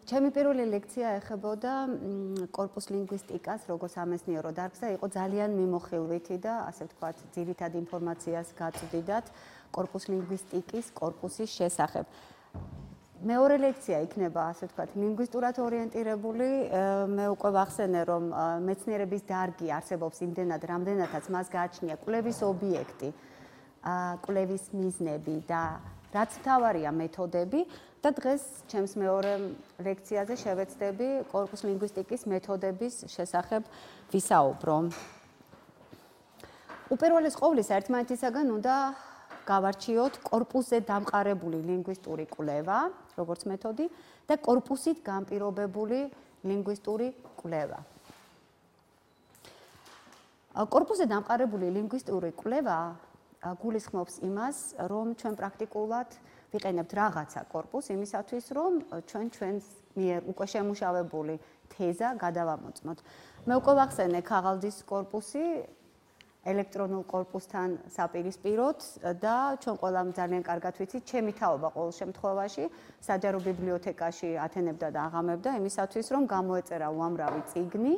ჩემი პირველი ლექცია ეხებოდა კორპუს ლინგვისტიკას, როგორც სამეცნიერო დარგს და იყო ძალიან მიმოხილვითი და ასე ვთქვათ, ძირითად ინფორმაციას გაწვდიდათ კორპუს ლინგვისტიკის კორპუსის შესახებ. მეორე ლექცია იქნება, ასე ვთქვათ, ლინგვისტურად ორიენტირებული. მე უკვე ვახსენე, რომ მეცნიერების დარგი არსებობს იმდენად, რამდენადაც მას გააჩნია კვლევის ობიექტი, კვლევის მიზნები და რაც მთავარია მეთოდები და დღეს ჩემს მეორე ლექციაზე შევეცდები კორპუს ლინგვისტიკის მეთოდების შესახებ ვისაუბრო. უპირველეს ყოვლისა ერთმანეთისაგან უნდა გავარჩიოთ კორპუსზე დამყარებული ლინგვისტური კვლევა, როგორც მეთოდი და კორპუსით განპირობებული ლინგვისტური კვლევა. კორპუსზე დამყარებული ლინგვისტური კვლევა გულისხმობს იმას, რომ ჩვენ პრაქტიკულად ვიყენებთ რაღაცა კორპუსს იმისათვის, რომ ჩვენ ჩვენს მიერ უკვე შემუშავებული თეზა გადავამოწმოთ. მე უკვე ვახსენე ქაღალდის კორპუსი ელექტრონულ კორპუსთან საპირისპიროდ და ჩვენ ყველამ ძალიან კარგად ვიცით, ჩემი თაობა ყოველ შემთხვევაში საჯარო ბიბლიოთეკაში ათენებდა და აღამებდა იმისათვის, რომ გამოეწერა უამრავი წიგნი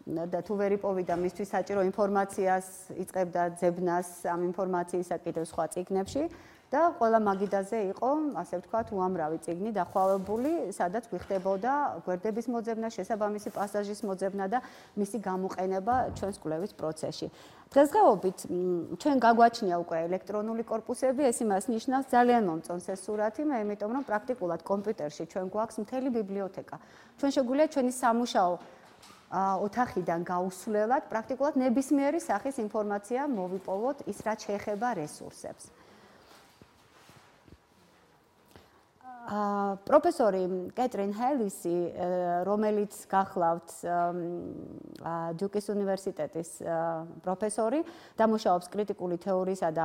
და თუ ვერ იპოვიდა მისთვის საჭირო ინფორმაციას იწყებდა ძებნას ამ ინფორმაციისა კიდევ სხვა წიგნებში და ყველა მაგიდაზე იყო, ასე ვთქვათ, უამრავი წიგნი დახვავებული, სადაც გვიხდებოდა გვერდების მოძებნა, შესაბამისი პასაჟის მოძებნა და მისი გამოყენება ჩვენს კვლევის პროცესში. დღესდღეობით ჩვენ გაგვაჩნია უკვე ელექტრონული კორპუსები, ეს იმას ნიშნავს, ძალიან მომწონს ეს სურათი, მე იმიტომ რომ პრაქტიკულად კომპიუტერში ჩვენ გვაქვს მთელი ბიბლიოთეკა. ჩვენ შეგვიძლია ჩვენი სამუშაო ოთახიდან გაუსვლელად პრაქტიკულად ნებისმიერი სახის ინფორმაცია მოვიპოვოთ ის რაც შეეხება რესურსებს. პროფესორი კეტრინ ჰელისი, რომელიც გახლავთ დიუკის უნივერსიტეტის პროფესორი, დამუშავებს კრიტიკული თეორიისა და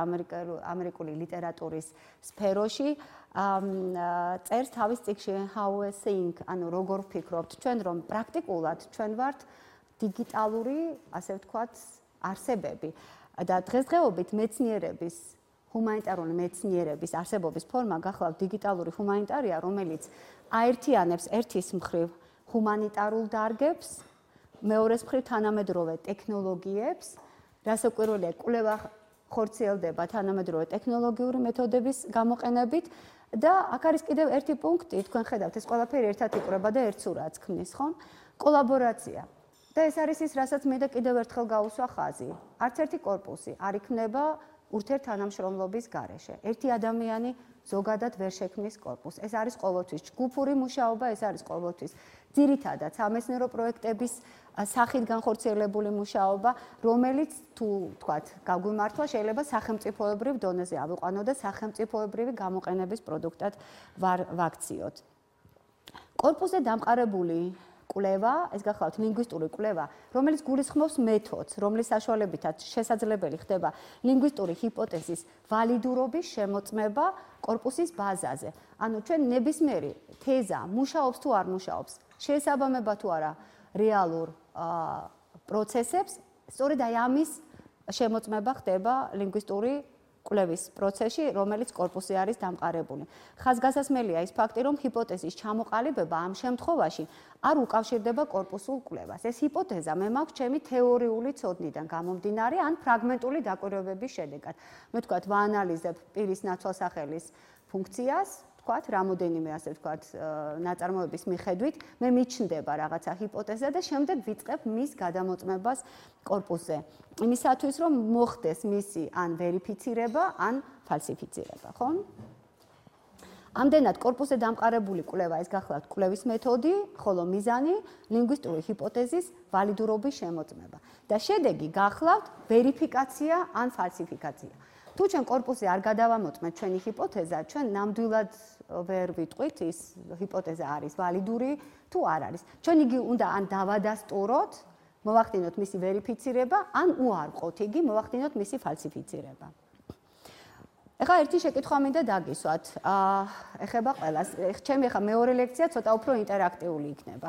ამერიკული ლიტერატურის სფეროში, წერს თავის წიგნში How we think, ანუ როგორ ვფიქრობთ ჩვენ, რომ პრაქტიკულად ჩვენ ვართ დიგიტალური, ასე ვთქვათ, არსებები და დღესდღეობით მეცნიერების ჰუმანიტარული მეცნიერების არსებობის ფორმა გახლავთ დიგიტალური ჰუმანიტარია, რომელიც აერთიანებს ერთის მხრივ ჰუმანიტარულ დარგებს, მეორეს მხრივ თანამედროვე ტექნოლოგიებს, რასაკვირველია, კვლევა ხორციელდება თანამედროვე ტექნოლოგიური მეთოდების გამოყენებით და აქ არის კიდევ ერთი პუნქტი, თქვენ ხედავთ, ეს ყველაფერი ერთად იკვრება და ერთ სურათს ქმნის, ხომ? კოლაბორაცია. და ეს არის ის, რასაც მე და კიდევ ერთხელ გავუსვა ხაზი. არც ერთი კორპუსი არ იქნება ურთიერთთანამშრომლობის გარეშე. ერთი ადამიანი ზოგადად ვერ შექმნის კორპუსს. ეს არის ყოველთვის ჯგუფური მუშაობა, ეს არის ყოველთვის ძირითადად სამეცნიერო პროექტების სახით განხორციელებული მუშაობა, რომელიც თუ თქვათ, გაგვიმართლა, შეიძლება სახელმწიფოებრივ დონეზე ავიყვანო და სახელმწიფოებრივი გამოყენების პროდუქტად ვაქციოთ. კორპუსზე დამყარებული კვლევა, ეს გახლავთ ლინგვისტური კვლევა, რომელიც გულისხმობს მეთოდს, რომლის საშუალებითაც შესაძლებელი ხდება ლინგვისტური ჰიპოთეზის ვალიდურობის შემოწმება კორპუსის ბაზაზე. ანუ ჩვენ ნებისმიერი თეზა მუშაობს თუ არ მუშაობს, შეესაბამება თუ არა რეალურ პროცესებს, სწორედ აი ამის შემოწმება ხდება ლინგვისტური კვლევის პროცესში, რომელიც კორპუსზე არის დამყარებული. ხაზგასასმელია ის ფაქტი, რომ ჰიპოთეზის ჩამოყალიბება ამ შემთხვევაში არ უკავშირდება კორპუსულ კვლევას. ეს ჰიპოთეზა მე მაქვს ჩემი თეორიული ცოდნიდან გამომდინარე, ან ფრაგმენტული დაკვირვებების შედეგად. მე ვთქვათ, ვაანალიზებ პირის ნაცვალსახელის ფუნქციას, ვთქვათ, რამოდენიმე ასე ვთქვათ, ნაწარმოების მიხედვით, მე მიჩნდება რაღაცა ჰიპოთეზა და შემდეგ ვიწყებ მის გადამოწმებას კორპუსზე. იმისათვის, რომ მოხდეს მისი ან ვერიფიცირება, ან ფალსიფიცირება, ხო? ამდენად კორპუსზე დამყარებული კვლევა ეს გახლავთ კვლევის მეთოდი, ხოლო მიზანი ლინგვისტური ჰიპოთეზის ვალიდურობის შემოწმება. და შედეგი გახლავთ ვერიფიკაცია ან ფალსიფიკაცია. თუ ჩვენ კორპუსზე არ გადავამოწმეთ ჩვენი ჰიპოთეზა, ჩვენ ნამდვილად ვერ ვიტყვით ის ჰიპოთეზა არის ვალიდური თუ არ არის. ჩვენ იგი უნდა ან დავადასტუროთ, მოვახდინოთ მისი ვერიფიცირება, ან უარყოთ იგი, მოვახდინოთ მისი ფალსიფიცირება. ეხლა ერთი შეკითხვა მინდა დაგისვათ. ეხება ყველას. ჩემი ახლა მეორე ლექცია ცოტა უფრო ინტერაქტიული იქნება.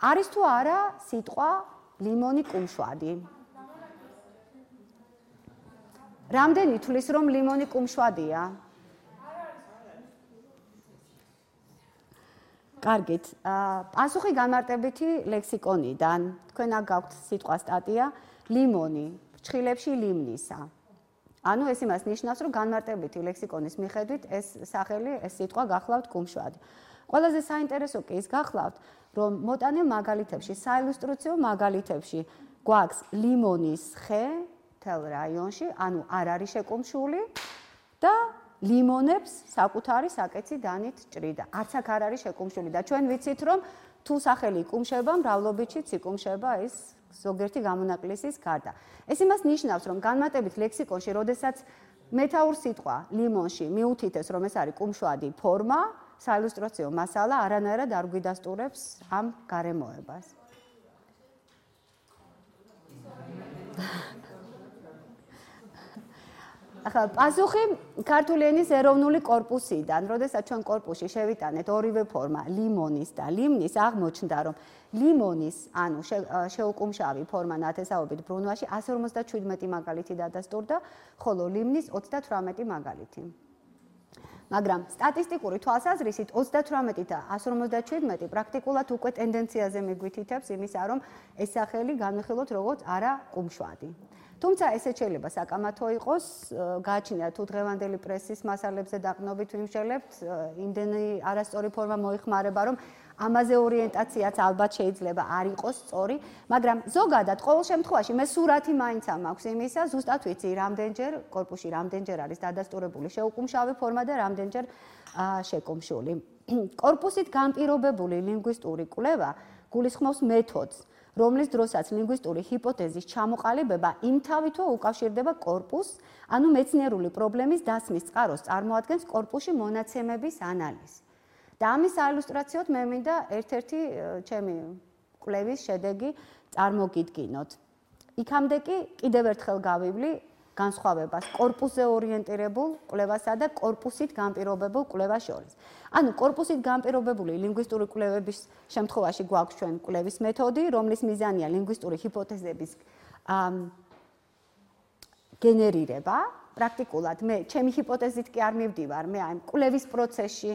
არის თუ არა სიტყვა ლიმონი კუმშვადი? რამდენი თulis რომ ლიმონი კუმშვადია? კარგით. პასუხი განმარტებითი ლექსიკონიდან. თქვენ აქ გაქვთ სიტყვა სტატია ლიმონი, ფრჩხილებში ლიმნისა. ანუ ეს იმას ნიშნავს, რომ განმარტებითი ლექსიკონის მიხედვით ეს სახელი, ეს სიტყვა გახლავთ კუმშვადი. ყველაზე საინტერესო კი ის გახლავთ, რომ მოტანილ მაგალითებში, საილუსტრაციო მაგალითებში გვაქვს ლიმონის ხე მთელ რაიონში, ანუ არ არის შეკუმშული და ლიმონებს საკუთარი საკეცი დანით ჭრიდა. არც აქ არ არის შეკუმშული და ჩვენ ვიცით, რომ თუ სახელი იკუმშება, მრავლობითშიც იკუმშება ის ზოგიერთი გამონაკლისის გარდა. ეს იმას ნიშნავს, რომ განმარტებით ლექსიკონში, როდესაც მეთაურ სიტყვა ლიმონში მიუთითეს, რომ ეს არის კუმშვადი ფორმა, საილუსტრაციო მასალა არანაირად არ გვიდასტურებს ამ გარემოებას. ახლა პასუხი ქართული ენის ეროვნული კორპუსიდან, როდესაც ჩვენ კორპუსში შევიტანეთ ორივე ფორმა ლიმონის და ლიმნის, აღმოჩნდა, რომ ლიმონის, ანუ შეუკუმშავი ფორმა ნათესაობით ბრუნვაში 157 მაგალითი დადასტურდა, ხოლო ლიმნის 38 მაგალითი. მაგრამ სტატისტიკური თვალსაზრისით 38 და 157 პრაქტიკულად უკვე ტენდენციაზე მიგვითითებს იმისა, რომ ეს სახელი განვიხილოთ როგორც არა კუმშვადი. თუმცა ესეც შეიძლება საკამათო იყოს, გააჩნია თუ დღევანდელი პრესის მასალებზე დაყრდნობით ვიმსჯელებთ, იმდენი არასწორი ფორმა მოიხმარება, რომ ამაზე ორიენტაციაც ალბათ შეიძლება არ იყოს სწორი, მაგრამ ზოგადად ყოველ შემთხვევაში მე სურათი მაინც მაქვს იმისა, ზუსტად ვიცი, რამდენჯერ კორპუსში რამდენჯერ არის დადასტურებული შეუკუმშავი ფორმა და რამდენჯერ შეკუმშული. კორპუსით განპირობებული ლინგვისტური კვლევა გულისხმობს მეთოდს, რომლის დროსაც ლინგვისტური ჰიპოთეზის ჩამოყალიბება იმთავითო უკავშირდება კორპუსს, ანუ მეცნიერული პრობლემის დასმის წყაროს წარმოადგენს კორპუსში მონაცემების ანალიზი. და ამის საილუსტრაციოდ მე მინდა ერთ-ერთი ჩემი კვლევის შედეგი წარმოგიდგინოთ. იქამდე კი კიდევ ერთხელ გავივლი განსხვავებას კორპუსზე ორიენტირებულ კვლევასა და კორპუსით განპირობებულ კვლევას შორის. ანუ კორპუსით განპირობებული ლინგვისტური კვლევების შემთხვევაში გვაქვს ჩვენ კვლევის მეთოდი, რომლის მიზანია ლინგვისტური ჰიპოთეზების გენერირება. პრაქტიკულად მე ჩემი ჰიპოთეზით კი არ მივდივარ, მე ამ კვლევის პროცესში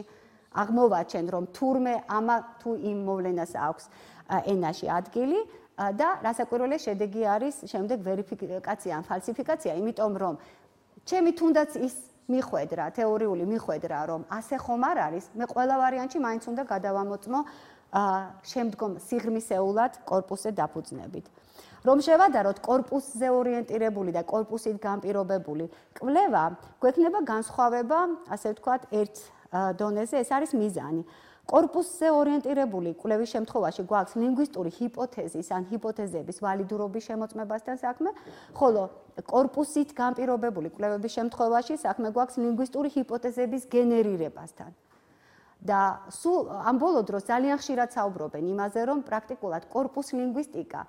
აღმოვაჩენ, რომ თურმე ამა თუ იმ მოვლენას აქვს ენაში ადგილი და რასაკვირველია შედეგი არის შემდეგ ვერიფიკაცია ან ფალსიფიკაცია, იმიტომ რომ ჩემი თუნდაც ის მიხვედრა, თეორიული მიხვედრა, რომ ასე ხომ არ არის, მე ყველა ვარიანტში მაინც უნდა გადავამოწმო შემდგომ სიღრმისეულად კორპუსზე დაფუძნებით. რომ შევადაროთ კორპუსზე ორიენტირებული და კორპუსით განპირობებული კვლევა, გვექნება განსხვავება, ასე ვთქვათ, ერთ დონეზე, ეს არის მიზანი. კორპუსზე ორიენტირებული კვლევის შემთხვევაში გვაქვს ლინგვისტური ჰიპოთეზის ან ჰიპოთეზების ვალიდურობის შემოწმებასთან საქმე, ხოლო კორპუსით განპირობებული კვლევების შემთხვევაში საქმე გვაქვს ლინგვისტური ჰიპოთეზების გენერირებასთან. და სულ ამ ბოლო დროს ძალიან ხშირად საუბრობენ იმაზე, რომ პრაქტიკულად კორპუს ლინგვისტიკა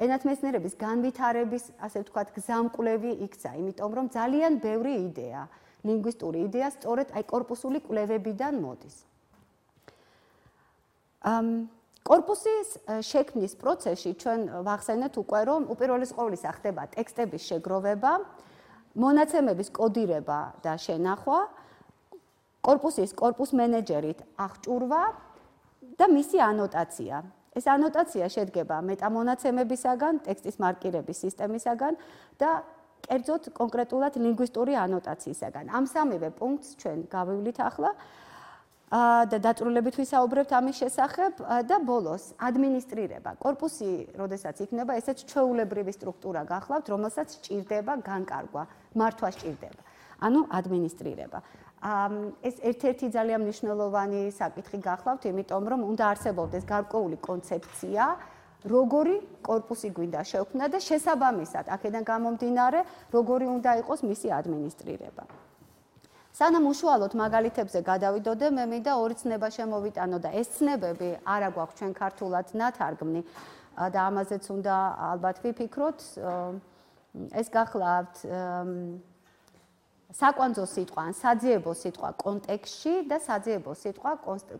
ენათმეცნიერების განვითარების, ასე ვთქვათ, გზამკვლევი იქცა, იმიტომ რომ ძალიან ბევრი იდეა, ლინგვისტური იდეა სწორედ აი კორპუსული კვლევებიდან მოდის. კორპუსის შექმნის პროცესში ჩვენ ვახსენეთ უკვე, რომ უპირველეს ყოვლისა ხდება ტექსტების შეგროვება, მონაცემების კოდირება და შენახვა, კორპუს მენეჯერით აღჭურვა და მისი ანოტაცია. ეს ანოტაცია შედგება მეტამონაცემებისაგან, ტექსტის მარკირების სისტემისაგან და კერძოდ კონკრეტულად ლინგვისტური ანოტაციისაგან. ამ სამივე პუნქტს ჩვენ გავივლით ახლა და დაწვრილებით ვისაუბრებთ ამის შესახებ და ბოლოს ადმინისტრირება. კორპუსი, როდესაც იქნება, ესეც ჩვეულებრივი სტრუქტურა გახლავთ, რომელსაც სჭირდება განკარგვა, მართვა სჭირდება. ანუ ადმინისტრირება. ეს ერთ-ერთი ძალიან მნიშვნელოვანი საკითხი გახლავთ, იმიტომ რომ უნდა არსებობდეს გარკვეული კონცეფცია, როგორი კორპუსი გვინდა შევქმნა და შესაბამისად, აქედან გამომდინარე, როგორი უნდა იყოს მისი ადმინისტრირება. სანამ უშუალოდ მაგალითებზე გადავიდოდე, მე მინდა ორი ცნება შემოვიტანო და ეს ცნებები არა გვაქვს ჩვენ ქართულად ნათარგმნი და ამაზეც უნდა ალბათ ვიფიქროთ. ეს გახლავთ საკვანძო სიტყვა ან საძიებო სიტყვა კონტექსტში და საძიებო სიტყვა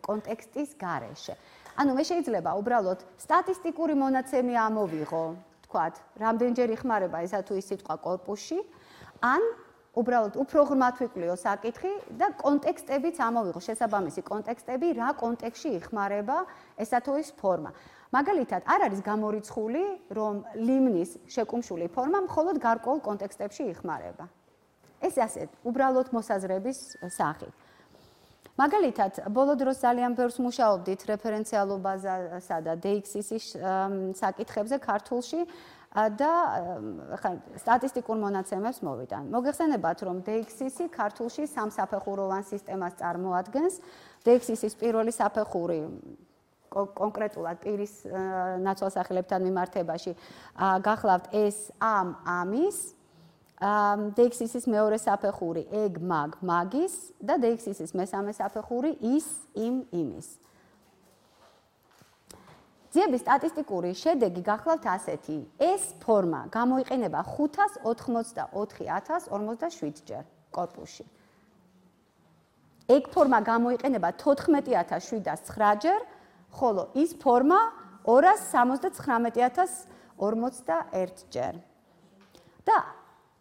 კონტექსტის გარეშე. ანუ მე შეიძლება უბრალოდ სტატისტიკური მონაცემი ამოვიღო, თქვათ, რამდენჯერ იხმარება ესა თუ ის სიტყვა კორპუსში, ან უბრალოდ უფრო ღრმად ვიკვლიო საკითხი და კონტექსტებიც ამოვიღო, შესაბამისი კონტექსტები, რა კონტექსტში იხმარება ესა თუ ის ფორმა. მაგალითად, არ არის გამორიცხული, რომ ლიმნის შეკუმშული ფორმა მხოლოდ გარკვეულ კონტექსტებში იხმარება. ეს ასე, უბრალოდ მოსაზრების სახით. მაგალითად, ბოლო დროს ძალიან ბევრს მუშაობდით რეფერენციალობასა და DXIS-ის საკითხებზე ქართულში და სტატისტიკურ მონაცემებს მოვიტან. მოგეხსენებათ, რომ DXIS-ი ქართულში სამსაფეხუროვან სისტემას წარმოადგენს. DXIS-ის პირველი საფეხური კონკრეტულად პირის ნაცვალსახელებთან მიმართებაში გახლავთ ეს ამის DXIS-ის მეორე საფეხური ეგ მაგის და DXIS-ის მესამე საფეხური იმის. ძიების სტატისტიკური შედეგი გახლავთ ასეთი. ეს ფორმა გამოიყენება 584,047 ჯერ კორპუსში. ეგ ფორმა გამოიყენება 14,709 ჯერ, ხოლო ის ფორმა 279,041 ჯერ. და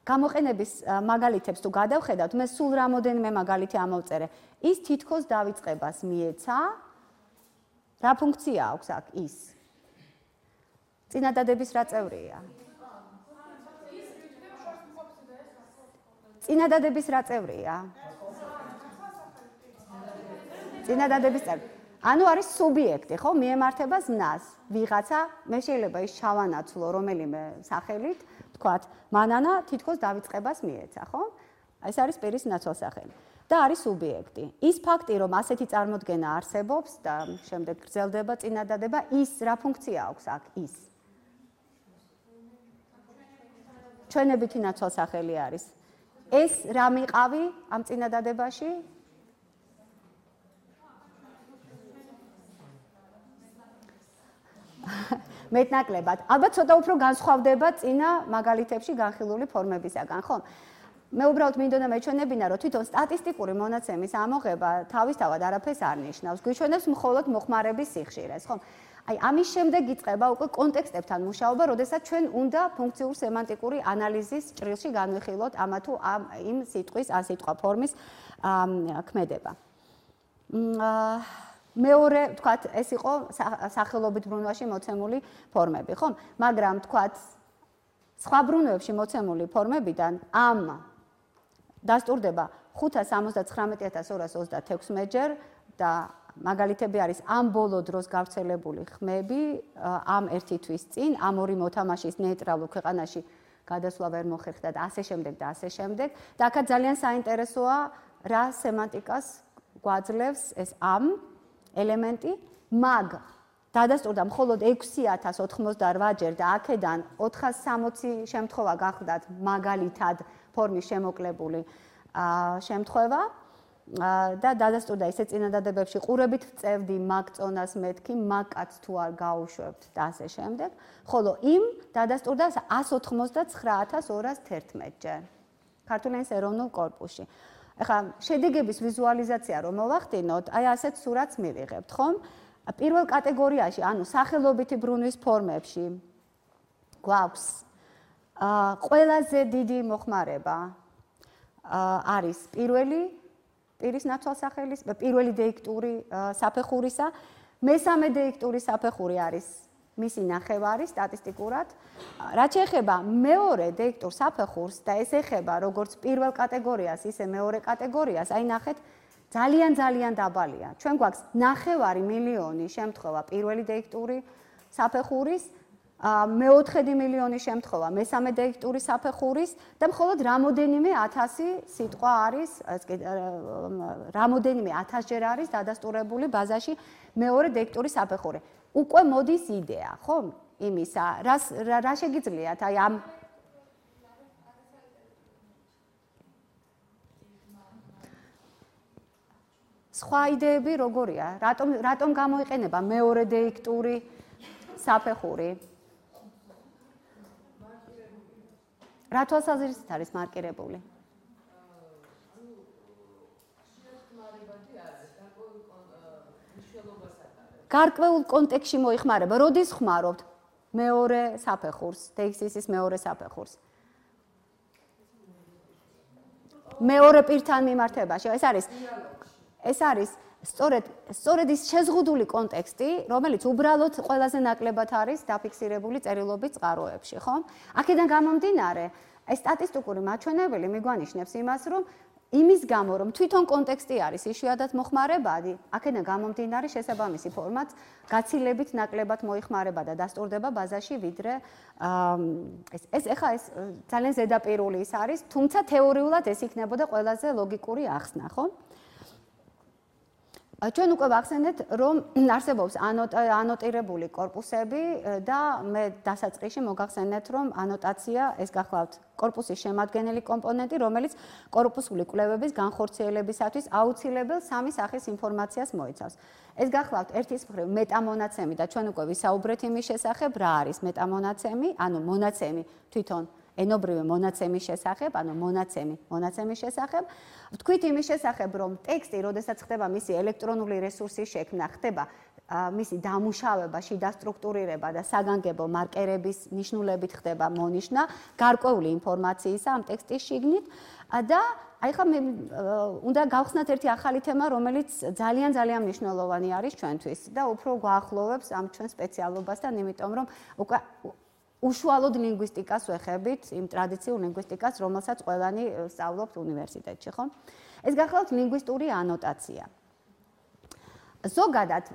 გამოყენების მაგალითებს თუ გადავხედავთ, მე სულ რამოდენიმე მაგალითი ამოვწერე. ის თითქოს დავიწყებას მიეცა. რა ფუნქცია აქვს აქ ის? წინადადების რა წევრია? წინადადების რა წევრია? წინადადების წევრი. ანუ არის სუბიექტი, ხო? მიემართება ზნას. ვიღაცა, მე შეიძლება ის ჩავანაცვლო რომელიმე სახელით, თქვათ, მანანა თითქოს დავიწყებას მიეცა, ხო? ეს არის პირის ნაცვალსახელი. და არის სუბიექტი. ის ფაქტი, რომ ასეთი წარმოდგენა არსებობს და შემდეგ გრძელდება წინადადება, ის რა ფუნქცია აქვს აქ ის? ჩვენებითი ნაცვალსახელი არის. ეს რა მიყავი ამ წინადადებაში? მეტნაკლებად. ალბათ ცოტა უფრო განსხვავდება წინა მაგალითებში განხილული ფორმებისაგან, ხო? მე უბრალოდ მინდოდა მეჩვენებინა, რომ თვითონ სტატისტიკური მონაცემის ამოღება თავისთავად არაფერს არ ნიშნავს. გვიჩვენებს მხოლოდ მოხმარების სიხშირეს, ხო? აი, ამის შემდეგ იწყება უკვე კონტექსტებთან მუშაობა, როდესაც ჩვენ უნდა ფუნქციურ სემანტიკური ანალიზის ჭრილში განვიხილოთ ამა თუ იმ სიტყვის ან სიტყვა ფორმის ქმედება. მეორე, თქვათ, ეს იყო სახელობით ბრუნვაში მოცემული ფორმები, ხო? მაგრამ, თქვათ, სხვა ბრუნვებში მოცემული ფორმებიდან ამ დასტურდება 579,226 ჯერ და მაგალითები არის ამ ბოლო დროს გავრცელებული ხმები ამ ერთი თვის წინ, ამ ორი მოთამაშის ნეიტრალურ ქვეყანაში გადასვლა ვერ მოხერხდა და ასე შემდეგ და ასე შემდეგ. და აქაც ძალიან საინტერესოა, რა სემანტიკას გვაძლევს ეს ამ ელემენტი, მაგ დადასტურდა მხოლოდ 6,088 ჯერ და აქედან 460 შემთხვევა გახლდათ მაგალითად ფორმის შემოკლებული შემთხვევა და დადასტურდა ისე წინადადებებში ყურებით წევდი მაგწონას მეთქი, მაგკაც თუ არ გაუშვებთ და ასე შემდეგ, ხოლო იმ დადასტურდა 189,211 ჯერ ქართული ენის ეროვნულ კორპუსში. ეხლა შედეგების ვიზუალიზაცია რომ მოვახდინოთ, აი ასეთ სურათს მივიღებთ, ხომ? პირველ კატეგორიაში, ანუ სახელობითი ბრუნვის ფორმებში გვაქვს ყველაზე დიდი მოხმარება არის პირველი პირის ნაცვალსახელის, პირველი დეიქტური საფეხურისა, მესამე დეიქტური საფეხური არის მისი ნახევარი სტატისტიკურად. რაც შეეხება მეორე დეიქტურ საფეხურს და ეს ეხება როგორც პირველ კატეგორიას, ისე მეორე კატეგორიას, აი ნახეთ, ძალიან დაბალია. ჩვენ გვაქვს 900,000 შემთხვევა პირველი დეიქტური საფეხურის, მეოთხედი მილიონი შემთხვევა მესამე დეიქტური საფეხურის და მხოლოდ რამოდენიმე 1000 სიტყვა არის, რამოდენიმე 1000 ჯერ არის დადასტურებული ბაზაში მეორე დეიქტური საფეხური. უკვე მოდის იდეა, ხო? იმისა, რა შეგიძლიათ აი ამ სხვა იდეები როგორია? რატომ გამოიყენება მეორე დეიქტური საფეხური? რა თვალსაზრისით არის მარკირებული? გარკვეულ კონტექსტში მოიხმარება. როდის ხმარობთ მეორე საფეხურს, DXIS-ის მეორე საფეხურს? მეორე პირთან მიმართებაში. ეს არის სწორედ ის შეზღუდული კონტექსტი, რომელიც უბრალოდ ყველაზე ნაკლებად არის დაფიქსირებული წერილობის წყაროებში, ხო? აქედან გამომდინარე, ეს სტატისტიკური მაჩვენებელი მიგვანიშნებს იმას, რომ იმის გამო, რომ თვითონ კონტექსტი არის იშვიათად მოხმარებადი, აქედან გამომდინარე შესაბამისი ფორმაც გაცილებით ნაკლებად მოიხმარება და დასტურდება ბაზაში, ვიდრე ეს ძალიან ზედაპირული ის არის, თუმცა თეორიულად ეს იქნებოდა ყველაზე ლოგიკური ახსნა, ხო? ჩვენ უკვე ვახსენეთ, რომ არსებობს ანოტირებული კორპუსები და მე დასაწყისში მოგახსენეთ, რომ ანოტაცია ეს გახლავთ კორპუსის შემადგენელი კომპონენტი, რომელიც კორპუსული კვლევების განხორციელებისათვის აუცილებელ სამი სახის ინფორმაციას მოიცავს. ეს გახლავთ ერთის მხრივ მეტამონაცემი და ჩვენ უკვე ვისაუბრეთ იმის შესახებ, რა არის მეტამონაცემი, ანუ მონაცემი თვითონ ენობრივი მონაცემის შესახებ, ანუ მონაცემის შესახებ. ვთქვით იმის შესახებ, რომ ტექსტი, როდესაც ხდება მისი ელექტრონული რესურსის შექმნა, ხდება მისი დამუშავება, შიდა სტრუქტურირება და საგანგებო მარკერების ნიშნულებით ხდება მონიშნა გარკვეული ინფორმაციისა ამ ტექსტის შიგნით და აი ხა მე უნდა გავხსნათ ერთი ახალი თემა, რომელიც ძალიან მნიშვნელოვანი არის ჩვენთვის და უფრო გვაახლოვებს ამ ჩვენ სპეციალობასთან, იმიტომ რომ უკვე უშუალოდ ლინგვისტიკას ვეხებით, იმ ტრადიციულ ლინგვისტიკას, რომელსაც ყველანი სწავლობთ უნივერსიტეტში, ხო? ეს გახლავთ ლინგვისტური ანოტაცია. ზოგადად,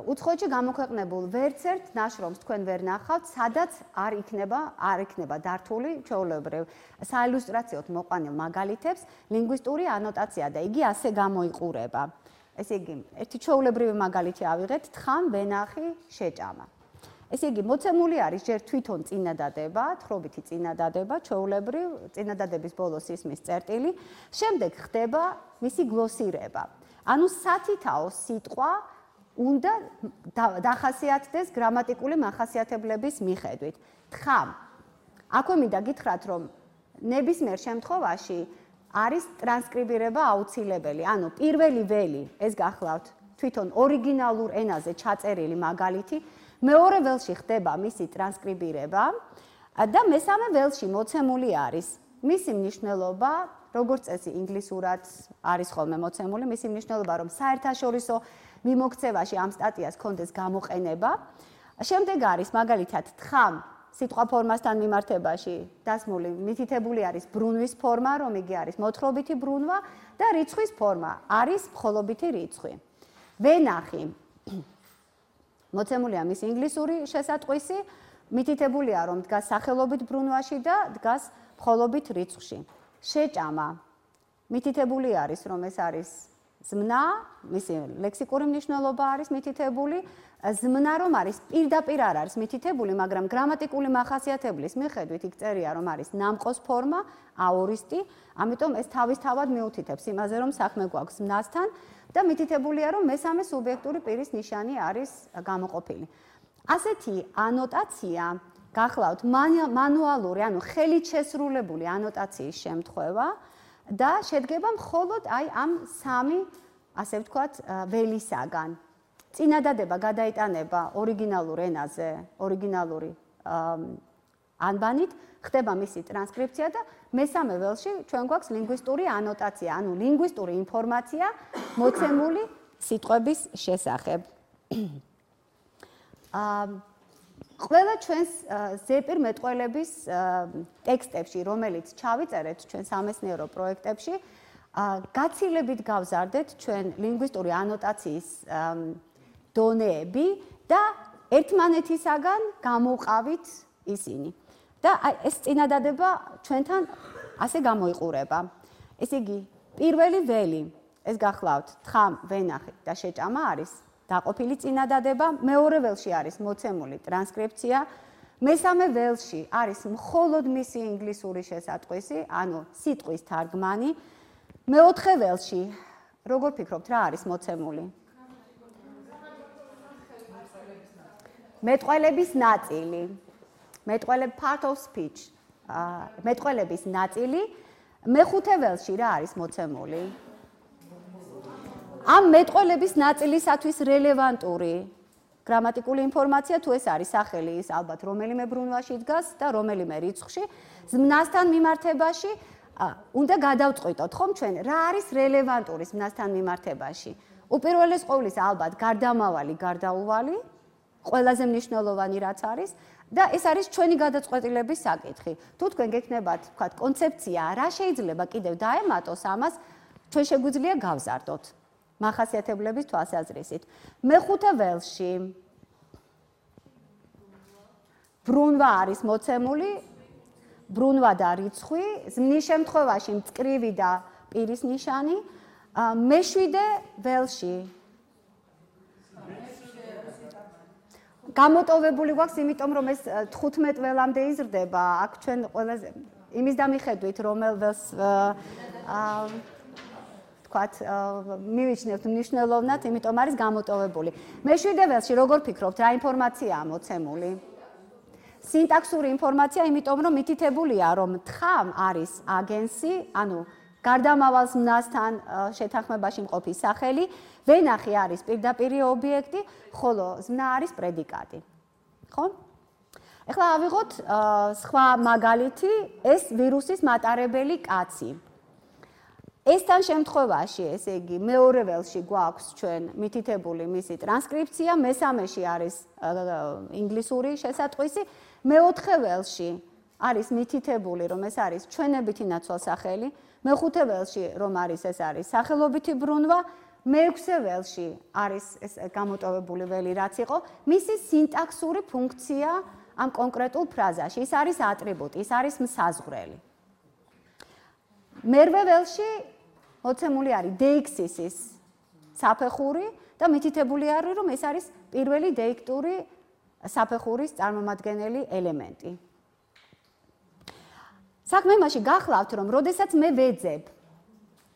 უცხოეთში გამოქვეყნებულ ვერცერთ ნაშრომს თქვენ ვერ ნახავთ, სადაც არ იქნება დართული ჩვეულებრივ საილუსტრაციოდ მოყვანილ მაგალითებს ლინგვისტური ანოტაცია და იგი ასე გამოიყურება. ესე იგი, ერთი ჩვეულებრივი მაგალითი ავიღეთ, თხამ, ვენახი, შეჭამა. ესე იგი, მოცემული არის ჯერ თვითონ წინადადება, თხრობითი წინადადება, ჩვეულებრივ წინადადების ბოლოს ისმის წერტილი, შემდეგ ხდება მისი გლოსირება. ანუ სათითაო სიტყვა უნდა დახასიათდეს გრამატიკული მახასიათებლების მიხედვით. თხამ. აქვე მინდა გითხრათ, რომ ნებისმიერ შემთხვევაში არის ტრანსკრიბირება აუცილებელი. ანუ პირველი ველი, ეს გახლავთ თვითონ ორიგინალურ ენაზე ჩაწერილი მაგალითი, მეორე ველში ხდება მისი ტრანსკრიბირება და მესამე ველში მოცემული არის მისი მნიშვნელობა, როგორც წესი ინგლისურად არის ხოლმე მოცემული, მისი მნიშვნელობა, რომ საერთაშორისო მიმოქცევაში ამ სტატიას კონდეს გამოყენება. შემდეგ არის მაგალითად თხამ სიტყვა ფორმასთან მიმართებაში დასმული, მითითებული არის ბრუნვის ფორმა, რომ იგი არის მოთხრობითი ბრუნვა და რიცხვის ფორმა არის მხოლობითი რიცხვი. ვენახი მოცემულია მის ინგლისური შესატყვისი, მითითებულია, რომ დგას სახელობით ბრუნვაში და დგას მხოლობით რიცხვში. შეჭამა მითითებული არის, რომ ეს არის ზმნა, მისი ლექსიკური მნიშვნელობა არის მითითებული, ზმნა რომ არის პირდაპირ არ არის მითითებული, მაგრამ გრამატიკული მახასიათებლის მიხედვით იქ წერია, რომ არის ნამყოს ფორმა, აორისტი, ამიტომ ეს თავისთავად მიუთითებს იმაზე, რომ საქმე გვაქვს ზმნასთან და მითითებულია, რომ მესამე სუბიექტური პირის ნიშანი არის გამოყოფილი. ასეთი ანოტაცია გახლავთ მანუალური, ანუ ხელით შესრულებული ანოტაციის შემთხვევა და შედგება მხოლოდ აი ამ სამი, ასე ვთქვათ, ველისაგან. წინადადება გადაიტანება ორიგინალურ ენაზე, ორიგინალური ანბანით, ხდება მისი ტრანსკრიფცია და მესამე ველში ჩვენ გვაქვს ლინგვისტური ანოტაცია, ანუ ლინგვისტური ინფორმაცია მოცემული სიტყვების შესახებ. ყველა ჩვენს ზეპირ მეტყველების ტექსტებში, რომელიც ჩავიწერეთ ჩვენ სამეცნიერო პროექტებში, გაცილებით გავზარდეთ ჩვენ ლინგვისტური ანოტაციის დონეები და ერთმანეთისაგან გამოვყავით ისინი. და ეს წინადადება ჩვენთან ასე გამოიყურება. ესე იგი, პირველი ველი, ეს გახლავთ, თხამ, ვენახი და შეჭამა არის დაყოფილი წინადადება, მეორე ველში არის მოცემული ტრანსკრიფცია, მესამე ველში არის მხოლოდ მისი ინგლისური შესატყვისი, ანუ სიტყვის თარგმანი, მეოთხე ველში, როგორ ფიქრობთ, რა არის მოცემული? მეტყველების ნაწილი. part of speech. მეტყველების ნაწილი, მეხუთე ველში რა არის მოცემული? ამ მეტყველების ნაწილისათვის რელევანტური გრამატიკული ინფორმაცია თუ ეს არის სახელი, ის ალბათ რომელიმე ბრუნვაში დგას და რომელიმე რიცხვში, ზმნასთან მიმართებაში უნდა გადავწყვიტოთ, ხომ ჩვენ, რა არის რელევანტური ზმნასთან მიმართებაში. უპირველეს ყოვლისა, ალბათ, გარდამავალი, გარდაუვალი, ყველაზე მნიშვნელოვანი რაც არის და ეს არის ჩვენი გადაწყვეტილების საკითხი. თუ თქვენ გექნებათ, ვთქვათ, კონცეფცია, რა შეიძლება კიდევ დაემატოს ამას, ჩვენ შეგვიძლია გავზარდოთ მახასიათებლების თვალსაზრისით. მეხუთე ველში ბრუნვა არის მოცემული, ბრუნვა და რიცხვი, ზმნის შემთხვევაში მწკრივი და პირის ნიშანი, მეშვიდე ველში გამოტოვებული გვაქვს, იმიტომ რომ ეს 15 ველამდე იზრდება, აქ ჩვენ ყველაზე იმის დამიხედვით, რომელ ველს თქვათ, მივიჩნევთ მნიშვნელოვნად, იმიტომ არის გამოტოვებული. მეშვიდე ველში როგორ ფიქრობთ, რა ინფორმაციაა მოცემული? სინტაქსური ინფორმაცია, იმიტომ რომ მითითებულია, რომ თხამ არის აგენსი, ანუ გარდამავალ ზმნასთან შეთანხმებაში მყოფი სახელი, ვენახი არის პირდაპირი ობიექტი, ხოლო ზმნა არის პრედიკატი. ხო? ეხლა ავიღოთ სხვა მაგალითი, ეს ვირუსის მატარებელი კაცი. ესთან შემთხვევაში, ესე იგი, მეორე ველში გვაქვს ჩვენ მითითებული მისი ტრანსკრიფცია, მესამეში არის ინგლისური შესატყვისი, მეოთხე ველში არის მითითებული, რომ ეს არის ჩვენებითი ნაცვალსახელი, მეხუთე ველში რომ არის ეს არის სახელობითი ბრუნვა, მეექვსე ველში არის ეს გამოტოვებული ველი რაც იყო, მისი სინტაქსური ფუნქცია ამ კონკრეტულ ფრაზაში, ის არის ატრიბუტი, ის არის მსაზღვრელი. მერვე ველში მოცემული არის დეიქსისის საფეხური და მითითებული არის, რომ ეს არის პირველი დეიქტური საფეხურის წარმომადგენელი ელემენტი. საქმე იმაში გახლავთ, რომ როდესაც მე ვეძებ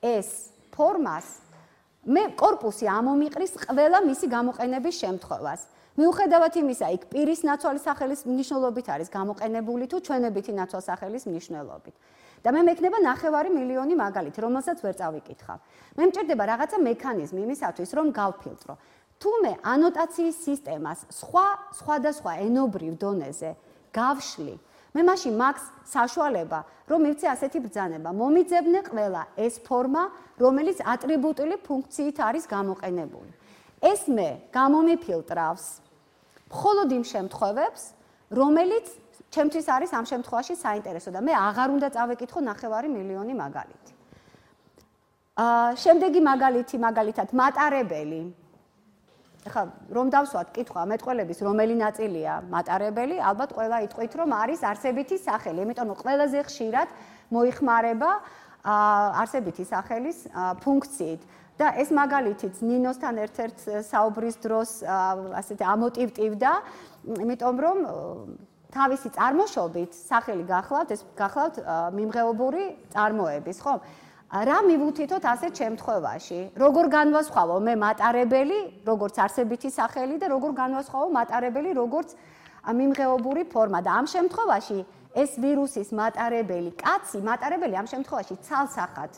ეს ფორმას, მე კორპუსი ამომიყრის ყველა მისი გამოყენების შემთხვევას. მიუხედავად იმისა, იქ პირის ნაცვალი სახელის მნიშვნელობით არის გამოყენებული თუ ჩვენებითი ნაცვალსახელის მნიშვნელობით. და მე მექნება 9 მილიონი მაგალითი, რომელსაც ვერ წავიკითხავ. მე მჭირდება რაღაცა მექანიზმი იმისათვის, რომ გავფილტრო. თუ მე ანოტაციის სისტემას სხვადასხვა ენობრივ დონეზე გავშლი, მე მაშინ მაქვს საშუალება, რომ მივცე ასეთი ბრძანება. მომიძებნე ყველა ეს ფორმა, რომელიც ატრიბუტული ფუნქციით არის გამოყენებული. ეს მე გამომიფილტრავს მხოლოდ იმ შემთხვევებს, რომელიც ჩემთვის არის ამ შემთხვევაში საინტერესო და მე აღარ უნდა წავეკითხო 9 მილიონი მაგალითი. შემდეგი მაგალითი, მაგალითად მატარებელი. ეხლა რომ დავსვათ კითხვა მეტყველების რომელი ნაწილია მატარებელი, ალბათ ყველა იტყვით, რომ არის არსებითი სახელი, იმიტომ რომ ყველაზე ხშირად მოიხმარება არსებითი სახელის ფუნქციით. და ეს მაგალითიც ნინოსთან ერთ-ერთ საუბრის დროს ასეთი ამოტივტივდა, იმიტომ რომ თავისი წარმოშობით სახელი გახლავთ, ეს გახლავთ მიმღეობური წარმოების, ხო? რა მივუთითოთ ასეთ შემთხვევაში? როგორ განვასხვავო მე მატარებელი, როგორც არსებითი სახელი და როგორ განვასხვავო მატარებელი, როგორც მიმღეობური ფორმა და ამ შემთხვევაში ეს ვირუსის მატარებელი კაცი, მატარებელი ამ შემთხვევაში ცალსახად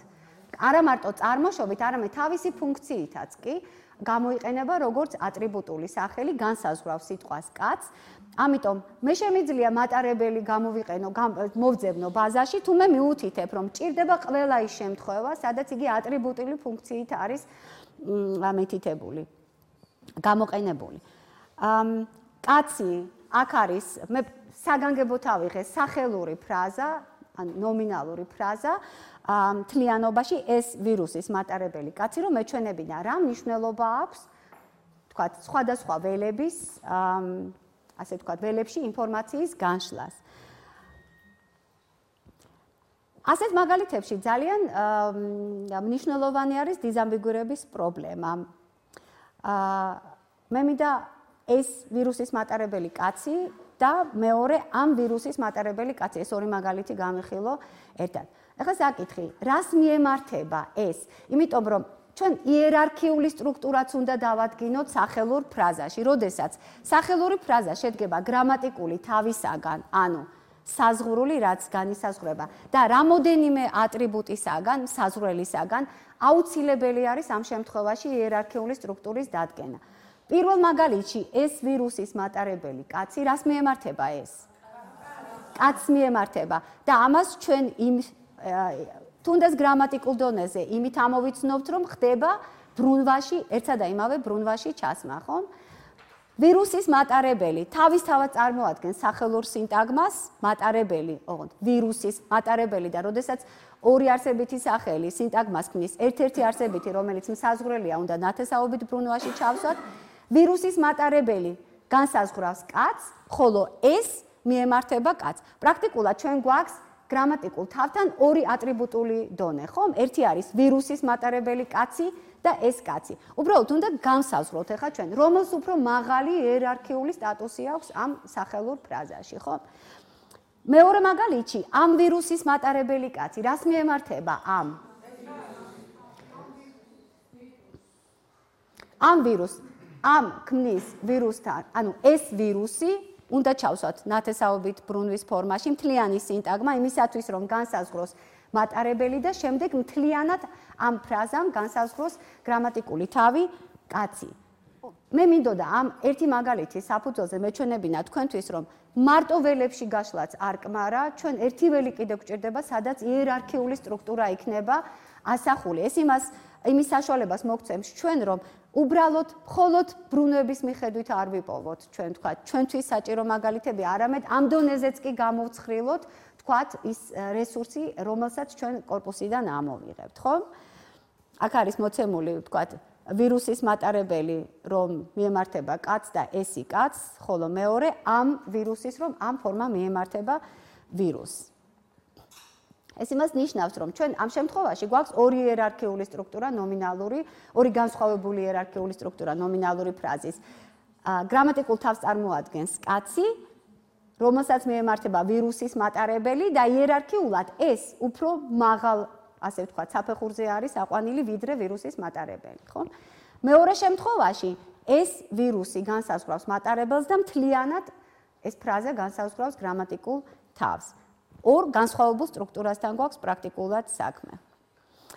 არა მარტო წარმოშობით, არამედ თავისი ფუნქციითაც კი გამოიყენება როგორც ატრიბუტული სახელი, განსაზღვრავს სიტყვას კაც. ამიტომ მე შემიძლია მატარებელი გამოვიყენო, მოვძებნო ბაზაში, თუ მე მიუთითებ, რომ ჭირდება ყველა ის შემთხვევა, სადაც იგი ატრიბუტული ფუნქციით არის მითითებული, გამოყენებული. კაცი აქ არის, მე საგანგებოდ ავიღე სახელური ფრაზა, ან ნომინალური ფრაზა, მთლიანობაში ეს ვირუსის მატარებელი კაცი, რომ მეჩვენებინა რა მნიშვნელობა აქვს, თქვათ, სხვადასხვა ველების, ასე თქვათ, ველებში ინფორმაციის განშლას. ასეთ მაგალითებში ძალიან მნიშვნელოვანი არის დიზამბიგურების პრობლემა. მე მინდა ეს ვირუსის მატარებელი კაცი და მეორე ამ ვირუსის მატარებელი კაცი, ეს ორი მაგალითი გამიხილო ერთად. ეხლა საკითხი, რას მიემართება ეს? იმიტომ რომ ჩვენ იერარქიული სტრუქტურაც უნდა დავადგინოთ სახელურ ფრაზაში, როდესაც სახელური ფრაზა შედგება გრამატიკული თავისაგან, ანუ საზღვრული, რაც განისაზღვრება და რამოდენიმე ატრიბუტისაგან, საზღვრელისაგან, აუცილებელი არის ამ შემთხვევაში იერარქიული სტრუქტურის დადგენა. პირველ მაგალითში ეს ვირუსის მატარებელი კაცი რას მიემართება ეს? კაცს მიემართება და ამას ჩვენ იმ თუნდაც გრამატიკულ დონეზე იმით ამოვიცნობთ, რომ ხდება ბრუნვაში, ერთსა და იმავე ბრუნვაში ჩასმა, ხო? ვირუსის მატარებელი თავისთავად წარმოადგენს სახელურ სინტაგმას, მატარებელი, ოღონდ ვირუსის მატარებელი და როდესაც ორი არსებითი სახელი სინტაგმას ქმნის, ერთ-ერთი არსებითი, რომელიც მსაზღვრელია, უნდა ნათესაობით ბრუნვაში ჩავსვათ, ვირუსის მატარებელი განსაზღვრავს კაცს, ხოლო ეს მიემართება კაცს. პრაქტიკულად ჩვენ გვაქვს გრამატიკულ თავთან ორი ატრიბუტული დონე, ხომ? ერთი არის ვირუსის მატარებელი კაცი და ეს კაცი. უბრალოდ უნდა განსაზღვროთ ახლა ჩვენ, რომელს უფრო მაღალი იერარქიული სტატუსი აქვს ამ სახელურ ფრაზაში, ხო? მეორე მაგალითში, ამ ვირუსის მატარებელი კაცი რას მიემართება ამ ვირუსს, ამ ქმნის ვირუსთან, ანუ ეს ვირუსი უნდა ჩავსვათ ნათესაობით ბრუნვის ფორმაში მთლიანი სინტაგმა იმისათვის, რომ განსაზღვროს მატარებელი და შემდეგ მთლიანად ამ ფრაზამ განსაზღვროს გრამატიკული თავი კაცი. მე მინდოდა ამ ერთი მაგალითი საფუძველზე მეჩვენებინა თქვენთვის, რომ მარტო ველებში გაშლაც არ კმარა, ჩვენ ერთი ველი კიდევ გვჭირდება, სადაც იერარქიული სტრუქტურა იქნება ასახული. ეს იმის საშუალებას მოგცემს ჩვენ, რომ უბრალოდ მხოლოდ ბრუნვების მიხედვით არ ვიპოვოთ, ჩვენ თქვა, ჩვენთვის საჭირო მაგალითები, არამედ ამ დონეზეც კი გამოვცხრილოთ, თქვათ, ის რესურსი, რომელსაც ჩვენ კორპუსიდან ამოვიღებთ, ხო? აქ არის მოცემული, თქვათ, ვირუსის მატარებელი, რომ მიემართება კაცს და ესი კაცს, ხოლო მეორე ამ ვირუსის, რომ ამ ფორმა მიემართება ვირუსს. ეს იმას ნიშნავს, რომ ჩვენ ამ შემთხვევაში გვაქვს ორი იერარქიული სტრუქტურა, ნომინალური, ორი განსხვავებული იერარქიული სტრუქტურა ნომინალური ფრაზის. გრამატიკულ თავს წარმოადგენს კაცი, რომელსაც მიემართება ვირუსის მატარებელი და იერარქიულად ეს უფრო მაღალ, ასე ვთქვათ, საფეხურზე არის აყვანილი ვიდრე ვირუსის მატარებელი, ხო? მეორე შემთხვევაში ეს ვირუსი განსაზღვრავს მატარებელს და მთლიანად ეს ფრაზა განსაზღვრავს გრამატიკულ თავს. ორ განსხვავებულ სტრუქტურასთან გვაქვს პრაქტიკულად საქმე.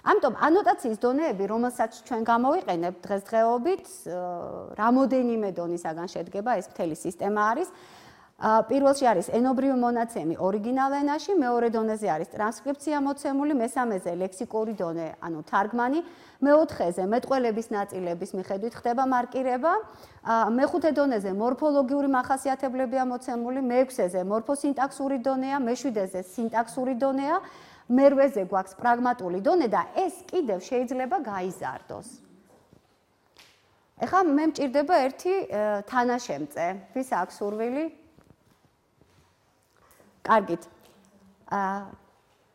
ამიტომ ანოტაციის დონეები, რომელსაც ჩვენ გამოვიყენებთ დღესდღეობით, რამოდენიმე დონისაგან შედგება, ეს მთელი სისტემა არის. პირველში არის ენობრივი მონაცემი ორიგინალ ენაში, მეორე დონეზე არის ტრანსკრიფცია მოცემული, მესამეზე ლექსიკური დონე, ანუ თარგმანი, მეოთხეზე მეტყველების ნაწილების მიხედვით ხდება მარკირება, მეხუთე დონეზე მორფოლოგიური მახასიათებლებია მოცემული, მეექვსეზე მორფოსინტაქსური დონეა, მეშვიდეზე სინტაქსური დონეა, მერვეზე გვაქვს პრაგმატული დონე და ეს კიდევ შეიძლება გაიზარდოს. ეხლა მე მჭირდება ერთი თანაშემწე, ვის აქვს სურვილი? კარგით.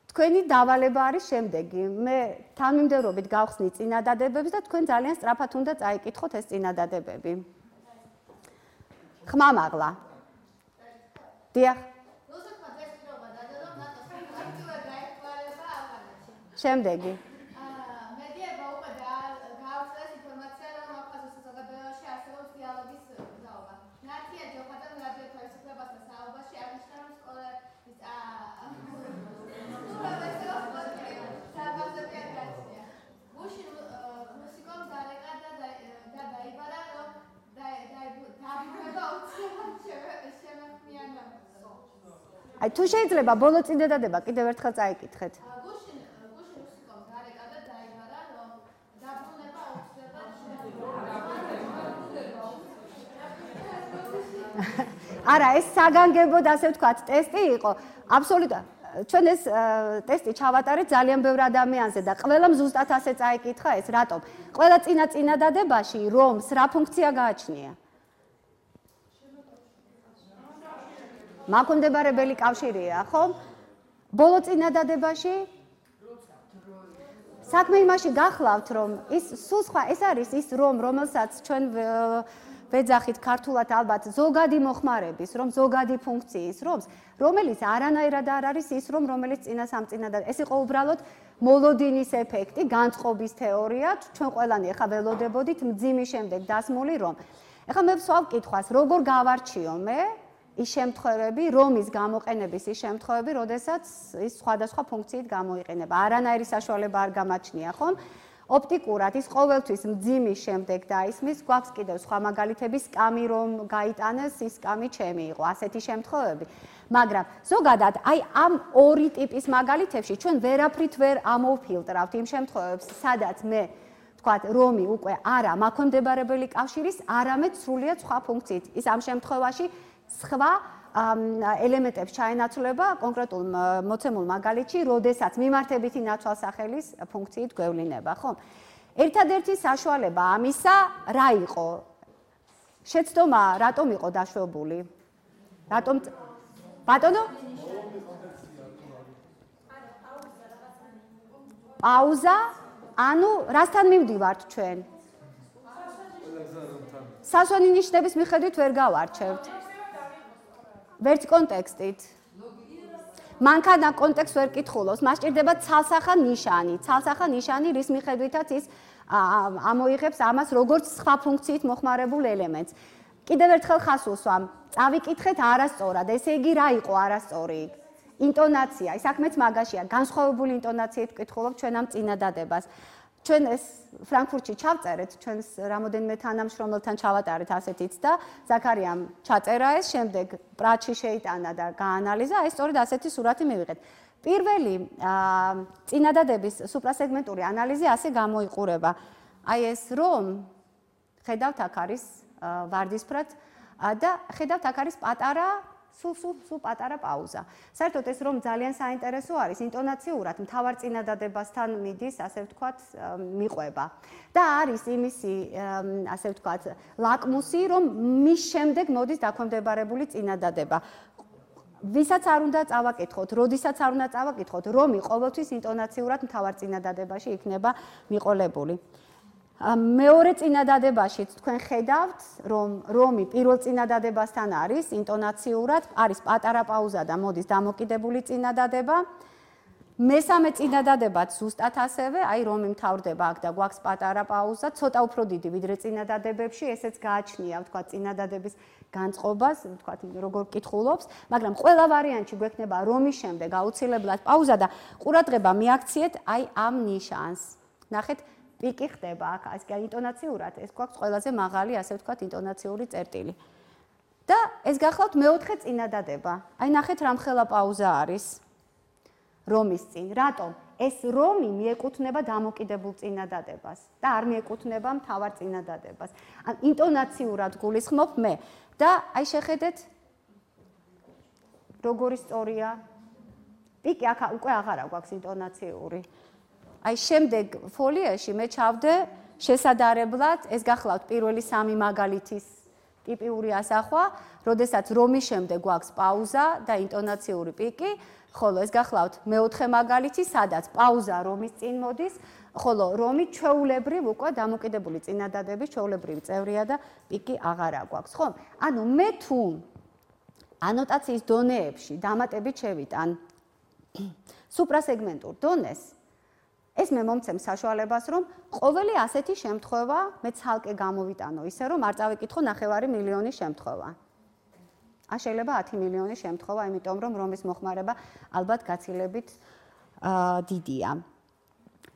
თქვენი დავალება არის შემდეგი. მე თანმიმდევრობით გავხსნით წინადადებებს და თქვენ ძალიან სწრაფად უნდა წაიკითხოთ ეს წინადადებები. ხმამაღლა. დიახ. შემდეგი. აი თუ შეიძლება ბოლო წინადადება კიდევ ერთხელ წაიკითხეთ. არა, ეს საგანგებოდ ასე ვთქვათ, ტესტი იყო. აბსოლუტურად ჩვენ ეს ტესტი ჩავატარეთ ძალიან ბევრ ადამიანზე და ყველამ ზუსტად ასე წაიკითხა ეს, რატომ? ყველა წინადადებაში რომს რა ფუნქცია გააჩნია? მაკუნდებარებელი კავშირია, ხო? ბოლო წინადადებაში საქმე იმაში გახლავთ, რომ ის სულ სხვა, ეს არის ის რომ, რომელსაც ჩვენ ვეძახით ქართულად ალბათ ზოგადი მოხმარების, რომ ზოგადი ფუნქციის რომს, რომელიც არანაირად არ არის ის რომ, რომელიც წინა სამწინადადებაში. ეს იყო უბრალოდ მოლოდინის ეფექტი, განწყობის თეორია, ჩვენ ყველანი ახლა ველოდებოდით მძიმის შემდეგ დასმული რომ. ახლა მე ვსვავ კითხვას, როგორ გავარჩიო მე ის შემთხვევები, რომის გამოყენების ის შემთხვევები, როდესაც ის სხვადასხვა ფუნქციით გამოიყენება. არანაირი საშუალება არ გამაჩნია, ხომ? ოპტიკურად ის ყოველთვის მძიმის შემდეგ დაისმის, გვაქვს კიდევ სხვა მაგალითები, სკამი რომ გაიტანეს, ის სკამი ჩემი იყო, ასეთი შემთხვევები. მაგრამ ზოგადად აი ამ ორი ტიპის მაგალითებში ჩვენ ვერაფრით ვერ ამოვფილტრავთ იმ შემთხვევებს, სადაც მე ვთქვათ, რომი უკვე არა მაქონდებარებელი კავშირის, არამედ სრულიად სხვა ფუნქციით. ის ამ შემთხვევაში სხვა ელემენტებს ჩაენაცვლება კონკრეტულ მოცემულ მაგალითში, როდესაც მიმართებითი ნაცვალსახელის ფუნქციით გვევლინება, ხო? ერთადერთი საშუალება ამისა რა იყო? შეცდომა რატომ იყო დაშვებული? რატომ ბატონო? პაუზა? ანუ რასთან მივდივართ ჩვენ? სასვენი ნიშნების მიხედვით ვერ გავარჩევთ. ვერც კონტექსტით. მანქანა კონტექსტს ვერ კითხულობს, მას სჭირდება ცალსახა ნიშანი. ცალსახა ნიშანი, რის მიხედვითაც ის ამოიღებს ამას როგორც სხვა ფუნქციით მოხმარებულ ელემენტს. კიდევ ერთხელ ხას უსვამ, წავიკითხეთ არასწორად, ესე იგი რა იყო არასწორი? ინტონაცია, საქმეც მაგაშია, განსხვავებული ინტონაციით ვკითხულობ ჩვენ ამ წინადადებას. ჩვენ ეს ფრანკფურტში ჩავწერეთ, ჩვენს რამოდენიმე თანამშრომელთან ჩავატარეთ ასეთიც და ზაქარიამ ჩაწერა ეს, შემდეგ პრაჩი შეიტანა და გაანალიზა, ეს სწორედ ასეთი სურათი მივიღეთ. პირველი წინადადების სუპრასეგმენტური ანალიზი ასე გამოიყურება. აი ეს რომ ხედავთ აქ არის ვარდისფრად და ხედავთ აქ არის პატარა სულ პატარა პაუზა. საერთოდ ეს რომ ძალიან საინტერესო არის, ინტონაციურად მთავარ წინადადებასთან მიდის, ასე ვთქვათ, მიყვება. და არის იმისი, ასე ვთქვათ, ლაკმუსი, რომ მის შემდეგ მოდის დაქვემდებარებული წინადადება. ვისაც არ უნდა წავაკითხოთ, როდესაც არ უნდა წავაკითხოთ, რომი ყოველთვის ინტონაციურად მთავარ წინადადებაში იქნება მიყოლებული. მეორე წინადადებაში თქვენ ხედავთ, რომ რომი პირველ წინადადებასთან არის ინტონაციურად, არის პატარა პაუზა და მოდის დამოკიდებული წინადადება. მესამე წინადადებაც ზუსტად ასევე, აი რომი მთავრდება აქ და გვაქვს პატარა პაუზა, ცოტა უფრო დიდი ვიდრე წინადადებებში, ესეც გააჩნია, ვთქვათ, წინადადების განწყობას, ვთქვათ, როგორ კითხულობს, მაგრამ ყველა ვარიანტში გვექნება რომის შემდეგ აუცილებლად პაუზა და ყურადღება მიაქციეთ აი ამ ნიშანს. ნახეთ პიკი ხდება აქ, ეს კი ინტონაციურად, ეს გვაქვს ყველაზე მაღალი, ასე ვთქვათ, ინტონაციური წერტილი. და ეს გახლავთ მეოთხე წინადადება. აი ნახეთ რამხელა პაუზა არის რომის წინ. რატომ? ეს რომი მიეკუთვნება დამოკიდებულ წინადადებას და არ მიეკუთვნება მთავარ წინადადებას. ან ინტონაციურად გულისხმობ მე და აი შეხედეთ როგორი სწორია. პიკი აქ უკვე აღარა გვაქვს ინტონაციური. აი შემდეგ ფოლიაში მე ჩავდე შესადარებლად, ეს გახლავთ პირველი სამი მაგალითის ტიპიური ასახვა, როდესაც რომის შემდეგ გვაქვს პაუზა და ინტონაციური პიკი, ხოლო ეს გახლავთ მეოთხე მაგალითი, სადაც პაუზა რომის წინ მოდის, ხოლო რომი ჩვეულებრივ უკვე დამოკიდებული წინადადების ჩვეულებრივი წევრია და პიკი აღარა გვაქვს, ხო? ანუ მე თუ ანოტაციის დონეებში დამატებით შევიტან სუპრასეგმენტურ დონეს, ეს მე მომცემს საშუალებას, რომ ყოველი ასეთი შემთხვევა მე ცალკე გამოვიტანო ისე, რომ არ წავიკითხო 9 მილიონი შემთხვევა. შეიძლება 10 მილიონი შემთხვევა, იმიტომ რომ რომის მოხმარება ალბათ გაცილებით დიდია.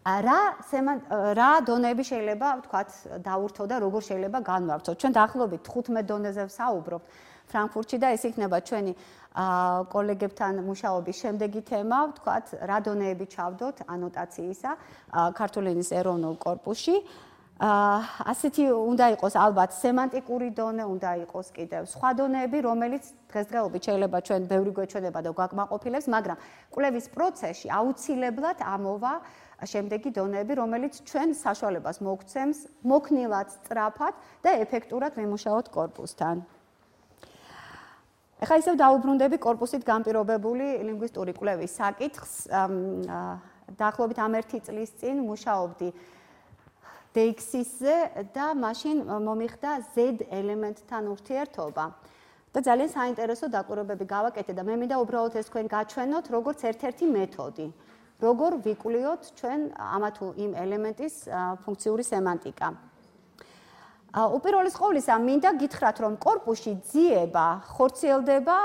რა დონეები შეიძლება, ვთქვათ, დაურთო და როგორ შეიძლება განვავრცოთ. ჩვენ დაახლოებით 15 დონეზე ვსაუბრობთ ფრანკფურტში და ეს იქნება ჩვენი კოლეგებთან მუშაობის შემდეგი თემა, ვთქვათ, რა დონეები ჩავდოთ ანოტაციისა ქართული ენის ეროვნულ კორპუსში. ასეთი უნდა იყოს ალბათ სემანტიკური დონე, უნდა იყოს კიდევ სხვა დონეები, რომელიც დღესდღეობით შეიძლება ჩვენ ბევრი გვეჩვენება და გვაკმაყოფილებს, მაგრამ კვლევის პროცესში აუცილებლად ამოვა შემდეგი დონეები, რომელიც ჩვენ საშუალებას მოგცემს მოქნილად სწრაფად და ეფექტურად ვიმუშაოთ კორპუსთან. ეხლა ისევ დაუბრუნდები კორპუსით განპირობებული ლინგვისტური კვლევის საკითხს. დაახლოებით ამ 1 წლის წინ მუშაობდი DX-ზე და მაშინ მომიხდა Z ელემენტთან ურთიერთობა. და ძალიან საინტერესო დაკვირვებები გავაკეთე და მე მინდა უბრალოდ ეს თქვენ გაჩვენოთ როგორც ერთ-ერთი მეთოდი. როგორ ვიკვლიოთ ჩვენ ამა თუ იმ ელემენტის ფუნქციური სემანტიკა. უპირველეს ყოვლისა მინდა გითხრათ, რომ კორპუსში ძიება ხორციელდება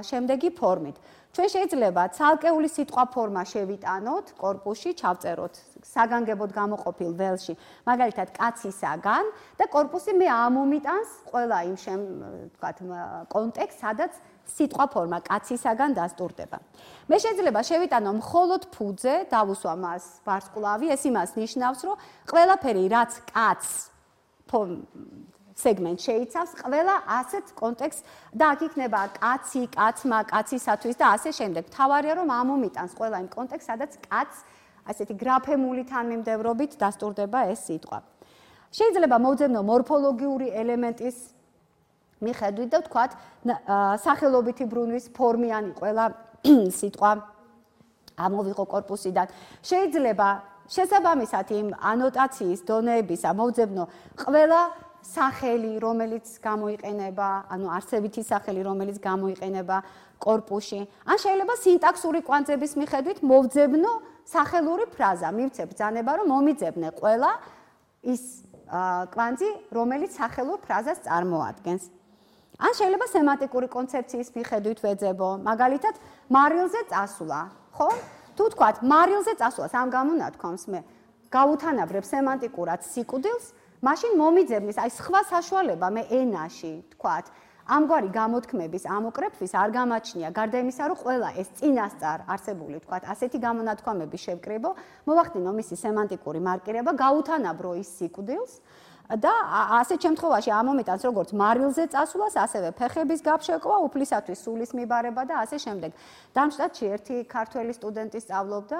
შემდეგი ფორმით. ჩვენ შეიძლება ცალკეული სიტყვა ფორმა შევიტანოთ კორპუსში, ჩავწეროთ საგანგებოდ გამოყოფილ ველში, მაგალითად კაცისაგან და კორპუსი მე ამომიტანს ყველა იმ თქვათ კონტექსტს, სადაც სიტყვა ფორმა კაცისაგან დასტურდება. მე შეიძლება შევიტანო მხოლოდ ფუძე, დავუსვა მას ვარსკვლავი, ეს იმას ნიშნავს, რომ ყველაფერი რაც კაცს სეგმენტ შეიცავს, ყველა ასეთ კონტექსტს და აქ იქნება კაცი, კაცმა, კაცისათვის და ასე შემდეგ. თავარია რომ ამომიტანს ყველა იმ კონტექსტს, სადაც კაცს ასეთი გრაფემული თანმიმდევრობით დასტურდება ეს სიტყვა. შეიძლება მოვძებნო მორფოლოგიური ელემენტის მიხედვით და ვთქვათ, სახელობითი ბრუნვის ფორმიანი ყველა სიტყვა ამოვიღო კორპუსიდან. შეიძლება შესაბამისად იმ ანოტაციის დონეებისა მოვძებნო ყველა სახელი, რომელიც გამოიყენება, ანუ არსებითი სახელი, რომელიც გამოიყენება კორპუსში. ან შეიძლება სინტაქსური კვანძების მიხედვით მოვძებნო სახელური ფრაზა, მივცე ბრძანება, რომ მომიძებნე ყველა ის კვანძი, რომელიც სახელურ ფრაზას წარმოადგენს. ან შეიძლება სემანტიკური კონცეფციის მიხედვით ვეძებო, მაგალითად, მარილზე წასვლა, ხო? თუ თქვათ, მარილზე წასვლას ამ გამონათქვამს მე გავუთანაბრებ სემანტიკურად სიკვდილს, მაშინ მომიძებნის აი სხვა საშუალება მე ენაში, თქვათ, ამგვარი გამოთქმების ამოკრეფვის არ გამაჩნია, გარდა იმისა, რომ ყველა ეს წინასწარ არსებული, თქვათ, ასეთი გამონათქვამები შევკრიბო, მოვახდინო მისი სემანტიკური მარკირება, გავუთანაბრო ის სიკვდილს და ასეთ შემთხვევაში ამომიტანს როგორც მარილზე წასვლას, ასევე ფეხების გაფშეკვა, უფლისათვის სულის მიბარება და ასე შემდეგ. დამშტატში ერთი ქართველი სტუდენტი სწავლობდა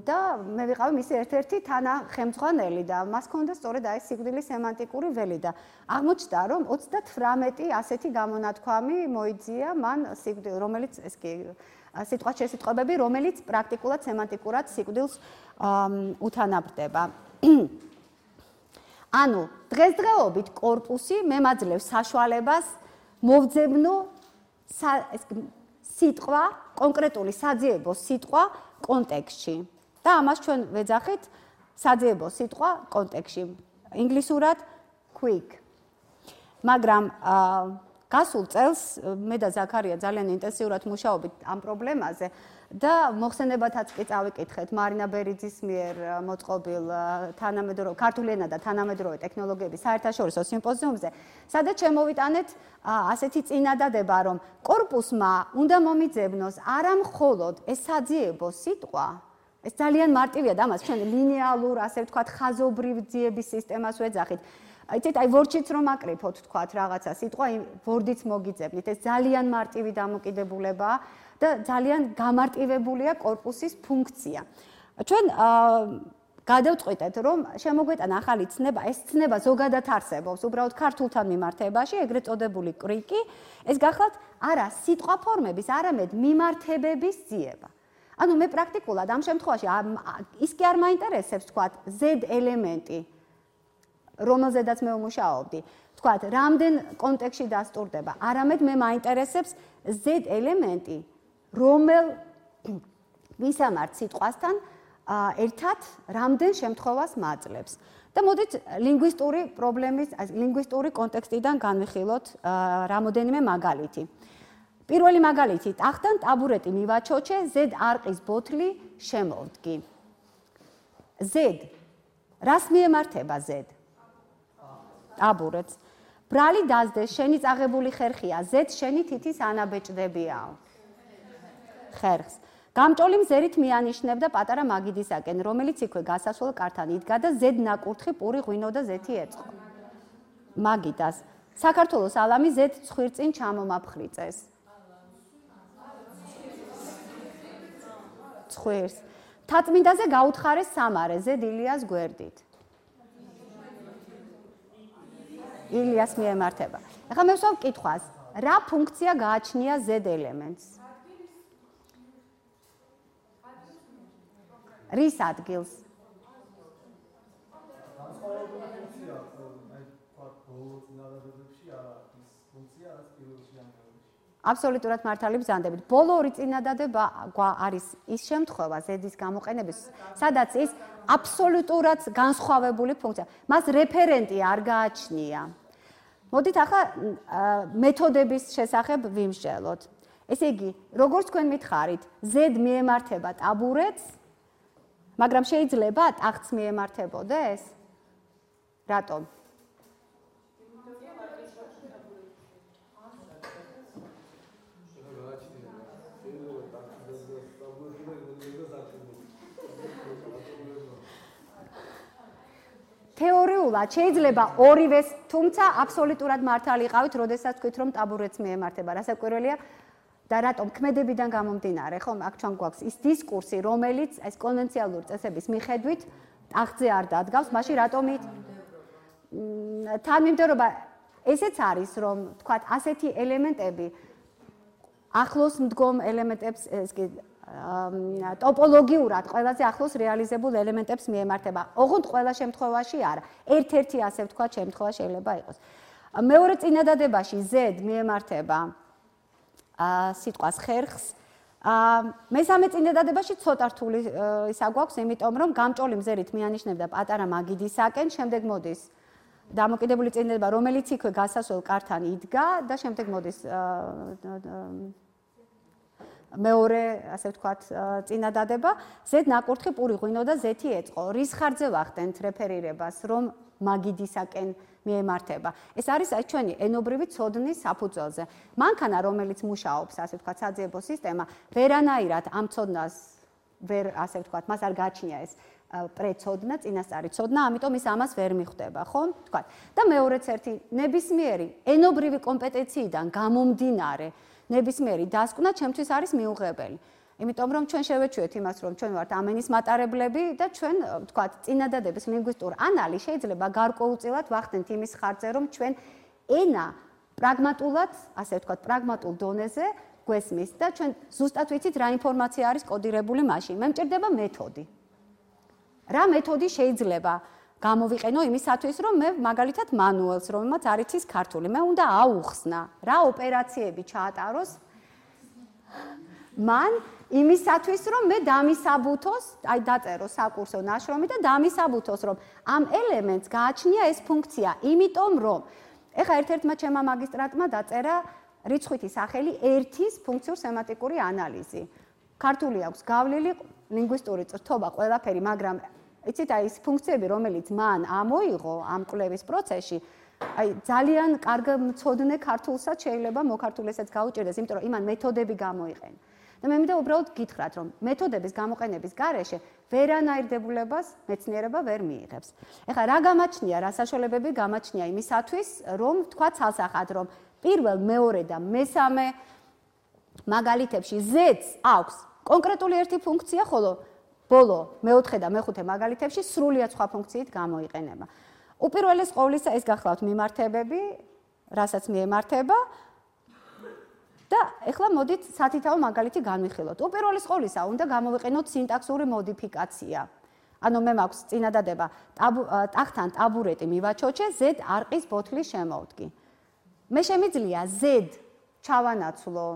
და მე ვიყავი მისი ერთ-ერთი თანახემძღვანელი და მას ჰქონდა სწორედ აი სიკვდილის სემანტიკური ველი და აღმოჩნდა, რომ 38 ასეთი გამონათქვამი მოიძია მან სიკვდილ, რომელიც ეს კი სიტყვათ შესიტყვებები, რომელიც პრაქტიკულად სემანტიკურად სიკვდილს უთანაბრდება. ანუ დღესდღეობით კორპუსი მემაძლევს საშუალებას მოვძებნო სიტყვა, კონკრეტული საძიებო სიტყვა კონტექსტში. და ამას ჩვენ ვეძახით საძიებო სიტყვა კონტექსტში. ინგლისურად quick. მაგრამ გასულ წელს მე და ზაქარია ძალიან ინტენსიურად მუშაობთ ამ პრობლემაზე და მოხსენებათაც კი წავიკითხეთ მარინა ბერიძის მიერ მოწყობილ თანამედროვე ქართული ენა და თანამედროვე ტექნოლოგიების საერთაშორისო სიმპოზიუმზე, სადაც შემოვიტანეთ ასეთი წინადადება, რომ კორპუსმა უნდა მომიძებნოს არა მხოლოდ ეს საძიებო სიტყვა, ეს ძალიან მარტივია და ამას ჩვენ ლინეალურ, ასე ვთქვათ, ხაზობრივ ძიების სისტემას ვეძახით. იცით, აი ვორდშიც რომ აკრიფოთ, თქვათ, რაღაცა სიტყვა, ვორდიც მოგიძებნით. ეს ძალიან მარტივი დამოკიდებულებაა და ძალიან გამარტივებულია კორპუსის ფუნქცია. ჩვენ გადავწყვიტეთ, რომ შემოგვეტანა ახალი ცნება, ეს ცნება ზოგადად არსებობს, უბრალოდ ქართულთან მიმართებაში, ეგრეთ წოდებული კრიკი, ეს გახლავთ არა სიტყვა ფორმების, არამედ მიმართებების ძიება. ანუ მე პრაქტიკულად ამ შემთხვევაში ის კი არ მაინტერესებს, თქვათ, Z ელემენტი, რომელზედაც მე ვმუშაობდი, თქვათ, რამდენ კონტექსტში დასტურდება, არამედ მე მაინტერესებს Z ელემენტი, რომელ ვისამართ სიტყვასთან ერთად რამდენ შემთხვევას მაძლევს. და მოდით ლინგვისტური პრობლემის, ლინგვისტური კონტექსტიდან განვიხილოთ რამოდენიმე მაგალითი. პირველი მაგალითი, ტახტან ტაბურეტი მივაჩოჩე, Z არყის ბოთლი შემოვდგი. Z რას მიემართება Z? ტაბურეტს. ბრალი დაზდეს, შენი წაღებული ხერხია, Z შენი თითის ანაბეჭდებიაო. ხერხს. გამჭოლი მზერით მიანიშნებდა პატარა მაგიდისაკენ, რომელიც იქვე გასასვლელ კართან იდგა და Z ნაკურთხი პური ღვინო და ზეთი ეწყო. მაგიდას. საქართველოს ალამი Z ცხვირწინ ჩამომაფხრიწეს. ცხვირს. თაწმინდაზე გაუთხარეს სამარე, Z ილიას გვერდით. ილიას მიემართება. ეხლა მე ვსვამ კითხვას, რა ფუნქცია გააჩნია Z ელემენტს? რის ადგილს? აბსოლუტურად მართალი ბრძანდებით. ბოლო ორი წინადადება არის ის შემთხვევა ზედის გამოყენების, სადაც ის აბსოლუტურად განსხვავებული ფუნქცია. მას რეფერენტი არ გააჩნია. მოდით ახლა მეთოდების შესახებ ვიმსჯელოთ. ესე იგი, როგორც თქვენ მითხარით, ზედ მიემართება ტაბურეტს, მაგრამ შეიძლება ტახტს მიემართებოდეს? რატომ? თეორიულად შეიძლება ორივეს, თუმცა აბსოლუტურად მართალი იყავით, როდესაც თქვით, რომ ტაბურეტს მიემართება. რასაკვირველია და რატომ ქმედებიდან გამომდინარე, ხომ? აქ ჩვენ გვაქვს ის დისკურსი, რომელიც ეს კონვენციალური წესების მიხედვით ტახტზე არ დადგავს, მაშინ რატომ თანმიმდევრობა ესეც არის, რომ თქვათ, ასეთი ელემენტები ახლოს მდგომ ელემენტებს ეს კი ტოპოლოგიურად ყველაზე ახლოს რეალიზებულ ელემენტებს მიემართება. ოღონდ ყველა შემთხვევაში არა. ერთ-ერთი ასე ვთქვათ, შემთხვევა შეიძლება იყოს. მეორე წინადადებაში Z მიემართება სიტყვას ხერხს. მესამე წინადადებაში ცოტა რთული ისა გვაქვს, იმიტომ რომ გამჭოლი მზერით მიანიშნებდა პატარა მაგიდისაკენ, შემდეგ მოდის დამოკიდებული წინადადება, რომელიც იქვე გასასვლელ კართან იდგა და შემდეგ მოდის მეორე, ასე ვთქვათ, წინადადება, Z ნაკურთხი პური ღვინო და Z-ი ეწყო. რის ხარჯზე ვახდენთ რეფერირებას, რომ მაგიდისაკენ მიემართება. ეს არის ჩვენი ენობრივი ცოდნის საფუძველზე. მანქანა, რომელიც მუშაობს, ასე ვთქვათ, საძიებო სისტემა, ვერანაირად ამ ცოდნას ვერ, ასე ვთქვათ, მას არ გააჩნია ეს პრეცოდნა, წინასწარი ცოდნა, ამიტომ ის ამას ვერ მიხვდება, ხო? ვთქვათ. და მეორეც ერთი ნებისმიერი ენობრივი კომპეტენციიდან გამომდინარე ნებისმიერი დასკვნა ჩემთვის არის მიუღებელი. იმიტომ რომ ჩვენ შევეჩვევთ იმას, რომ ჩვენ ვართ ამენის მატარებლები და ჩვენ, ვთქვათ, წინადადების ლინგვისტურ ანალიზს შეიძლება გარკვეულწილად ვახდენთ იმის ხარჯზე, რომ ჩვენ ენა პრაგმატულად, ასე ვთქვათ, პრაგმატულ დონეზე გვესმის და ჩვენ ზუსტად ვიცით რა ინფორმაცია არის კოდირებული მაშინ. მე მჭირდება მეთოდი. რა მეთოდი შეიძლება გამოვიყენო იმისათვის, რომ მე მაგალითად მანუელს, რომელმაც არ იცის ქართული, მე უნდა აუხსნა, რა ოპერაციები ჩაატაროს მან იმისათვის, რომ მე დამისაბუთოს, აი დაწერო საკურსო ნაშრომი და დამისაბუთოს, რომ ამ ელემენტს გააჩნია ეს ფუნქცია, იმიტომ რომ ეხლა ერთ-ერთმა ჩემმა მაგისტრატმა დაწერა რიცხვითი სახელი ერთის ფუნქციურ-სემანტიკური ანალიზი. ქართული აქვს გავლილი, ლინგვისტური წრთობა, ყველაფერი, მაგრამ იცით, აი ეს ფუნქციები, რომელიც მან ამოიღო ამ კვლევის პროცესში, აი ძალიან კარგ მცოდნე ქართულსაც შეიძლება მოქართულესაც გაუჭირდეს, იმიტომ რომ იმან მეთოდები გამოიყენა. და მე მინდა უბრალოდ გითხრათ, რომ მეთოდების გამოყენების გარეშე ვერანაირ დებულებას მეცნიერება ვერ მიიღებს. ეხლა რა გამაჩნია, რა საშუალებები გამაჩნია იმისათვის, რომ თქვა ცალსახად, რომ პირველ, მეორე და მესამე მაგალითებში Z-ს აქვს კონკრეტული ერთი ფუნქცია, ხოლო ბოლო, მეოთხე და მეხუთე მაგალითებში სრულიად სხვა ფუნქციით გამოიყენება. უპირველეს ყოვლისა ეს გახლავთ მიმართებები, რასაც მიემართება და ეხლა მოდით სათითაო მაგალითი განვიხილოთ. უპირველეს ყოვლისა უნდა გამოვიყენოთ სინტაქსური მოდიფიკაცია. ანუ მე მაქვს წინადადება ტახტთან ტაბურეტი მივაჩოჩე, Z არყის ბოთლის შემოვდგი. მე შემიძლია Z ჩავანაცვლო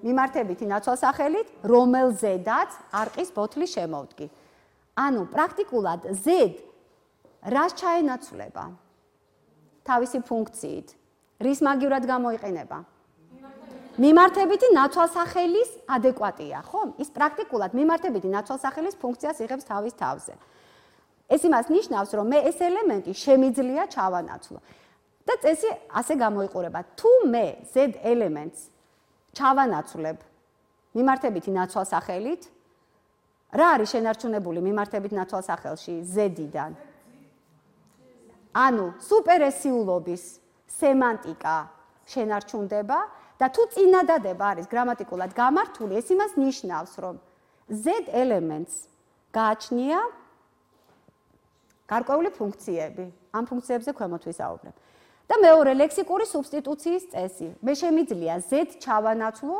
მიმართებითი ნაცვალსახელით, რომელზედაც არყის ბოთლის შემოვდგი. ანუ პრაქტიკულად Z რას ჩაენაცვლება? თავისი ფუნქციით. რის მაგივრად გამოიყენება? მიმართებითი ნაცვალსახელის ადეკვატია, ხო? ის პრაქტიკულად მიმართებითი ნაცვალსახელის ფუნქციას იღებს თავის თავზე. ეს იმას ნიშნავს, რომ მე ეს ელემენტი შემიძლია ჩავანაცვლო. და წესი ასე გამოიყურება. თუ მე Z ელემენტს ჩავანაცვლებ მიმართებითი ნაცვალსახელით, რა არის შენარჩუნებული მიმართებით ნაცვალსახელში Z-დან? ანუ სუპერესიულობის სემანტიკა შენარჩუნდება და თუ წინადადება არის გრამატიკულად გამართული, ეს იმას ნიშნავს, რომ Z ელემენტს გააჩნია გარკვეული ფუნქციები. ამ ფუნქციებზე ქვემოთ ვისაუბრებ. და მეორე ლექსიკური სუბსტიტუციის წესი. მე შემიძლია Z ჩავანაცვლო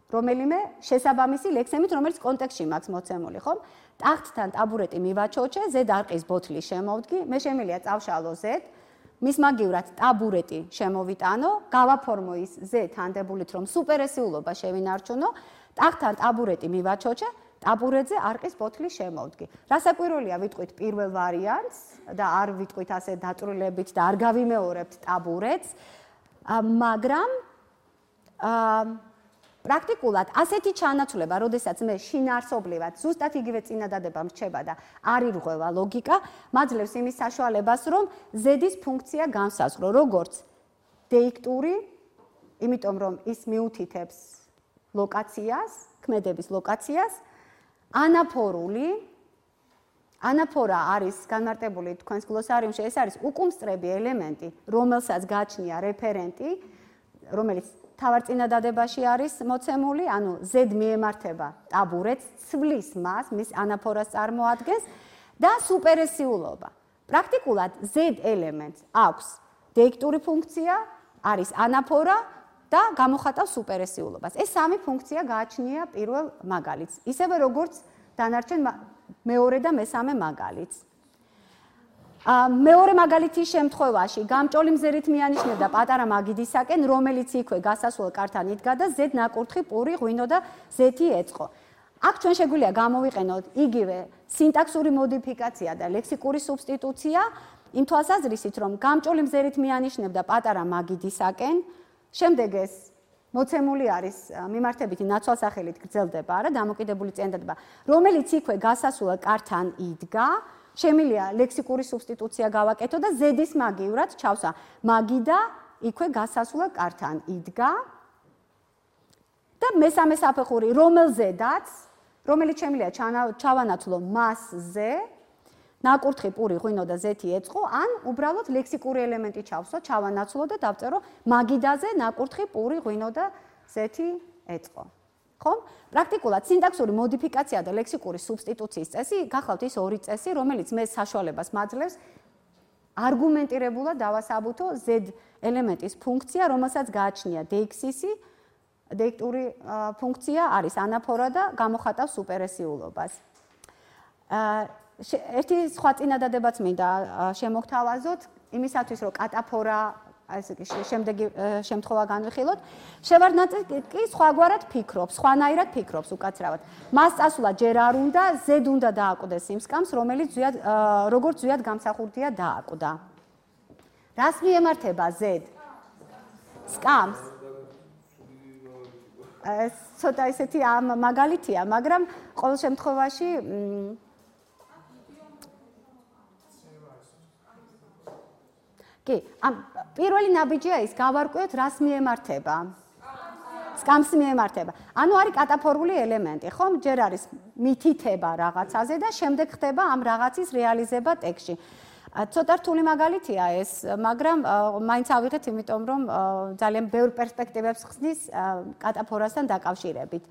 რომელიმე შესაბამისი ლექსემით, რომელიც კონტექსტში მაქვს მოცემული, ხო? ტახტთან ტაბურეტი მივაჩოჩე, Z არყის ბოთლის შემოვდგი, მე შემიძლია წავშალო Z, მის მაგივრად ტაბურეტი შემოვიტანო, გავაფორმო ის ზე თანდებულით, რომ სუპერესიულობა შევინარჩუნო, ტახტთან ტაბურეტი მივაჩოჩე, ტაბურეტზე არყის ბოთლი შემოვდგი. რასაკვირველია, ვიტყვით პირველ ვარიანტს და არ ვიტყვით ასე დაწვრილებით და არ გავიმეორებთ ტაბურეტს, მაგრამ პრაქტიკულად ასეთი ჩანაცვლება, როდესაც მე შინაარსობრივად ზუსტად იგივე წინადადება მრჩება და არ ირღვევა ლოგიკა, მაძლევს იმის საშუალებას, რომ ზედის ფუნქცია განსაზღვრო, როგორც დეიქტური, იმიტომ რომ ის მიუთითებს ლოკაციას, ქმედების ლოკაციას, ანაფორული, ანაფორა არის განმარტებული თქვენს გლოსარიუმში, ეს არის უკუმსწრები ელემენტი, რომელსაც გააჩნია რეფერენტი, რომელიც თავარ წინადადებაში არის მოცემული, ანუ Z მიემართება ტაბურეტს, ცვლის მას, მის ანაფორას წარმოადგენს და სუპერესიულობა. პრაქტიკულად Z ელემენტს აქვს დეიქტური ფუნქცია, არის ანაფორა და გამოხატავს სუპერესიულობას. ეს სამი ფუნქცია გააჩნია პირველ მაგალითს, ისევე როგორც დანარჩენ მეორე და მესამე მაგალითს. მეორე მაგალითის შემთხვევაში გამჭოლი მზერით მიანიშნებდა პატარა მაგიდისაკენ, რომელიც იქვე გასასვლელ კართან იდგა და Z ნაკურთხი პური ღვინო და Z-ი ეწყო. აქ ჩვენ შეგვიძლია გამოვიყენოთ იგივე სინტაქსური მოდიფიკაცია და ლექსიკური სუბსტიტუცია, იმ თვალსაზრისით, რომ გამჭოლი მზერით მიანიშნებდა პატარა მაგიდისაკენ, შემდეგ ეს მოცემული არის მიმართებითი ნაცვალსახელით გრძელდება, არა, დამოკიდებული წინადადება, რომელიც იქვე გასასვლელ კართან იდგა. შემიძლია ლექსიკური სუბსტიტუცია გავაკეთო და Z-ის მაგივრად ჩავსვა. მაგიდა იქვე გასასვლელ კართან იდგა. და მესამე საფეხური, რომელზედაც, რომელიც შემიძლია ჩავანაცვლო მასზე, ნაკურთხი პური ღვინო და Z-ი ეწყო, ან უბრალოდ ლექსიკური ელემენტი ჩავსვა, ჩავანაცვლო და დავწერო მაგიდაზე ნაკურთხი პური ღვინო და Z-ი ეწყო. ხომ? პრაქტიკულად სინტაქსური მოდიფიკაცია და ლექსიკური სუბსტიტუციის წესი გახლავთ ის ორი წესი, რომელიც მე საშუალებას მაძლევს არგუმენტირებულად დავასაბუთო Z ელემენტის ფუნქცია, რომელსაც გააჩნია DX-ისი, დეიქტური ფუნქცია არის ანაფორა და გამოხატავს სუპერესიულობას. ერთი სხვა წინადადებაც მინდა შემოგთავაზოთ, იმისათვის რომ კატაფორა ასე კი შემდეგი შემთხვევა განვიხილოთ. შევარდნაძე კი სხვაგვარად ფიქრობს, სხვანაირად ფიქრობს უკაცრავად. მას წასვლა ჯერ არ უნდა, Z უნდა დააკვდეს იმ სკამს, რომელიც როგორც ზვიად გამსახურდია დააკვდა. რას მიემართება Z? სკამს. ეს ცოტა ისეთი მაგალითია, მაგრამ ყოველ შემთხვევაში კი, პირველი ნაბიჯია ის გავარკვიოთ, რას მიემართება. სკამს მიემართება. ანუ არის კატაფორული ელემენტი, ხომ? ჯერ არის მითითება რაღაცაზე და შემდეგ ხდება ამ რაღაცის რეალიზება ტექსტში. ცოტა რთული მაგალითია ეს, მაგრამ მაინც ავიღეთ, იმიტომ რომ ძალიან ბევრ პერსპექტივებს ხსნის კატაფორასთან დაკავშირებით.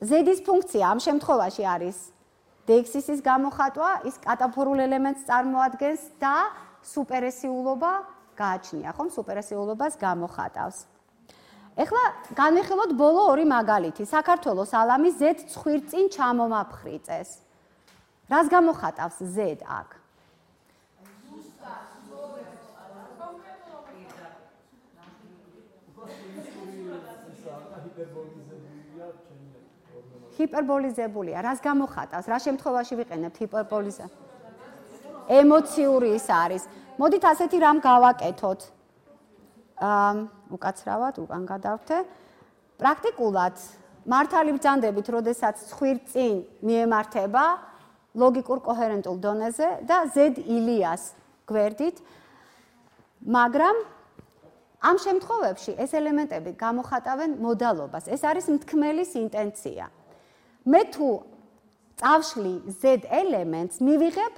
Z-ის ფუნქცია ამ შემთხვევაში არის DX-ის გამოხატვა, ის კატაფორულ ელემენტს წარმოადგენს და სუპერესიულობა გააჩნია, ხომ? სუპერესიულობას გამოხატავს. ეხლა განვიხილოთ ბოლო ორი მაგალითი. საქართველოს ალამი Z ცხვირწინ ჩამომაფხრიწეს. რას გამოხატავს Z აქ? ჰიპერბოლიზებულია. რას გამოხატავს? რა შემთხვევაში ვიყენებთ ჰიპერბოლიზაციას? ემოციური ის არის. მოდით ასეთი რამ გავაკეთოთ. უკაცრავად, უკან გადავთე. პრაქტიკულად მართალი ბრძანდებით, როდესაც ცხვირწინ მიემართება ლოგიკურ კოჰერენტულ დონეზე და Z ილიას გვერდით, მაგრამ ამ შემთხვევებში ეს ელემენტები გამოხატავენ მოდალობას. ეს არის მთქმელის ინტენცია. მე თუ წავშლი Z ელემენტს მივიღებ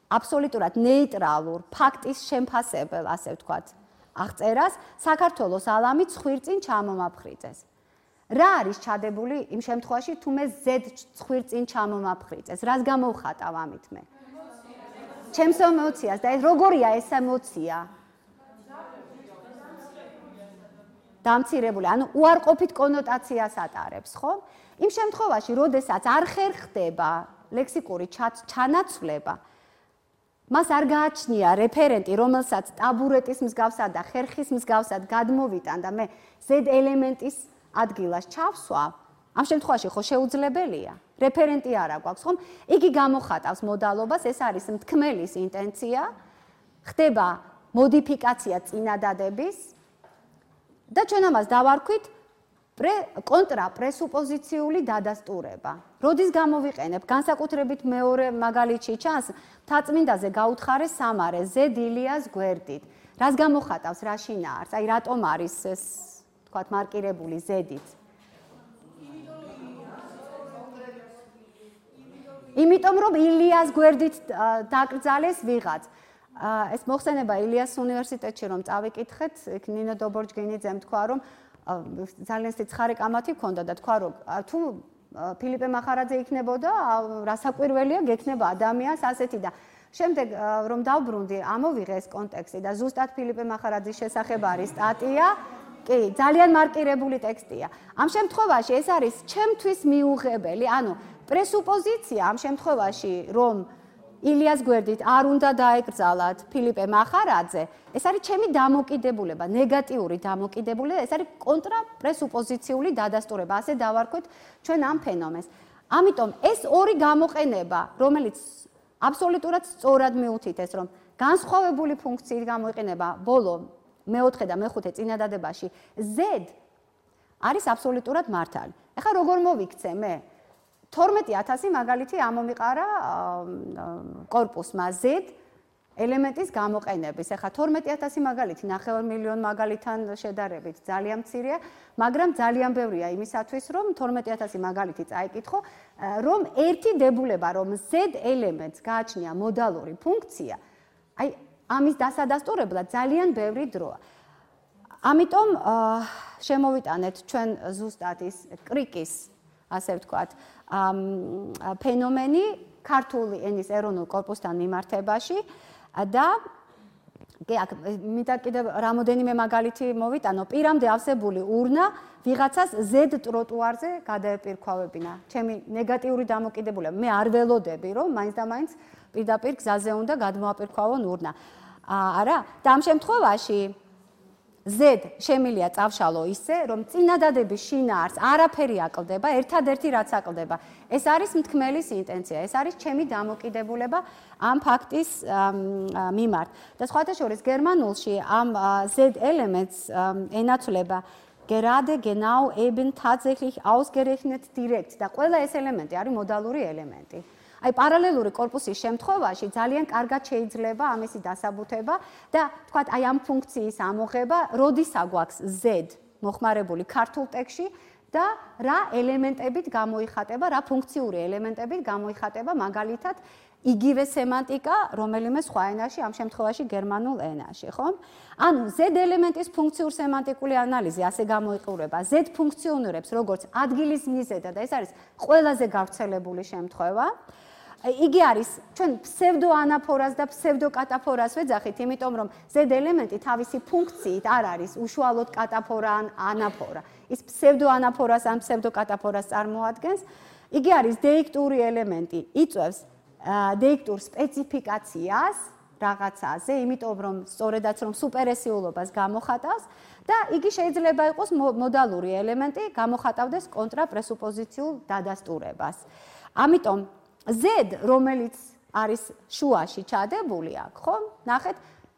აბსოლუტურად ნეიტრალურ ფაქტის შემფასებელ, ასე ვთქვათ, აღწერას საქართველოს ალამი ცხვირწინ ჩამომაფხრიწეს. რა არის ჩადებული იმ შემთხვევაში, თუ მე Z ცხვირწინ ჩამომაფხრიწეს? რას გამოვხატავ ამით მე? ჩემს ემოციას და როგორია ეს ემოცია? დამცირებული, ანუ უარყოფით კონოტაციას ატარებს, ხო? იმ შემთხვევაში, როდესაც არ ხერხდება ლექსიკური ჩანაცვლება, მას არ გააჩნია რეფერენტი, რომელსაც ტაბურეტის მსგავსად და ხერხის მსგავსად გადმოვიტან და მე Z ელემენტის ადგილას ჩავსვა, ამ შემთხვევაში ხო შეუძლებელია. რეფერენტი არ აქვს, ხომ? იგი გამოხატავს მოდალობას, ეს არის მთქმელის ინტენცია, ხდება მოდიფიკაცია წინადადების და ჩვენ ამას დავარქვით კონტრაპრესუპოზიციული დადასტურება. როდის გამოვიყენებ? განსაკუთრებით მეორე მაგალითში ჩანს, მთაწმინდაზე გაუთხარეს სამარე Z ილიას გვერდით. რას გამოხატავს რა შინაარს? აი რატომ არის ეს, თქვათ, მარკირებული Z-ით? იმიტომ რომ ილიას გვერდით დაკრძალეს ვიღაც. ეს მოხსენება ილიას უნივერსიტეტში რომ წავიკითხეთ, იქ ნინო დობორჯგინიძემ თქვა, რომ ძალიან სიცხარე კამათი ჰქონდა და თქვა, რომ თუ ფილიპე მახარაძე იქნებოდა, რასაკვირველია გექნება ადამიანს ასეთი და შემდეგ რომ დავბრუნდი, ამოვიღე ეს კონტექსტი და ზუსტად ფილიპე მახარაძის შესახებ არის სტატია, კი, ძალიან მარკირებული ტექსტია. ამ შემთხვევაში ეს არის ჩემთვის მიუღებელი, ანუ პრესუპოზიცია ამ შემთხვევაში, რომ ილიას გვერდით არ უნდა დაეკრძალათ ფილიპე მახარაძე, ეს არის ჩემი დამოკიდებულება, ნეგატიური დამოკიდებულება, ეს არის კონტრაპრესუპოზიციული დადასტურება, ასე დავარქვით ჩვენ ამ ფენომენს. ამიტომ ეს ორი გამოყენება, რომელიც აბსოლუტურად სწორად მიუთითეს, რომ განსხვავებული ფუნქციით გამოიყენება ბოლო მეოთხე და მეხუთე წინადადებაში Z არის აბსოლუტურად მართალი. ეხლა როგორ მოვიქცე მე? 12000 მაგალითი ამომიყარა კორპუსმა Z ელემენტის გამოყენების. ეხლა 12000 მაგალითი 9 მილიონი მაგალითთან შედარებით ძალიან მცირეა, მაგრამ ძალიან ბევრია იმისათვის, რომ 12000 მაგალითი წაიკითხო, რომ ერთი დებულება, რომ Z ელემენტს გააჩნია მოდალური ფუნქცია, აი ამის დასადასტურებლად ძალიან ბევრი დროა. ამიტომ შემოვიტანეთ ჩვენ ზუსტად ის კრიკის, ასე ვთქვათ, ფენომენი ქართული ენის ეროვნულ კორპუსთან მიმართებაში და მინდა კიდევ რამოდენიმე მაგალითი მოვიტანო. პირამდე ავსებული ურნა ვიღაცას Z ტროტუარზე გადაეპირქვავებინა. ჩემი ნეგატიური დამოკიდებულება. მე არ ველოდები, რომ მაინც და მაინც პირდაპირ გზაზე უნდა გადმოაპირქვავონ ურნა. არა? და ამ შემთხვევაში Z შემილია წავშალო ისე, რომ წინადადების შინაარს არაფერი აკლდება, ერთადერთი რაც აკლდება. ეს არის მთქმელის ინტენცია, ეს არის ჩემი დამოკიდებულება ამ ფაქტის მიმართ. და სხვათა შორის გერმანულში ამ Z ელემენტს ენაცვლება gerade genau eben tatsächlich ausgerechnet direkt და ყველა ეს ელემენტი არის მოდალური ელემენტი. აი პარალელური კორპუსის შემთხვევაში ძალიან კარგად შეიძლება ამისი დასაბუთება და თქვათ აი ამ ფუნქციის ამოღება, როდისა გვაქვს Z მოხმარებული ქართულ ტექსტში და რა ელემენტებით გამოიხატება, რა ფუნქციური ელემენტებით გამოიხატება მაგალითად იგივე სემანტიკა რომელიმე სხვა ენაში, ამ შემთხვევაში გერმანულ ენაში, ხო? ანუ Z ელემენტის ფუნქციურ სემანტიკული ანალიზი ასე გამოიყურება. Z ფუნქციონირებს როგორც ადგილის მიზედა და ეს არის ყველაზე გავრცელებული შემთხვევა. იგი არის ჩვენ ფსევდოანაფორას და ფსევდოკატაფორას ვეძახით, იმიტომ რომ Z ელემენტი თავისი ფუნქციით არ არის უშუალოდ კატაფორა ან ანაფორა. ის ფსევდოანაფორას ან ფსევდოკატაფორას წარმოადგენს. იგი არის დეიქტური ელემენტი, იწვევს დეიქტურ სპეციფიკაციას რაღაცაზე, იმიტომ რომ სწორედაც რომ სუპერესიულობას გამოხატავს და იგი შეიძლება იყოს მოდალური ელემენტი, გამოხატავდეს კონტრაპრესუპოზიციულ დადასტურებას. ამიტომ Z, რომელიც არის შუაში ჩადებული აქ, ხო? ნახეთ,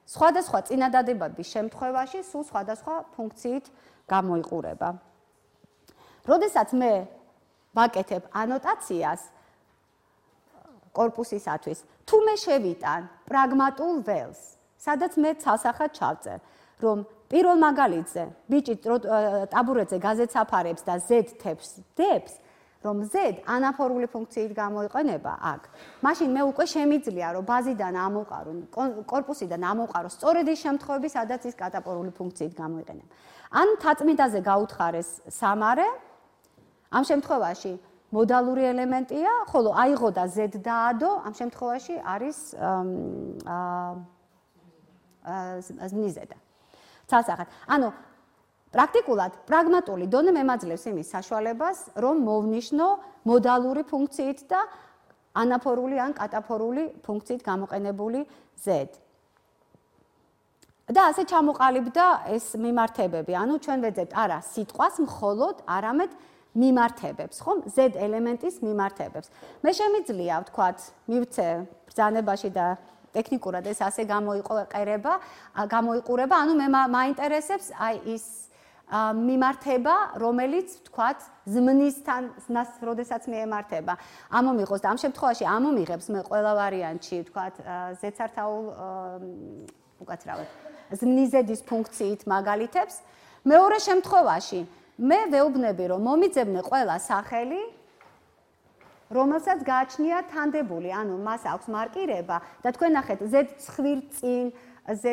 სხვადასხვა წინადადებების შემთხვევაში სულ სხვადასხვა ფუნქციით გამოიყურება. როდესაც მე ვაკეთებ ანოტაციას კორპუსისათვის, თუ მე შევიტან პრაგმატულ ველს, სადაც მე ცალსახად ჩავწერ, რომ პირველ მაგალითზე ბიჭი ტაბურეტზე გაზეთს აფარებს და Z თებს დებს, რომ Z ანაფორული ფუნქციით გამოიყენება აქ. მაშინ მე უკვე შემიძლია რომ ბაზიდან ამოვყარო, კორპუსიდან ამოვყარო სწორედ ის შემთხვევები, სადაც ის კატაპორული ფუნქციით გამოიყენება. ან მთაწმინდაზე გაუთხარეს სამარე, ამ შემთხვევაში მოდალური ელემენტია, ხოლო აიღო და Z დაადო, ამ შემთხვევაში არის მიზედა. ცალსახად. ანუ პრაქტიკულად პრაგმატული დონე მემაძლევს იმის საშუალებას, რომ მოვნიშნო მოდალური ფუნქციით და ანაფორული ან კატაფორული ფუნქციით გამოყენებული z. და ასე ჩამოყალიბდა ეს მიმართებები. ანუ ჩვენ ვეძებთ არა სიტყვას, მხოლოდ არამედ მიმართებებს, ხომ? z ელემენტის მიმართებებს. მე შემიძლია ვთქვათ, მივცე ბრძანებაში და ტექნიკურად ეს ასე გამოიყურება, ანუ მე მაინტერესებს აი ის მიმართება, რომელიც ვთქვათ, ზმნისთან, როდესაც მიემართება. ამომიღოს და ამ შემთხვევაში ამომიღებს მე ყველა ვარიანტში, ვთქვათ, z-სართაულ უკაცრავად ზმნიზედის ფუნქციით მაგალითებს. მეორე შემთხვევაში მე ვეუბნები, რომ მომიძებნე ყველა სახელი, რომელსაც გააჩნია თანდებული, ანუ მას აქვს მარკირება და თქვენ ნახეთ z ცხვირწინ, z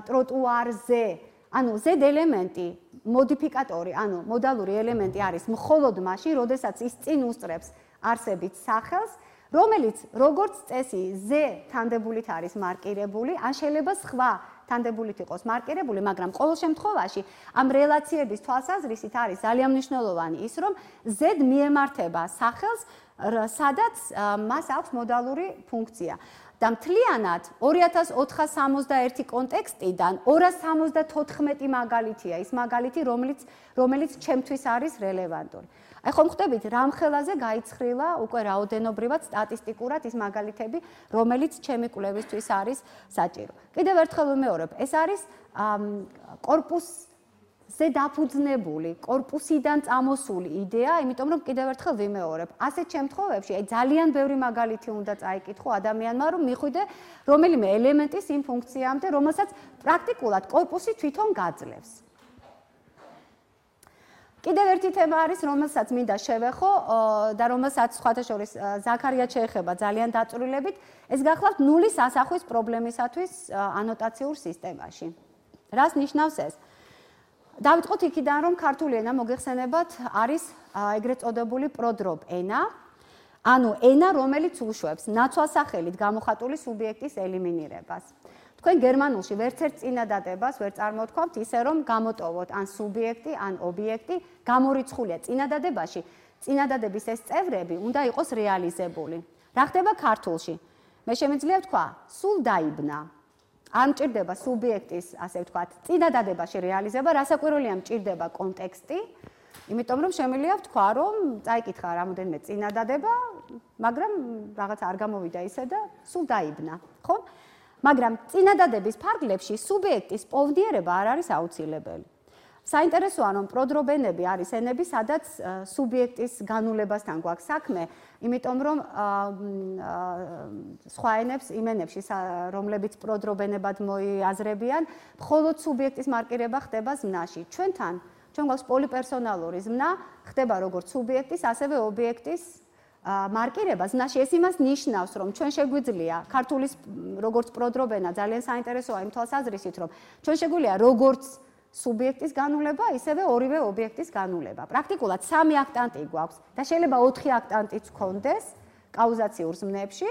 ტროტუარზე, ანუ z ელემენტი, მოდიფიკატორი, ანუ მოდალური ელემენტი არის მხოლოდ მაშინ, როდესაც ის წინ უსწრებს არსებით სახელს, რომელიც როგორც წესი z თანდებულით არის მარკირებული, ან შეიძლება სხვა თანდებულით იყოს მარკირებული, მაგრამ ყოველ შემთხვევაში ამ რელაციების თვალსაზრისით არის ძალიან მნიშვნელოვანი ის, რომ z მიემართება სახელს, სადაც მას აქვს მოდალური ფუნქცია. და მთლიანად 2461 კონტექსტიდან 274 მაგალითია ის მაგალითი, რომელიც ჩემთვის არის რელევანტური. აი ხომ ხვდებით, რამ ხელაზე გაიცხრილა უკვე რაოდენობრივად სტატისტიკურად ის მაგალითები, რომელიც ჩემი კვლევისთვის არის საჭირო. კიდევ ერთხელ ვიმეორებ, ეს არის კორპუსზე დაფუძნებული, კორპუსიდან წამოსული იდეა, იმიტომ რომ კიდევ ერთხელ ვიმეორებ, ასეთ შემთხვევებში აი ძალიან ბევრი მაგალითი უნდა წაიკითხო ადამიანმა, რომ მიხვიდე რომელიმე ელემენტის იმ ფუნქციამდე, რომელსაც პრაქტიკულად კორპუსი თვითონ გაძლევს. კიდევ ერთი თემა არის, რომელსაც მინდა შევეხო და რომელსაც სხვათა შორის ზაქარია შეეხება ძალიან დაწვრილებით, ეს გახლავთ ნულის ასახვის პრობლემისათვის ანოტაციურ სისტემაში. რას ნიშნავს ეს? დავიწყოთ იქიდან, რომ ქართული ენა მოგეხსენებათ არის ეგრეთ წოდებული პროდრობ ენა, ანუ ენა, რომელიც უშვებს ნაცვალსახელით გამოხატული სუბიექტის ელიმინირებას. თქვენ გერმანულში ვერც ერთ წინადადებას ვერ წარმოვთქვამთ ისე, რომ გამოტოვოთ ან სუბიექტი, ან ობიექტი, გამორიცხულია წინადადებაში. წინადადების ეს წევრები უნდა იყოს რეალიზებული. რა ხდება ქართულში? მე შემიძლია ვთქვა, სულ დაიბნა. არ მჭირდება სუბიექტის, ასე ვთქვათ, წინადადებაში რეალიზება, რასაკვირველია მჭირდება კონტექსტი, იმიტომ რომ შემიძლია ვთქვა, რომ წაიკითხა რამოდენიმე წინადადება, მაგრამ რაღაც არ გამოვიდა ისე და სულ დაიბნა, ხო? მაგრამ წინადადების ფარგლებში სუბიექტის პოვდიერება არ არის აუცილებელი. საინტერესოა, რომ პროდრობენები არის ენები, სადაც სუბიექტის განულებასთან გვაქვს საქმე, იმიტომ რომ სხვა ენებს, იმ ენებში, რომლებიც პროდრობენებად მოიაზრებიან, მხოლოდ სუბიექტის მარკირება ხდება ზმნაში. ჩვენ გვაქვს პოლიპერსონალური ზმნა, ხდება როგორც სუბიექტის, ასევე ობიექტის მარკირება ზმნაში. ეს იმას ნიშნავს, რომ ჩვენ შეგვიძლია ქართულის როგორც პროდრობენა ძალიან საინტერესოა იმ თვალსაზრისით, რომ ჩვენ შეგვიძლია როგორც სუბიექტის განულება, ისევე ორივე ობიექტის განულება. პრაქტიკულად 3 აქტანტი გვაქვს და შეიძლება 4 აქტანტიც გქონდეს კაუზაციურ ზმნებში,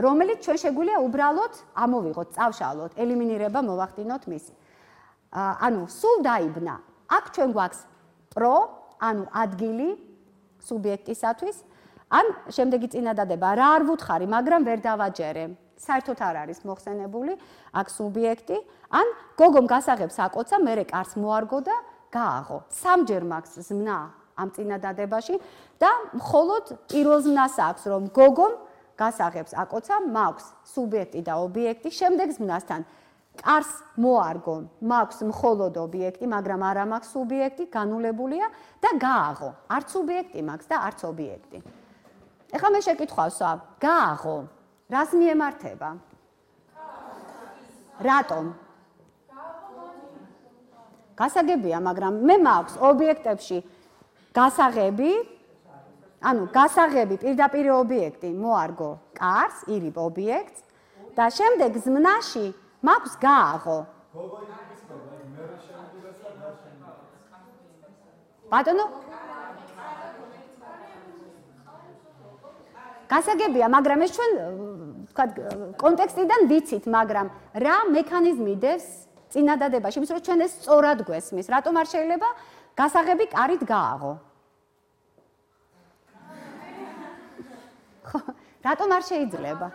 რომელიც ჩვენ შეგვიძლია უბრალოდ ამოვიღოთ, წავშალოთ, ელიმინირება მოვახდინოთ მისი. ანუ სულ დაიბნა. აქ ჩვენ გვაქვს პრო, ანუ ადგილი სუბიექტისათვის, ან შემდეგი წინადადება რა არ ვუთხარი, მაგრამ ვერ დავაჯერე. საერთოდ არ არის მოხსენებული აქ სუბიექტი, ან გოგომ გასაღებს აკოცა, მერე კარს მოარგო და გააღო. 3ჯერ მაქვს ზმნა ამ წინადადებაში და მხოლოდ პირველ ზმნას აქვს, რომ გოგომ გასაღებს აკოცა, მაქვს სუბიექტი და ობიექტი, შემდეგ ზმნასთან კარს მოარგო, მაქვს მხოლოდ ობიექტი, მაგრამ არა მაქვს სუბიექტი, განულებულია და გააღო. არც სუბიექტი მაქვს და არც ობიექტი. ეხლა მე შეკითხვავსა, გააღო რას მიემართება? რატომ? გასაგებია, მაგრამ მე მაქვს ობიექტებში გასაღები, ანუ გასაღები პირდაპირ ობიექტი მოარგო კარს, ირიბ ობიექტს და შემდეგ ზმნაში მაქვს გააღო. ბატონო? გასაგებია, მაგრამ ეს ჩვენ ვთქვათ კონტექსტიდან ვიცით, მაგრამ რა მექანიზმი დევს წინადადებაში, იმის რომ ჩვენ ეს სწორად გვესმის, რატომ არ შეიძლება გასაღები კარით გააღო? რატომ არ შეიძლება?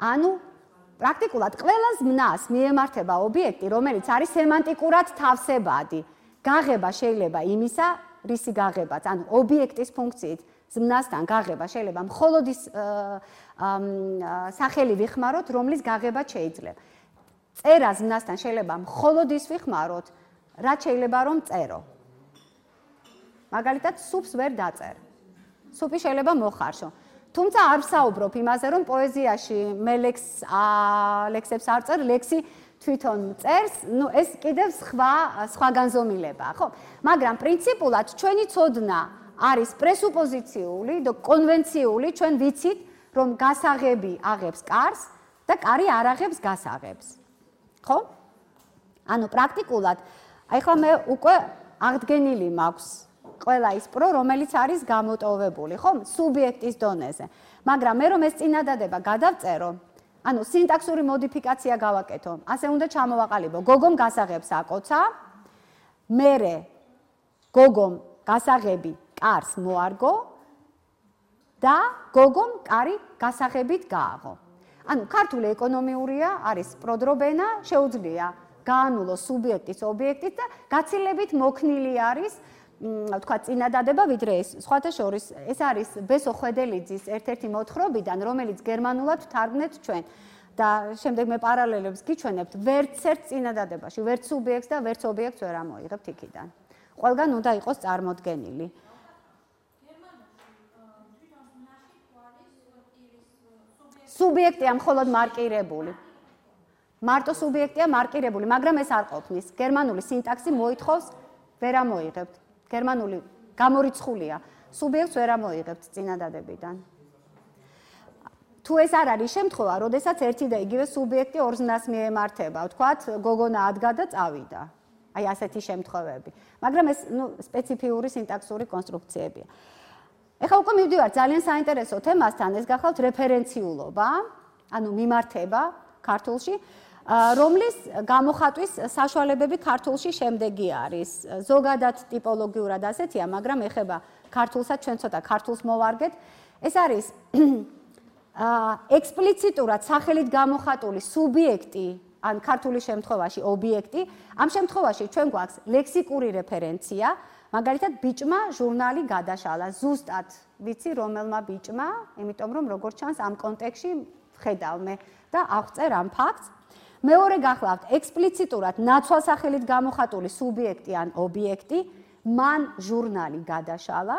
ანუ პრაქტიკულად ყველა ზმნას მიემართება ობიექტი, რომელიც არის სემანტიკურად თავსებადი. გაღება შეიძლება იმისა, რისი გაღებაც, ანუ ობიექტის ფუნქციით ზმნასთან გაღება შეიძლება მხოლოდ ის სახელი ვიხმაროთ, რომლის გაღება შეიძლება. წერა ზმნასთან შეიძლება მხოლოდ ის ვიხმაროთ, რაც შეიძლება რომ წერო. მაგალითად, სუპს ვერ დაწერ. სუპი შეიძლება მოხარშო. თუმცა არ ვსაუბრობ იმაზე, რომ პოეზიაში მე ლექსებს არ წერ, ლექსი თვითონ წერს, ეს კიდევ სხვა განზომილებაა, ხო? მაგრამ პრინციპულად ჩვენი ცოდნა არის პრესუპოზიციული და კონვენციული, ჩვენ ვიცით, რომ გასაღები აღებს კარს და კარი არ აღებს გასაღებს. ხო? ანუ პრაქტიკულად, აი ხლა მე უკვე აღდგენილი მაქვს ყველა ის პრო, რომელიც არის გამოტოვებული, ხო? სუბიექტის დონეზე. მაგრამ მე რომ ეს წინადადება გადავწერო, ანუ სინტაქსური მოდიფიკაცია გავაკეთო, ასე უნდა ჩამოვაყალიბო. გოგომ გასაღებს აკოცა, მერე გოგომ გასაღები კარს მოარგო და გოგომ კარი გასაღებით გააღო. ანუ ქართული ეკონომიურია არის პროდრობენა, შეუძლია გაანულო სუბიექტის ობიექტით და გაცილებით მოქნილი არის თქვა წინადადება, ვიდრე ეს სხვათა შორის ეს არის ბესო ხვედელიძის ერთ-ერთი მოთხრობიდან, რომელიც გერმანულად ვთარგმნეთ ჩვენ და შემდეგ მე პარალელებს გიჩვენებთ, ვერც ერთ წინადადებაში, ვერც სუბიექტს და ვერც ობიექტს ვერ ამოიღებთ იქიდან. ყველგან უნდა იყოს წარმოდგენილი. სუბიექტია მხოლოდ მარკირებული. მარტო სუბიექტია მარკირებული, მაგრამ ეს არ ყოფნის. გერმანული სინტაქსი მოითხოვს ვერ ამოიღებთ. გერმანული გამორიცხულია. სუბიექტს ვერ ამოიღებთ წინადადებიდან. თუ ეს არ არის შემთხვევა, როდესაც ერთი და იგივე სუბიექტი ორ ზმნას მიემართება, ვთქვათ, გოგონა ადგა და წავიდა. აი ასეთი შემთხვევები. მაგრამ ეს სპეციფიური სინტაქსური კონსტრუქციებია. ეხლა უკვე მივდივართ ძალიან საინტერესო თემასთან, ეს გახლავთ რეფერენციულობა, ანუ მიმართება ქართულში, რომლის გამოხატვის საშუალებები ქართულში შემდეგი არის. ზოგადად ტიპოლოგიურად ასეთია, მაგრამ ეხება ქართულსაც, ჩვენ ცოტა ქართულს მოვარგეთ. ეს არის ექსპლიციტურად სახელით გამოხატული სუბიექტი, ან ქართული შემთხვევაში ობიექტი. ამ შემთხვევაში ჩვენ გვაქვს ლექსიკური რეფერენცია, მაგალითად ბიჭმა ჟურნალი გადაშალა. ზუსტად ვიცი რომელმა ბიჭმა, იმიტომ რომ როგორც ჩანს ამ კონტექსში ვხედავ მე და აღწერ ამ ფაქტს. მეორე გახლავთ ექსპლიციტურად ნაცვალსახელით გამოხატული სუბიექტი ან ობიექტი, მან ჟურნალი გადაშალა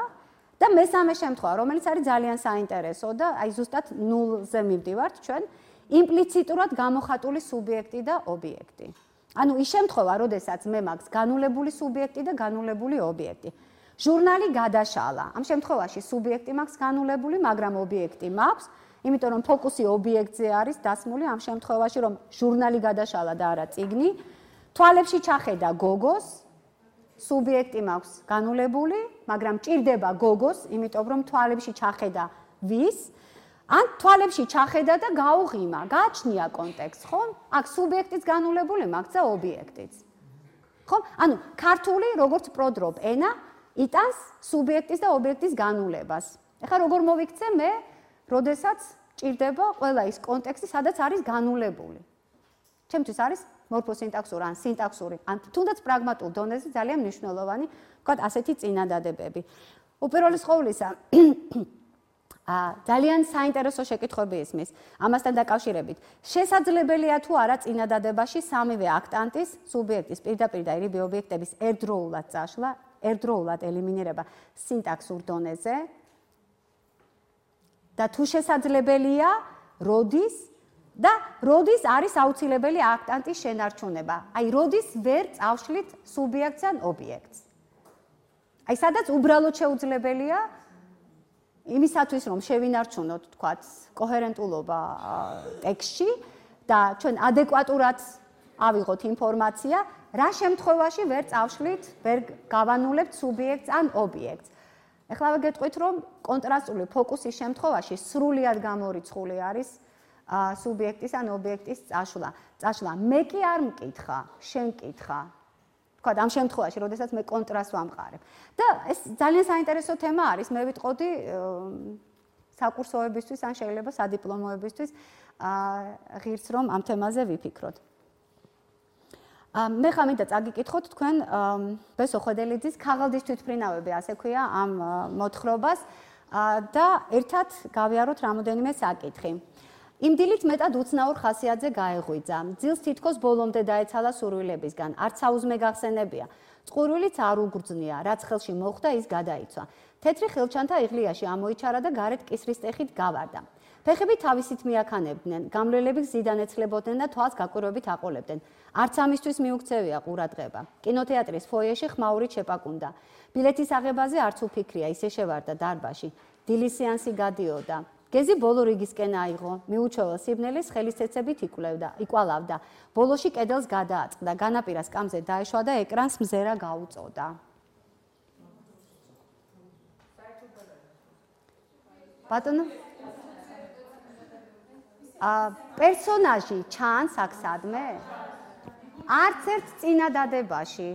და მესამე შემთხვევა, რომელიც არის ძალიან საინტერესო და აი ზუსტად ნულზე მივდივართ ჩვენ, იმპლიციტურად გამოხატული სუბიექტი და ობიექტი. ანუ ის შემთხვევა, როდესაც მე მაქვს განულებული სუბიექტი და განულებული ობიექტი. ჟურნალი გადაშალა. ამ შემთხვევაში სუბიექტი მაქვს განულებული, მაგრამ ობიექტი მაქვს, იმიტომ რომ ფოკუსი ობიექტზე არის დასმული ამ შემთხვევაში, რომ ჟურნალი გადაშალა და არა წიგნი. თვალებში ჩახედა გოგოს, სუბიექტი მაქვს განულებული, მაგრამ ჭირდება გოგოს, იმიტომ რომ თვალებში ჩახედა ვის? ან თვალებში ჩახედა და გაუღიმა, გააჩნია კონტექსტს, ხო? აქ სუბიექტიც განულებული მაქვს და ობიექტიც. ხო? ანუ ქართული როგორც პროდრობ ენა იტანს სუბიექტის და ობიექტის განულებას. ეხლა როგორ მოვიქცე მე, როდესაც ჭირდება ყველა ის კონტექსტი, სადაც არის განულებული. ჩემთვის არის მორფოსინტაქსური ან სინტაქსური, ან თუნდაც პრაგმატულ დონეზე ძალიან მნიშვნელოვანი, ვთქვათ, ასეთი წინადადებები. უპირველეს ყოვლისა, ძალიან საინტერესო შეკითხვები ისმის. ამასთან დაკავშირებით, შესაძლებელია თუ არა წინადადებაში სამივე აქტანტის, სუბიექტის პირდაპირ და ირიბი ობიექტების ერთდროულად წაშლა, ერთდროულად ელიმინირება სინტაქსურ დონეზე და თუ შესაძლებელია, როდის და როდის არის აუცილებელი აქტანტის შენარჩუნება. აი, როდის ვერ წავშლით სუბიექტს ან ობიექტს. აი, სადაც უბრალოდ შეუძლებელია იმისათვის, რომ შევინარჩუნოთ, თქვათ, კოჰერენტულობა ტექსტში და ჩვენ ადეკვატურად ავიღოთ ინფორმაცია, რა შემთხვევაში ვერ წავშლით, ვერ გავანულებთ სუბიექტს ან ობიექტს. ეხლა ვეგეტყვით, რომ კონტრასტული ფოკუსის შემთხვევაში სრულიად გამორიცხული არის სუბიექტის ან ობიექტის წაშლა. მე კი არ მკითხა, შენ კითხა. თქვა, ამ შემთხვევაში, როდესაც მე კონტრასტს ვამყარებ. და ეს ძალიან საინტერესო თემა არის, მე ვიტყოდი საკურსოებისთვის ან შეიძლება სადიპლომოებისთვის ღირს რომ ამ თემაზე ვიფიქროთ. მე ხამიდა წაგიკითხოთ თქვენ ბესო ხვედელიძის ქაღალდის თვითმფრინავები ასე ქვია ამ მოთხრობას და ერთად გავიაროთ რამოდენიმე საკითხი. იმ დილით მეტად უცნაურ ხასიათზე გაეღვიძა. ძილს თითქოს ბოლომდე დაეცალა სურვილებისგან. არც საუზმე გახსენებია. წყურვილიც არ უგრძნია, რაც ხელში მოხვდა, ის გადაიცვა. თეთრი ხელჩანთა იღლიაში ამოიჩარა და გარეთ კისრის ტეხით გავარდა. ფეხები თავისით მიაქანებდნენ, გამრელები გზიდან ეცლებოდნენ და თვალს გაკვირვებით აყოლებდნენ. არც ამისთვის მიუქცევია ყურადღება. კინოთეატრის ფოიეში ხმაურით შეპაკუნდა. ბილეთის აღებაზე არც უფიქრია, ისე შევარდა დარბაზში. დილის სეანსი გადიოდა. გეზი ბოლო რიგისკენ აიღო, მიუჩვეულ სიბნელის ხელისცეცებით იკვალავდა. ბოლოში კედელს გადააწყდა, განაპირა სკამზე დაეშვა და ეკრანს მზერა გაუწოდა. ბატონო პერსონაჟი ჩანს აქ სადმე? არც ერთ წინადადებაში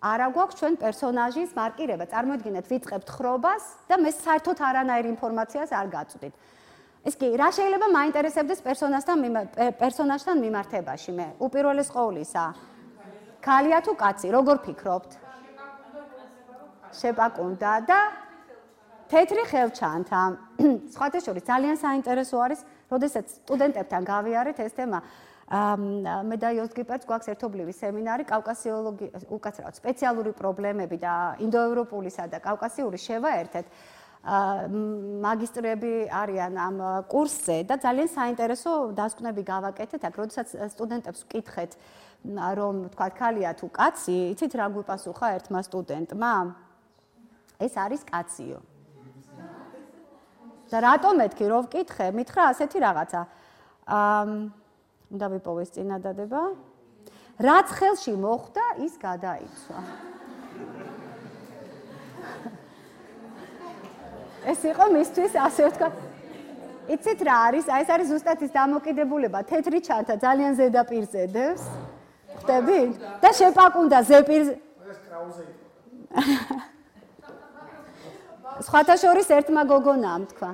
არა გვაქვს ჩვენ პერსონაჟის მარკირება. წარმოიდგინეთ, ვიწყებთ ხრობას და მე საერთოდ არანაირ ინფორმაციას არ გაწვდით. ეს კი რა შეიძლება მაინტერესებდეს პერსონაჟთან მიმართებაში მე? უპირველეს ყოვლისა, ქალია თუ კაცი, როგორ ფიქრობთ? შეპაკუნდა და თეთრი ხელჩანთა. სხვათა შორის ძალიან საინტერესო არის, როდესაც სტუდენტებთან გავიარეთ ეს თემა. მე და იოს გიპერტს გვაქვს ერთობლივი სემინარი უკაცრავად სპეციალური პრობლემები და ინდოევროპულისა და კავკასიური შევაერთეთ. მაგისტრები არიან ამ კურსზე და ძალიან საინტერესო დასკვნები გავაკეთეთ აქ, როდესაც სტუდენტებს ვკითხეთ, რომ თქვა ქალია თუ კაცი, იცით რა გვიპასუხა ერთმა სტუდენტმა? ეს არის კაციო. და რატომ მეთქი რომ ვკითხე? მითხრა ასეთი რაღაცა. უნდა ვიპოვეს წინადადება. რაც ხელში მოხვდა, ის გადაიცვა. ეს იყო მისთვის ასე ვთქვა. იცით რა არის? ეს არის ზუსტად ის დამოკიდებულება. თეთრი ჩანთა ძალიან ზედაპირზე დევს. ხვდები? და შეპაკუნდა ზეპირზე. ეს კრაუზე იყო. სხვათა შორის ერთმა გოგონამ თქვა.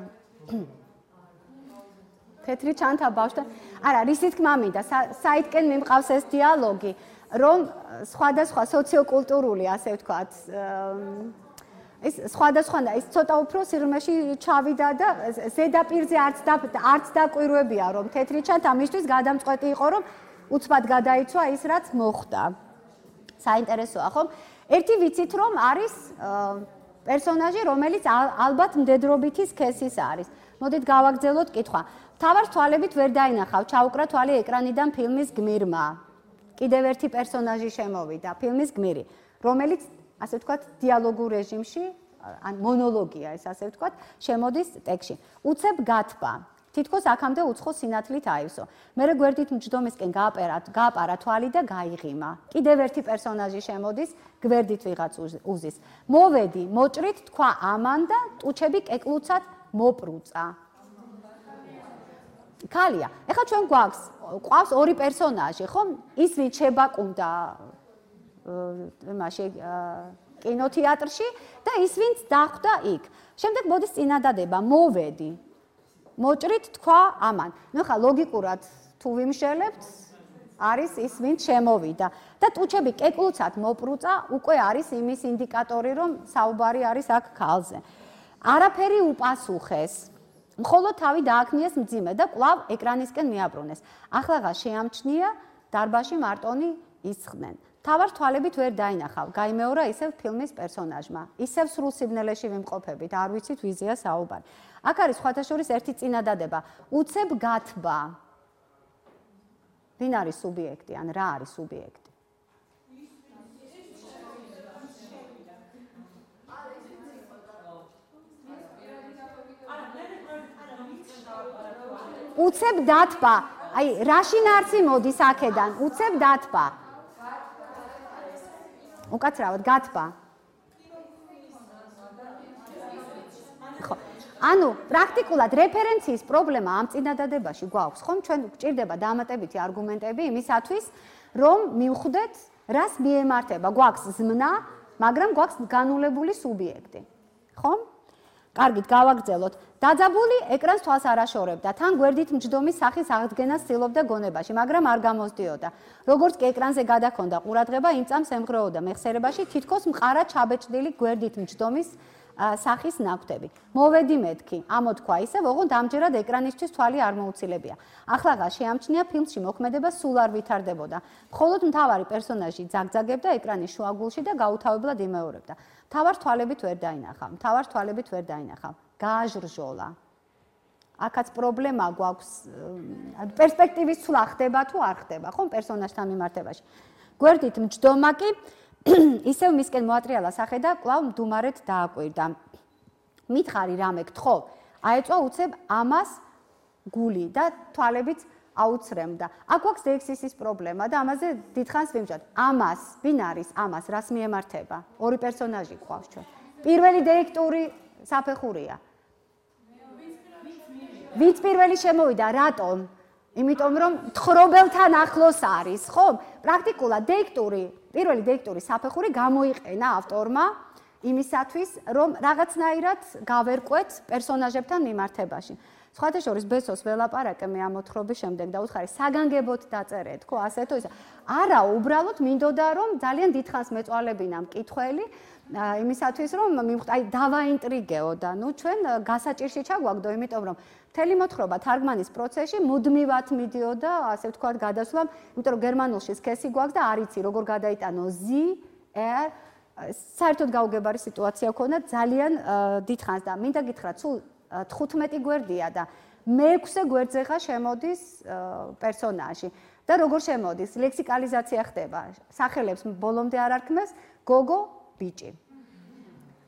თეთრი ჩანთა ბავშვთან. არა, რისი თქმა მინდა, საითკენ მიმყავს ეს დიალოგი, რომ სხვადასხვა სოციოკულტურული, ასე ვთქვათ, ეს სხვადასხვა და ის ცოტა უფრო სიღრმეში ჩავიდა და ზედაპირზე არც დაკვირვებია, რომ თეთრი ჩანთა მისთვის გადამწყვეტი იყო, რომ უცბად გადაიცვა ის, რაც მოხდა. საინტერესოა, ხომ? ერთი ვიცით, რომ არის პერსონაჟი, რომელიც ალბათ მდედრობითი სქესის არის. მოდით გავაგრძელოთ კითხვა. თავარს თვალებით ვერ დაინახავ, ჩაუკრა თვალი ეკრანიდან ფილმის გმირმა. კიდევ ერთი პერსონაჟი შემოვიდა, ფილმის გმირი, რომელიც, ასე ვთქვათ, დიალოგურ რეჟიმში, ან მონოლოგია ეს, ასე ვთქვათ, შემოდის ტექსტში. უცებ გათბა. თითქოს აქამდე უცხო სინათლით აივსო. მერე გვერდით მჯდომისკენ გააპარა თვალი და გაიღიმა. კიდევ ერთი პერსონაჟი შემოდის, გვერდით ვიღაც უზის. მოვედი, მოჭრით, თქვა ამან და ტუჩები კეკლუცად მოპრუწა. ქალია. ეხლა ჩვენ გვყავს ორი პერსონაჟი, ხო? ის ვინც შებაკუნდა იმაში კინოთეატრში და ის ვინც დახვდა იქ. შემდეგ მოდის წინადადება, მოვედი. მოჭრით თქვა ამან. ნუ ხა ლოგიკურად თუ ვიმშელებთ, არის ის ვინც შემოვიდა და ტუჩები კეკლუცად მოპრუწა, უკვე არის იმის ინდიკატორი, რომ საუბარი არის აქ ქალზე. არაფერი უპასუხეს. მხოლოდ თავი დააქნიეს მძიმე და კვლავ ეკრანისკენ მიაბრუნეს. ახლაღა შეამჩნია, დარბაზში მარტონი ისხდნენ. თავარს თვალებით ვერ დაინახავ, გაიმეორა ისევ ფილმის პერსონაჟმა. ისევ სრულ სიბნელეში ვიმყოფებით, არ ვიცით ვიზია საუბარი. აქ არის სხვათა შორის ერთი წინადადება. უცებ გათბა. ვინ არის სუბიექტი, ან რა არის სუბიექტი? უცებ დათბა. აი, რაში ნარცი მოდის აქედან? უცებ დათბა. უკაცრავად გათბა. ხო. ანუ პრაქტიკულად რეფერენციის პრობლემა ამ წინადადებაში გვაქვს, ხომ? ჩვენ გვჭირდება დამატებითი არგუმენტები იმისათვის, რომ მივხვდეთ, რას მიემართება. გვაქვს ზმნა, მაგრამ გვაქვს განულებული სუბიექტი. ხომ? კარგით გავაგრძელოთ. დაძაბული ეკრანს თვალს არ აშორებდა. თან გვერდით მჯდომის სახის აღდგენას ცდილობდა გონებაში, მაგრამ არ გამოსდიოდა. როგორც კი ეკრანზე გადაქონდა ყურადღება, იმ წამს ემხრეოდა მეხსიერებაში თითქოს მყარა ჩაბეჭდილი გვერდით მჯდომის სახის ნაკვთები. მოვედი მეთქი, ამოთქვა ისევ, ოღონდ ამჯერად ეკრანისთვის თვალი არ მოუცილებია. ახლა შეამჩნია ფილმში მოქმედება სულ არ ვითარდებოდა. მხოლოდ მთავარი პერსონაჟი ძაგძაგებდა ეკრანის შუაგულში და გაუთავებლად იმეორებდა. მთავარ თვალებით ვერ დაინახა. გააჟრჟოლა. აქაც პრობლემა გვაქვს, პერსპექტივის ცვლა ხდება თუ არ ხდება, ხომ პერსონაჟთან მიმართებაში. გვერდით მჯდომა კი ისევ მისკენ მოატრიალა სახე და კვლავ მდუმარედ დააკვირდა. მითხარი რამე გთხოვ, აეწვა უცებ ამას გული და თვალებით აუცრემდა. აქ გვაქვს დეექსისის პრობლემა და ამაზე დიდხანს ვიმჯობთ. ამას, ვინ არის ამას, რას მიემართება? ორი პერსონაჟი გვყავს ჩვენ. პირველი დირექტორი საფეხურია. ვინც პირველი შემოვიდა, რატომ? იმიტომ რომ თხრობელთან ახლოს არის, ხო? პრაქტიკულად პირველი დირექტორი საფეხური გამოიყენა ავტორმა იმისათვის, რომ რაღაცნაირად გავერკვეთ პერსონაჟებთან მიმართებაში. სხვათა შორის ბესოს ველაპარაკე მე ამ მოთხრობის შემდეგ და უთხარი საგანგებოდ დაწერეთ, ხო, ასე თუ ისა. არა, უბრალოდ მინდოდა რომ ძალიან დიდხანს მეწვალებინა მკითხველი იმისათვის რომ დავაინტრიგეო და ჩვენ გასაჭირში ჩაგვაგდო, იმიტომ რომ მთელი მოთხრობა თარგმანის პროცესში მუდმივად მიდიოდა, ასე ვთქვათ, გადასვლამ, იმიტომ რომ გერმანულში სქესი გვაქვს და არ იცი როგორ გადაიტანო საერთოდ გაუგებარი სიტუაცია ქონდა ძალიან დიდხანს და მინდა გითხრათ, სულ 15 გვერდია და მე-6 გვერდზე ხა შემოდის პერსონაჟი და როგორ შემოდის? ლექსიკალიზაცია ხდება. სახელებს ბოლომდე არ არქმევს გოგო, ბიჭი.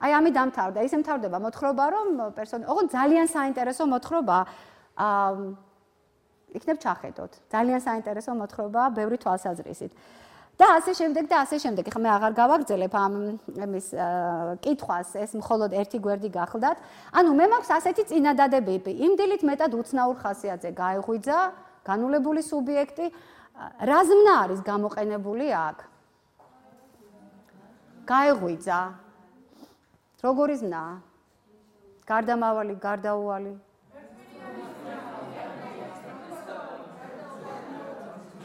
აი ამით დამთავრდა. ისე მთავრდება მოთხრობა, რომ ოღონდ ძალიან საინტერესო მოთხრობა იქნებ ჩახედოთ. ძალიან საინტერესო მოთხრობაა ბევრი თვალსაზრისით. და ასე შემდეგ. ეხლა მე აღარ გავაგრძელებ ამ იმის კითხვას, ეს მხოლოდ ერთი გვერდი გახლდათ. ანუ მე მაქვს ასეთი წინადადებები, იმ დილით მეტად უცნაურ ხასიათზე გაეღვიძა განულებული სუბიექტი, რა ზმნა არის გამოყენებული აქ? გაეღვიძა. როგორი ზმნა? გარდამავალი, გარდაუვალი.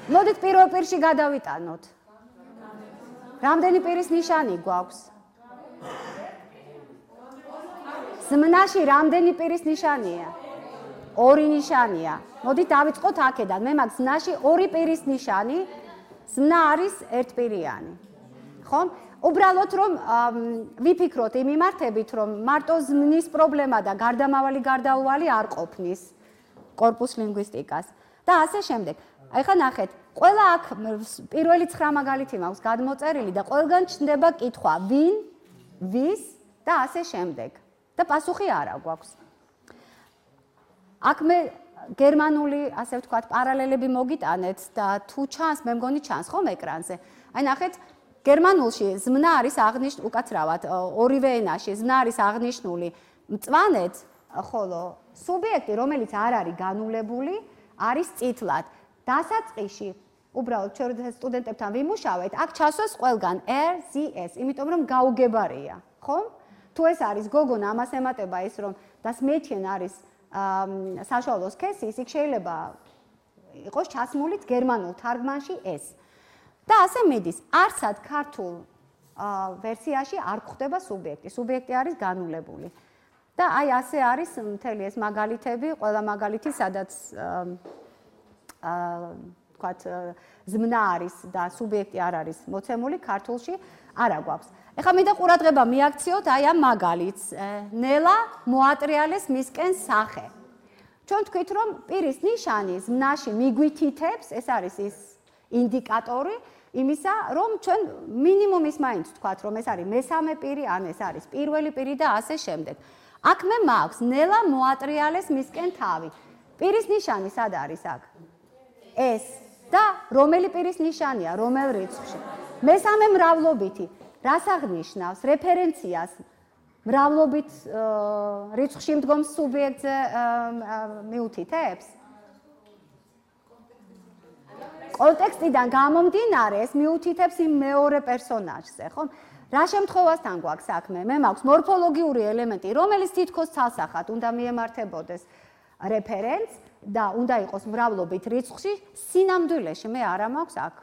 მოდით პირველ პირში გადავიტანოთ. რამდენი პირის ნიშანი გვაქვს? ზმნაში რამდენი პირის ნიშანია? ორი ნიშანია. მოდით დავიწყოთ აქედან. მე მაქვს ზმნაში ორი პირის ნიშანი. ზმნა არის ერთპირიანი. ხომ? უბრალოდ რომ ვიფიქროთ იმ მიმართებით, რომ მარტო ზმნის პრობლემა და გარდამავალი გარდაუვალი არ ყოფნის კორპუს ლინგვისტიკას. და ასე შემდეგ. ახლა ნახეთ, ყველა აქ პირველი 9 მაგალითი მაქვს გადმოწერილი და ყველგან ჩნდება კითხვა, ვინ, ვის და ასე შემდეგ. და პასუხი არა გვაქვს. აქ მე გერმანული, ასე ვთქვათ, პარალელები მოგიტანეთ და თუ ჩანს, მე მგონი ჩანს ხომ ეკრანზე. აი ნახეთ, გერმანულში ზმნა არის აღნიშნული, უკაცრავად, ორივე ენაში ზმნა არის აღნიშნული მწვანედ, ხოლო სუბიექტი, რომელიც არ არის განულებული, არის წითლად. დასაწყისში, უბრალოდ ჩვენ სტუდენტებთან ვიმუშავეთ, აქ ჩასვას ყველგან RZS, იმიტომ რომ გაუგებარია, ხომ? თუ ეს არის გოგონა, ამას ემატება ის, რომ das Mädchen არის საშუალო სქესის, იქ შეიძლება იყოს ჩასმულიც გერმანულ თარგმანში ეს. და ასე მიდის, არცად ქართულ ვერსიაში არ გვხვდება სუბიექტი. სუბიექტი არის განულებული. და აი ასე არის მთელი ეს მაგალითები, ყველა მაგალითი, სადაც ვთქვათ, ზმნა არის და სუბიექტი არ არის მოცემული, ქართულში არა გვაქვს. ეხლა მინდა ყურადღება მიაქციოთ აი ამ მაგალითს. ნელა მოატრიალეს მისკენ სახე. ჩვენ თქვით, რომ პირის ნიშანი ზმნაში მიგვითითებს, ეს არის ის ინდიკატორი იმისა, რომ ჩვენ მინიმუმის მაინც ვთქვათ, რომ ეს არის მესამე პირი, ან ეს არის პირველი პირი და ასე შემდეგ. აქ მე მაქვს ნელა მოატრიალეს მისკენ თავი. პირის ნიშანი სად არის აქ? ეს და რომელი პირის ნიშანია, რომელ რიცხვში? მესამე მრავლობითი. რას აღნიშნავს? რეფერენციას მრავლობით რიცხვში მდგომ სუბიექტზე მიუთითებს? კონტექსტიდან გამომდინარე ეს მიუთითებს იმ მეორე პერსონაჟზე, ხო? რა შემთხვევასთან გვაქვს საქმე? მე მაქვს მორფოლოგიური ელემენტი, რომელიც თითქოს ცალსახად უნდა მიემართებოდეს რეფერენტს და უნდა იყოს მრავლობით რიცხვში, სინამდვილეში მე არა მაქვს აქ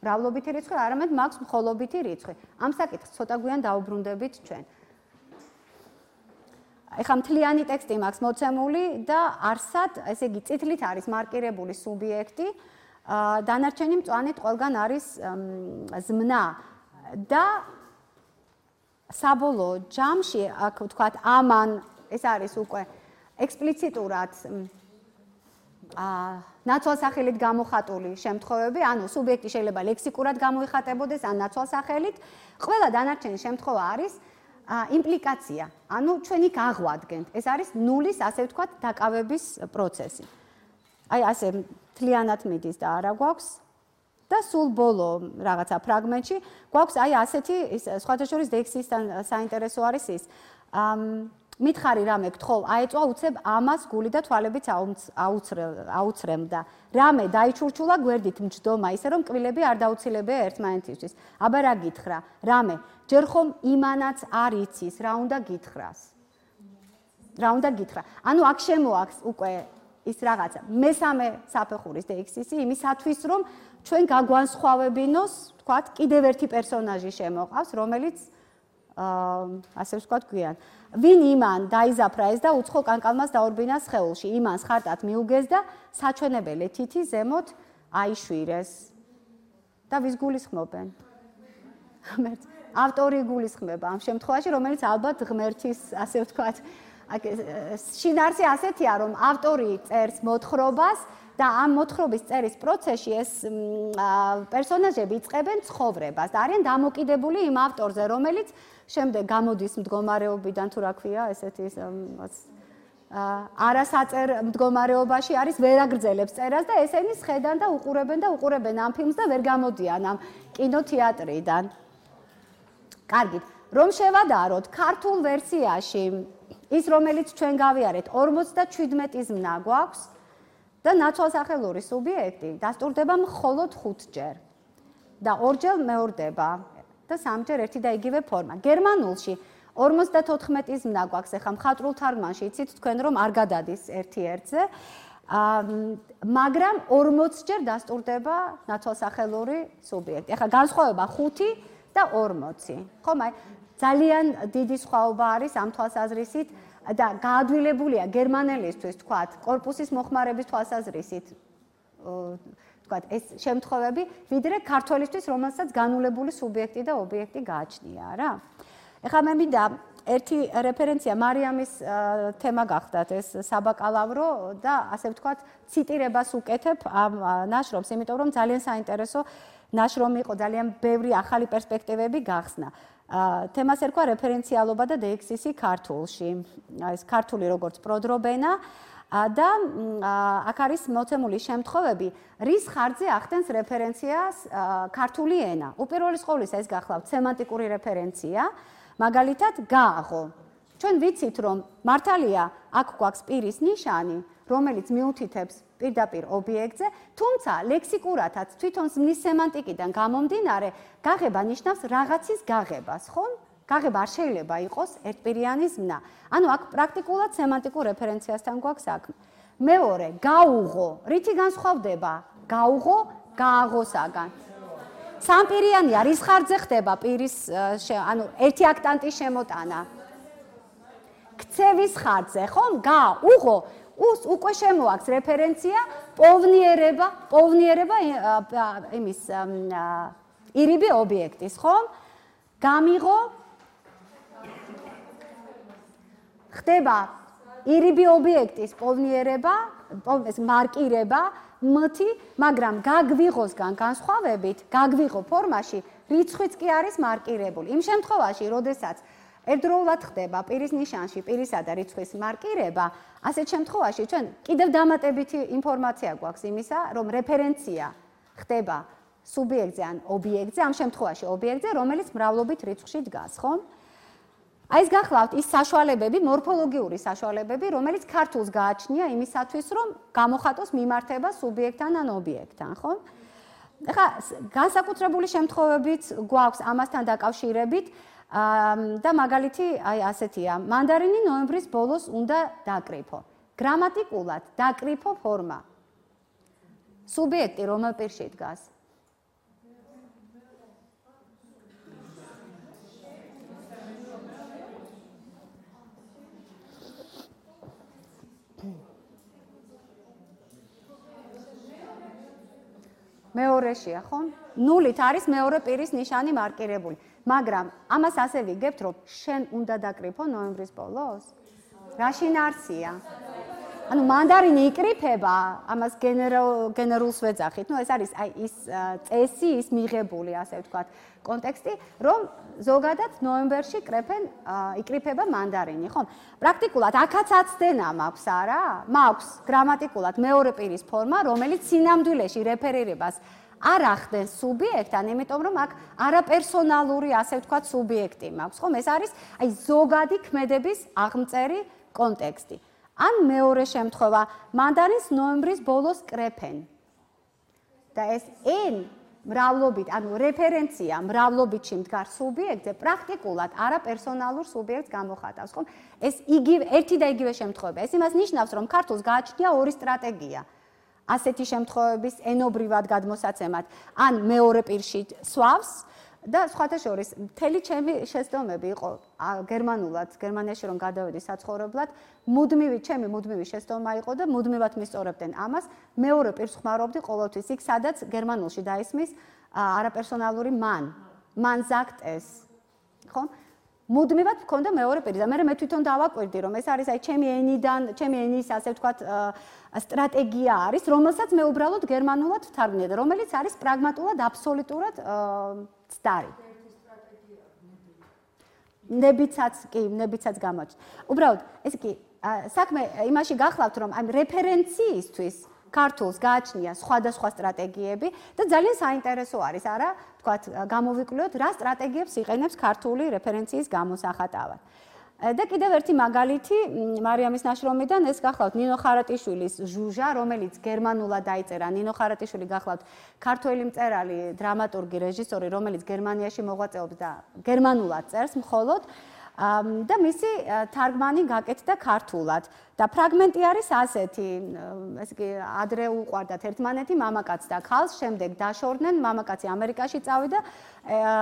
მრავლობითი რიცხვი, არამედ მაქვს მხოლობითი რიცხვი. ამ საკითხს ცოტა გვიან დაუბრუნდებით ჩვენ. ეხლა მთლიანი ტექსტი მაქვს მოცემული და არსად, ესე იგი, წითლით არის მარკირებული სუბიექტი, დანარჩენი მწვანით ყველგან არის ზმნა და საბოლოო ჯამში, აქ ვთქვათ, ამან ეს არის უკვე ექსპლიციტურად ნაცვალსახელით გამოხატული შემთხვევები, ანუ სუბიექტი შეიძლება ლექსიკურად გამოიხატებოდეს ან ნაცვალსახელით, ყველა დანარჩენი შემთხვევა არის იმპლიკაცია, ანუ ჩვენ იქ აღვადგენთ. ეს არის ნულის, ასე ვთქვათ, დაკავების პროცესი. აი ასე მთლიანად მიდის და არა გვაქვს და სულ ბოლო რაღაცა ფრაგმენტში გვაქვს აი ასეთი სხვათა შორის დექსისთან საინტერესო არის ის. მითხარი რამე გთხოვ, აეწვა უცებ ამას გული და თვალებიც აუცრემდა. რამე დაიჩურჩულა გვერდით მჯდომა, ისე რომ კბილები არ დაუცილებია ერთმანეთისთვის. აბა რა გითხრა? რამე, ჯერ ხომ იმანაც არ იცის, რა უნდა გითხრას. რა უნდა გითხრა? ანუ აქ შემოაქვს უკვე ის რაღაცა მესამე საფეხურის დექსისი იმისათვის, რომ ჩვენ გაგვანსხვავებინოს, თქვათ, კიდევ ერთი პერსონაჟი შემოყავს, რომელიც ასე ვთქვათ გვიან. ვინ იმან დაიზაფრა ეს და უცხო კანკალმას დაურბინა სხეულში, იმანს ხარტად მიუგეს და საჩვენებელი თითი ზემოთ აიშვირეს. და ვის გულისხმობენ? ავტორი გულისხმება ამ შემთხვევაში, რომელიც ალბათ ღმერთის, ასე ვთქვათ, შინაარსი ასეთია, რომ ავტორი წერს მოთხრობას და ამ მოთხრობის წერის პროცესში ეს პერსონაჟები იწყებენ ცხოვრებას და არიან დამოკიდებული იმ ავტორზე, რომელიც შემდეგ გამოდის მდგომარეობიდან თუ რა ქვია, ესეთი არასაწერ მდგომარეობაში არის, ვერ აგრძელებს წერას და ესენი სხედან და უყურებენ ამ ფილმს და ვერ გამოდიან ამ კინოთეატრიდან. კარგით, რომ შევადაროთ, ქართულ ვერსიაში ის, რომელიც ჩვენ გავიარეთ, 57 ზმნა გვაქვს და ნაცვალსახელური სუბიექტი დასტურდება მხოლოდ 5 ჯერ და 2 ჯერ მეორდება და 3 ჯერ ერთი და იგივე ფორმა. გერმანულში 54 ზმნა გვაქვს, ეხლა მხატვრულ თარგმანში იცით თქვენ რომ არ გადადის ერთი ერთზე, მაგრამ 40 ჯერ დასტურდება ნაცვალსახელური სუბიექტი. ეხლა განსხვავება 5 და 40. ხომ აი ძალიან დიდი სხვაობა არის ამ თვალსაზრისით და გაადვილებულია გერმანელისთვის, თქვათ, კორპუსის მოხმარების თვალსაზრისით, თქვათ, ეს შემთხვევები, ვიდრე ქართველისთვის, რომელსაც განულებული სუბიექტი და ობიექტი გააჩნია, რა. ეხლა მე მინდა ერთი რეფერენცია მარიამის თემა გახდათ ეს საბაკალავრო და ასე ვთქვათ, ციტირებას უკეთებ ამ ნაშრომს, იმიტომ რომ ძალიან საინტერესო ნაშრომი იყო, ძალიან ბევრი ახალი პერსპექტივები გახსნა. თემას ერქვა რეფერენციალობა და დეექსისი ქართულში. ეს ქართული როგორც პროდრობენა და აქ არის მოცემული შემთხვევები, რის ხარჯზე ახდენს რეფერენციას ქართული ენა. უპირველეს ყოვლისა ეს გახლავთ სემანტიკური რეფერენცია, მაგალითად გააღო. ჩვენ ვიცით, რომ მართალია აქ გვაქვს პირის ნიშანი, რომელიც მიუთითებს პირდაპირ ობიექტზე, თუმცა ლექსიკურათაც თვითონ ზმნის სემანტიკიდან გამომდინარე, გაღება ნიშნავს რაღაცის გაღებას, ხო? გაღება არ შეიძლება იყოს ერთპირიანი ზმნა. ანუ აქ პრაქტიკულად სემანტიკურ რეფერენციასთან გვაქვს საქმე. მეორე, გაუღო, რითი განსხვავდება? გაუღო გააღოსაგან. სამპირიანია, რის ხარჯზე ხდება პირის, ანუ ერთი აქტანტის შემოტანა. ქცევის ხარჯზე, ხო? გაუღო უკვე შემოაქვს რეფერენცია პოვნიერება იმის ირიბი ობიექტის, ხო? გამიღო ხდება ირიბი ობიექტის პოვნიერება, მარკირება, მათი, მაგრამ გაგვიღოსგან განსხვავებით, გაგვიღო ფორმაში რიცხვიც კი არის მარკირებული. იმ შემთხვევაში, როდესაც ერთდროულად ხდება პირის ნიშანში პირისა და რიცხვის მარკირება, ასეთ შემთხვევაში ჩვენ კიდევ დამატებითი ინფორმაცია გვაქვს იმისა, რომ რეფერენცია ხდება სუბიექტზე ან ობიექტზე, ამ შემთხვევაში ობიექტზე, რომელიც მრავლობით რიცხვში დგას, ხო? აი ეს გახლავთ ის საშუალებები, მორფოლოგიური საშუალებები, რომელიც ქართულს გააჩნია იმისათვის, რომ გამოხატოს მიმართება სუბიექტთან ან ობიექტთან, ხო? ეხლა განსაკუთრებული შემთხვევებიც გვაქვს ამასთან დაკავშირებით და მაგალითი აი ასეთია. მანდარინი ნოემბრის ბოლოს უნდა დაკრიფო. გრამატიკულად დაკრიფო ფორმა. სუბიექტი რომელ პირში დგას? მეორეშია, ხო? ნულით არის მეორე პირის ნიშანი მარკირებული. მაგრამ ამას ასე ვიგებთ, რომ შენ უნდა დაკრიფო ნოემბრის ბოლოს? რა შინაარსია? ანუ მანდარინი იკრიფება, ამას გენერალს ვეძახით. ეს არის აი ის წესი, ის მიღებული, ასე ვთქვათ, კონტექსტი, რომ ზოგადად ნოემბერში იკრიფება მანდარინი, ხო? პრაქტიკულად აქაც აცდენა მაქვს არა? მაქვს გრამატიკულად მეორე პირის ფორმა, რომელიც სინამდვილეში რეფერირებას არ ახდენს სუბიექტთან, იმიტომ რომ აქ არაპერსონალური, ასე ვთქვათ, სუბიექტი მაქვს, ხო? ეს არის აი ზოგადი ქმედების აღმწერი კონტექსტი. ან მეორე შემთხვევა, მანდარინს ნოემბრის ბოლოს კრეფენ. და ეს n მრავლობით, ანუ რეფერენცია მრავლობითში მდგარ სუბიექტზე, პრაქტიკულად არაპერსონალურ სუბიექტს გამოხატავს, ხო? ეს ერთი და იგივე შემთხვევაა. ეს იმას ნიშნავს, რომ ქართულს გააჩნია ორი სტრატეგია. ასეთი შემთხვევების ენობრივად გადმოსაცემად, ან მეორე პირში სვავს და სხვათა შორის მთელი ჩემი შეცდომები იყო გერმანულად, გერმანიაში რომ გადავედი საცხოვრებლად, ჩემი მუდმივი შეცდომა იყო და მუდმივად მისწორებდნენ ამას, მეორე პირს ხმარობდი ყოველთვის იქ, სადაც გერმანულში დაისმის არაპერსონალური man sagt es, ხო? მუდმივად მქონდა მეორე პირი და მე თვითონ დავაკვირდი, რომ ეს არის აი ჩემი ენის, ასე ვთქვათ, სტრატეგია არის, რომელსაც მე უბრალოდ გერმანულად ვთარგმნია და რომელიც არის პრაგმატულად აბსოლუტურად ცდარი. ნებიცაც გამოჩნდა. უბრალოდ, ეს კი საქმე იმაში გახლავთ, რომ აი რეფერენციისთვის ქართულს გააჩნია სხვადასხვა სტრატეგიები და ძალიან საინტერესო არის, არა, თქვათ, გამოვიკვლიოთ, რა სტრატეგიებს იყენებს ქართული რეფერენციის გამოსახატავად. და კიდევ ერთი მაგალითი მარიამის ნაშრომიდან ეს გახლავთ ნინო ხარატიშვილის ჟუჟა, რომელიც გერმანულად დაიწერა. ნინო ხარატიშვილი გახლავთ ქართველი მწერალი, დრამატურგი, რეჟისორი, რომელიც გერმანიაში მოღვაწეობს და გერმანულად წერს მხოლოდ და მისი თარგმანი გაკეთდა ქართულად. და ფრაგმენტი არის ასეთი, ესე იგი, ადრე უყვარდათ ერთმანეთი მამაკაც და ქალს, შემდეგ დაშორდნენ, მამაკაცი ამერიკაში წავიდა,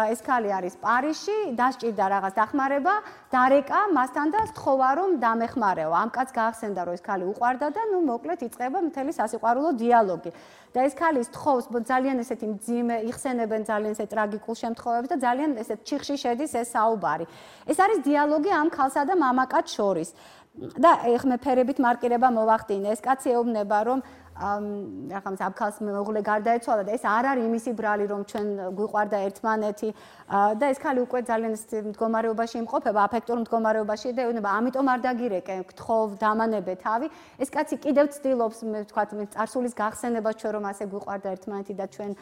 ეს ქალი არის პარიზში, დასჭირდა რაღაც დახმარება, დარეკა მასთან და სთხოვა რომ დამეხმარეო. ამ კაცს გაახსენდა რომ ეს ქალი უყვარდა და ნუ მოკლედ იწყება მთელი სასიყვარულო დიალოგი. და ეს ქალი სთხოვს ძალიან ესეთი მძიმე, იხსენებენ ძალიან ესეთ ტრაგიკულ შემთხვევებს და ძალიან ესეთ ჩიხში შედის ეს საუბარი. ეს არის დიალოგი ამ ქალსა და მამაკაც შორის. და ეხმე ფერებით მარკირება მოვახდინე. ეს კაცი ეუბნება რომ ახლა ამ ქალს მეუღლე გარდაეცვალა და ეს არ არის იმისი ბრალი რომ ჩვენ გვიყვარდა ერთმანეთი და ეს ქალი უკვე ძალიან მდგომარეობაში იმყოფება, აფექტურ მდგომარეობაში და ეუბნება ამიტომ არ დაგირეკე, გთხოვ, დამანებე თავი. ეს კაცი კიდევ ცდილობს, მე ვთქვათ, წარსულის გახსენებას ჩვენ რომ ასე გვიყვარდა ერთმანეთი და ჩვენ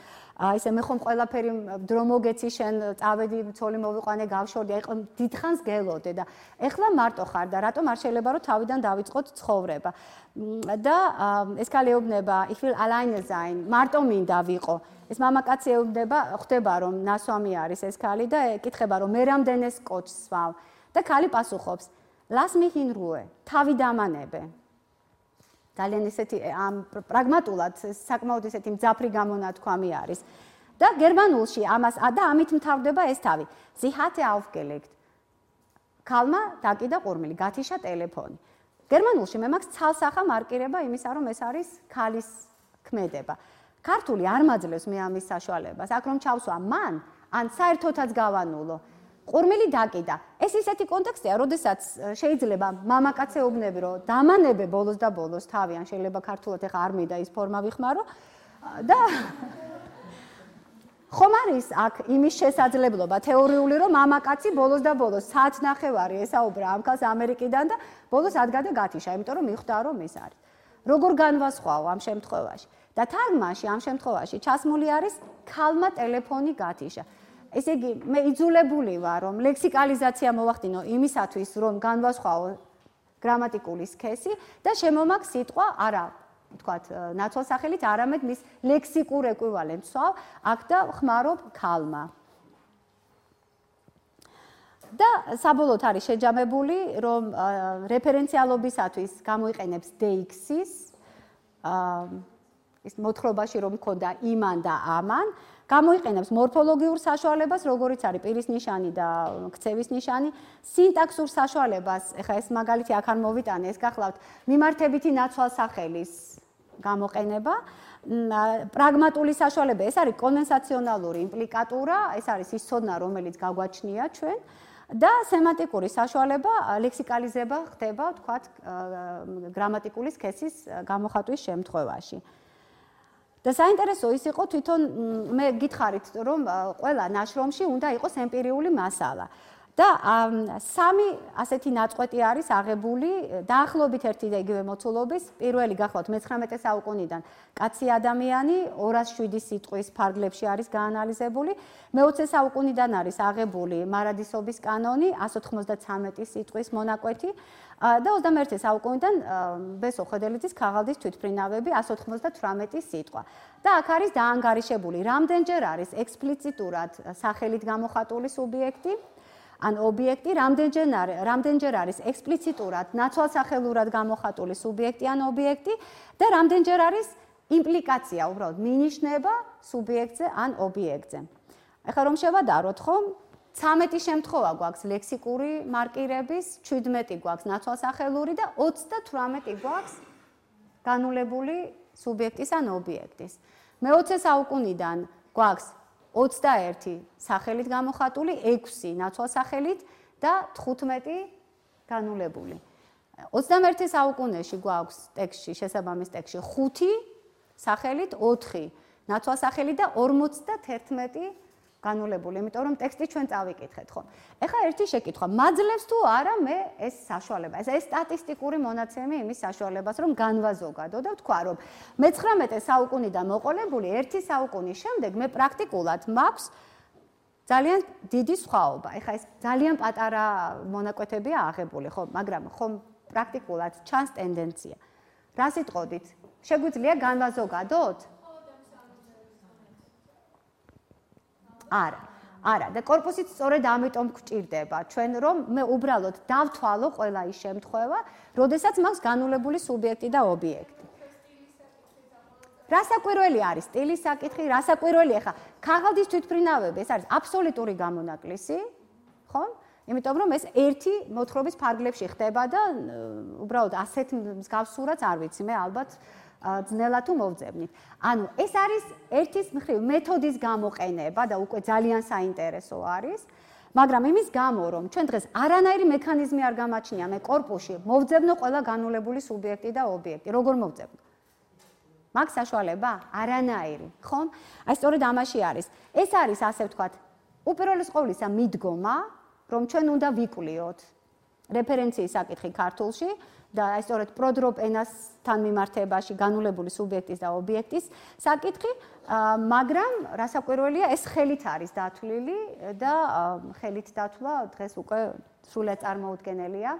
ისე მე ხომ ყველაფერი დრო მოგეცი შენ წავედი ცოლი მოვიყვანე გავშორდი, აი დიდხანს გელოდე და ეხლა მარტო ხარ და რატომ არ შეიძლება რომ თავიდან დავიწყოთ ცხოვრება. და ეს ქალი ეუბნება ich will alleine sein, მარტო მინდა ვიყო. ეს მამაკაცი ეუბნება, ხვდება რომ ნასვამი არის ეს ქალი და ეკითხება რომ მე რამდენეს კოჩს სვავ და ქალი პასუხობს lass mich in Ruhe, თავი დამანებე. ძალიან ისეთი ამ პრაგმატულად საკმაოდ ისეთი მძაფრი გამონათქვამი არის. და გერმანულში ამას და ამით მთავრდება ეს თავი. Sie hatte aufgelegt. ქალმა დაკიდა ყურმილი, გათიშა ტელეფონი. გერმანულში მე მაქვს ცალსახა მარკირება იმისა, რომ ეს არის ქალის ქმედება. ქართული არ მაძლევს მე ამის საშუალებას. აქ რომ ჩავსვა მან, ან საერთოდაც გავანულო. ყურმილი დაკიდა. ეს ისეთი კონტექსტია, როდესაც შეიძლება მამაკაც ეუბნები, რომ დამანებე ბოლოს და ბოლოს თავი, ან შეიძლება ქართულად ეხა არ მინდა ის ფორმა ვიხმარო და ხომ არის აქ იმის შესაძლებლობა თეორიული, რომ მამაკაცი ბოლოს და ბოლოს საათნახევარი ესაუბრა ამ ქალს ამერიკიდან და ბოლოს ადგადა გათიშა, იმიტომ რომ მიხვდა რომ ის არის. როგორ განვასხვაო ამ შემთხვევაში? და თარგმანში ამ შემთხვევაში ჩასმული არის ქალმა ტელეფონი გათიშა. ესე იგი, მე იძულებული ვარ, რომ ლექსიკალიზაცია მოვახდინო იმისათვის, რომ განვასხვაო გრამატიკული სქესი და შემომაგ სიტყვა არა თქვათ, ნაცვალსახელით, არამედ მის ლექსიკურ ეკვივალენტს ვსვავ, აქ და ხმარობ ქალმა. და საბოლოოდ არის შეჯამებული, რომ რეფერენციალობისათვის გამოიყენებს DX-ის ის მოთხრობაში რომ მქონდა იმან და ამან, გამოიყენებს მორფოლოგიურ საშუალებას, როგორიც არის პირის ნიშანი და ქცევის ნიშანი, სინტაქსურ საშუალებას, ეხლა ეს მაგალითი აქ არ მოვიტანე, ეს გახლავთ მიმართებითი ნაცვალსახელის გამოყენება, პრაგმატული საშუალება, ეს არის კონვენციონალური იმპლიკატურა, ეს არის ის ცოდნა, რომელიც გაგვაჩნია ჩვენ. და სემანტიკური საშუალება ლექსიკალიზება ხდება, თქვათ, გრამატიკული სქესის გამოხატვის შემთხვევაში. და საინტერესო ის იყო თვითონ მე გითხარით, რომ ყველა ნაშრომში უნდა იყოს ემპირიული მასალა. და სამი ასეთი ნაწყვეტი არის აღებული დაახლოებით ერთი და იგივე მოცულობის, პირველი გახლავთ მე-19 საუკუნიდან კაცი ადამიანი 207 სიტყვის ფარგლებში არის გაანალიზებული, მე-20 საუკუნიდან არის აღებული მარადისობის კანონი 193 სიტყვის მონაკვეთი და 21 საუკუნიდან ბესო ხედელიძის ქაღალდის თვითმფრინავები 198 სიტყვა. და აქ არის დაანგარიშებული, რამდენჯერ არის ექსპლიციტურად სახელით გამოხატული სუბიექტი, ან ობიექტი, რამდენჯერ არის ექსპლიციტურად ნაცვალსახელურად გამოხატული სუბიექტი ან ობიექტი და რამდენჯერ არის იმპლიკაცია, უბრალოდ მინიშნება სუბიექტზე ან ობიექტზე. ეხლა რომ შევადაროთ, ხომ? 13 შემთხვევა გვაქვს ლექსიკური მარკირების, 17 გვაქვს ნაცვალსახელური და 38 გვაქვს განულებული სუბიექტის ან ობიექტის. მე-20 საუკუნიდან გვაქვს 21 სახელით გამოხატული, 6 ნაცვალსახელით და 15 განულებული. 21 საუკუნეში გვაქვს ტექსტში, შესაბამის ტექსტში 5 სახელით, 4 ნაცვალსახელით და 51 განულებული, იმიტომ რომ ტექსტი ჩვენ წავიკითხეთ, ხო? ეხლა ერთი შეკითხვა, მაძლევს თუ არა მე ეს საშუალება, ეს სტატისტიკური მონაცემი იმის საშუალებას, რომ განვაზოგადო და ვთქვა, რომ მე-19 საუკუნიდან მოყოლებული ერთი საუკუნის შემდეგ მე პრაქტიკულად მაქვს ძალიან დიდი სხვაობა. ეხლა ეს ძალიან პატარა მონაკვეთებია აღებული, ხო, მაგრამ ხომ პრაქტიკულად ჩანს ტენდენცია. რა სიტყოდით? შეგვიძლია განვაზოგადოთ? არა და კორპუსით სწორედ ამიტომ გვჭირდება ჩვენ რომ მე უბრალოდ დავთვალო ყველა ის შემთხვევა, როდესაც მაქვს განულებული სუბიექტი და ობიექტი. რასაკვირველი არის სტილის საკითხი, რასაკვირველი ახლა ქაღალდის თვითმფრინავები, ეს არის აბსოლუტური გამონაკლისი, ხო? იმიტომ რომ ეს ერთი მოთხრობის ფარგლებში ხდება და უბრალოდ ასეთ მსგავს სურათს არ ვიცი მე ალბათ ძნელად თუ მოვძებნით. ანუ ეს არის ერთის მხრივ მეთოდის გამოყენება და უკვე ძალიან საინტერესო არის, მაგრამ იმის გამო რომ ჩვენ დღეს არანაირი მექანიზმი არ გამაჩნია მე კორპუსში მოვძებნო ყველა განულებული სუბიექტი და ობიექტი. როგორ მოვძებნო? მაქვს საშუალება? არანაირი, ხომ? აი სწორედ ამაში არის. ეს არის ასე ვთქვათ, უპირველეს ყოვლისა მიდგომა, რომ ჩვენ უნდა ვიკვლიოთ რეფერენციის საკითხი ქართულში და აი სწორედ პროდროპ ენასთან მიმართებაში განულებული სუბიექტის და ობიექტის საკითხი, მაგრამ რასაკვირველია, ეს ხელით არის დათვლილი და ხელით დათვლა დღეს უკვე სრულად წარმოუდგენელია.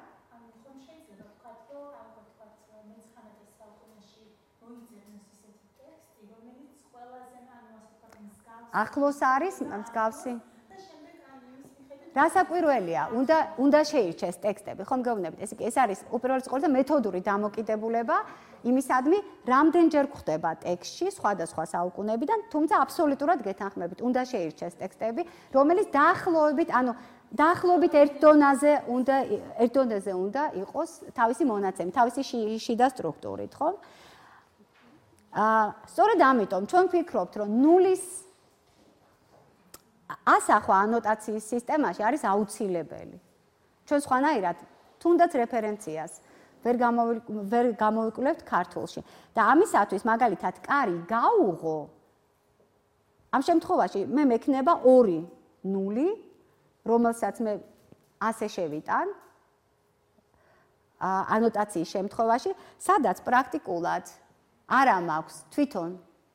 ახლოს არის მსგავსი. რასაკვირველია, უნდა შეირჩეს ტექსტები, ხომ გეუბნებით, ეს არის უპირველეს ყოვლისა მეთოდური დამოკიდებულება იმისადმი, რამდენჯერ გვხდება ტექსტში სხვადასხვა საუკუნეებიდან, თუმცა აბსოლუტურად გეთანხმებით, უნდა შეირჩეს ტექსტები, რომელიც დაახლოებით ერთ დონეზე უნდა იყოს თავისი მონაცემი, თავისი შიდა სტრუქტურით, ხო? სწორედ ამიტომ ჩვენ ვფიქრობთ, რომ ნულის ასახვა ანოტაციის სისტემაში არის აუცილებელი. ჩვენ სხვანაირად თუნდაც რეფერენციას ვერ გამოვიკვლევთ ქართულში. და ამისათვის მაგალითად კარი გაუღო ამ შემთხვევაში მე მექნება 2 ნული, რომელსაც მე ასე შევიტან ანოტაციის შემთხვევაში, სადაც პრაქტიკულად არა მაქვს თვითონ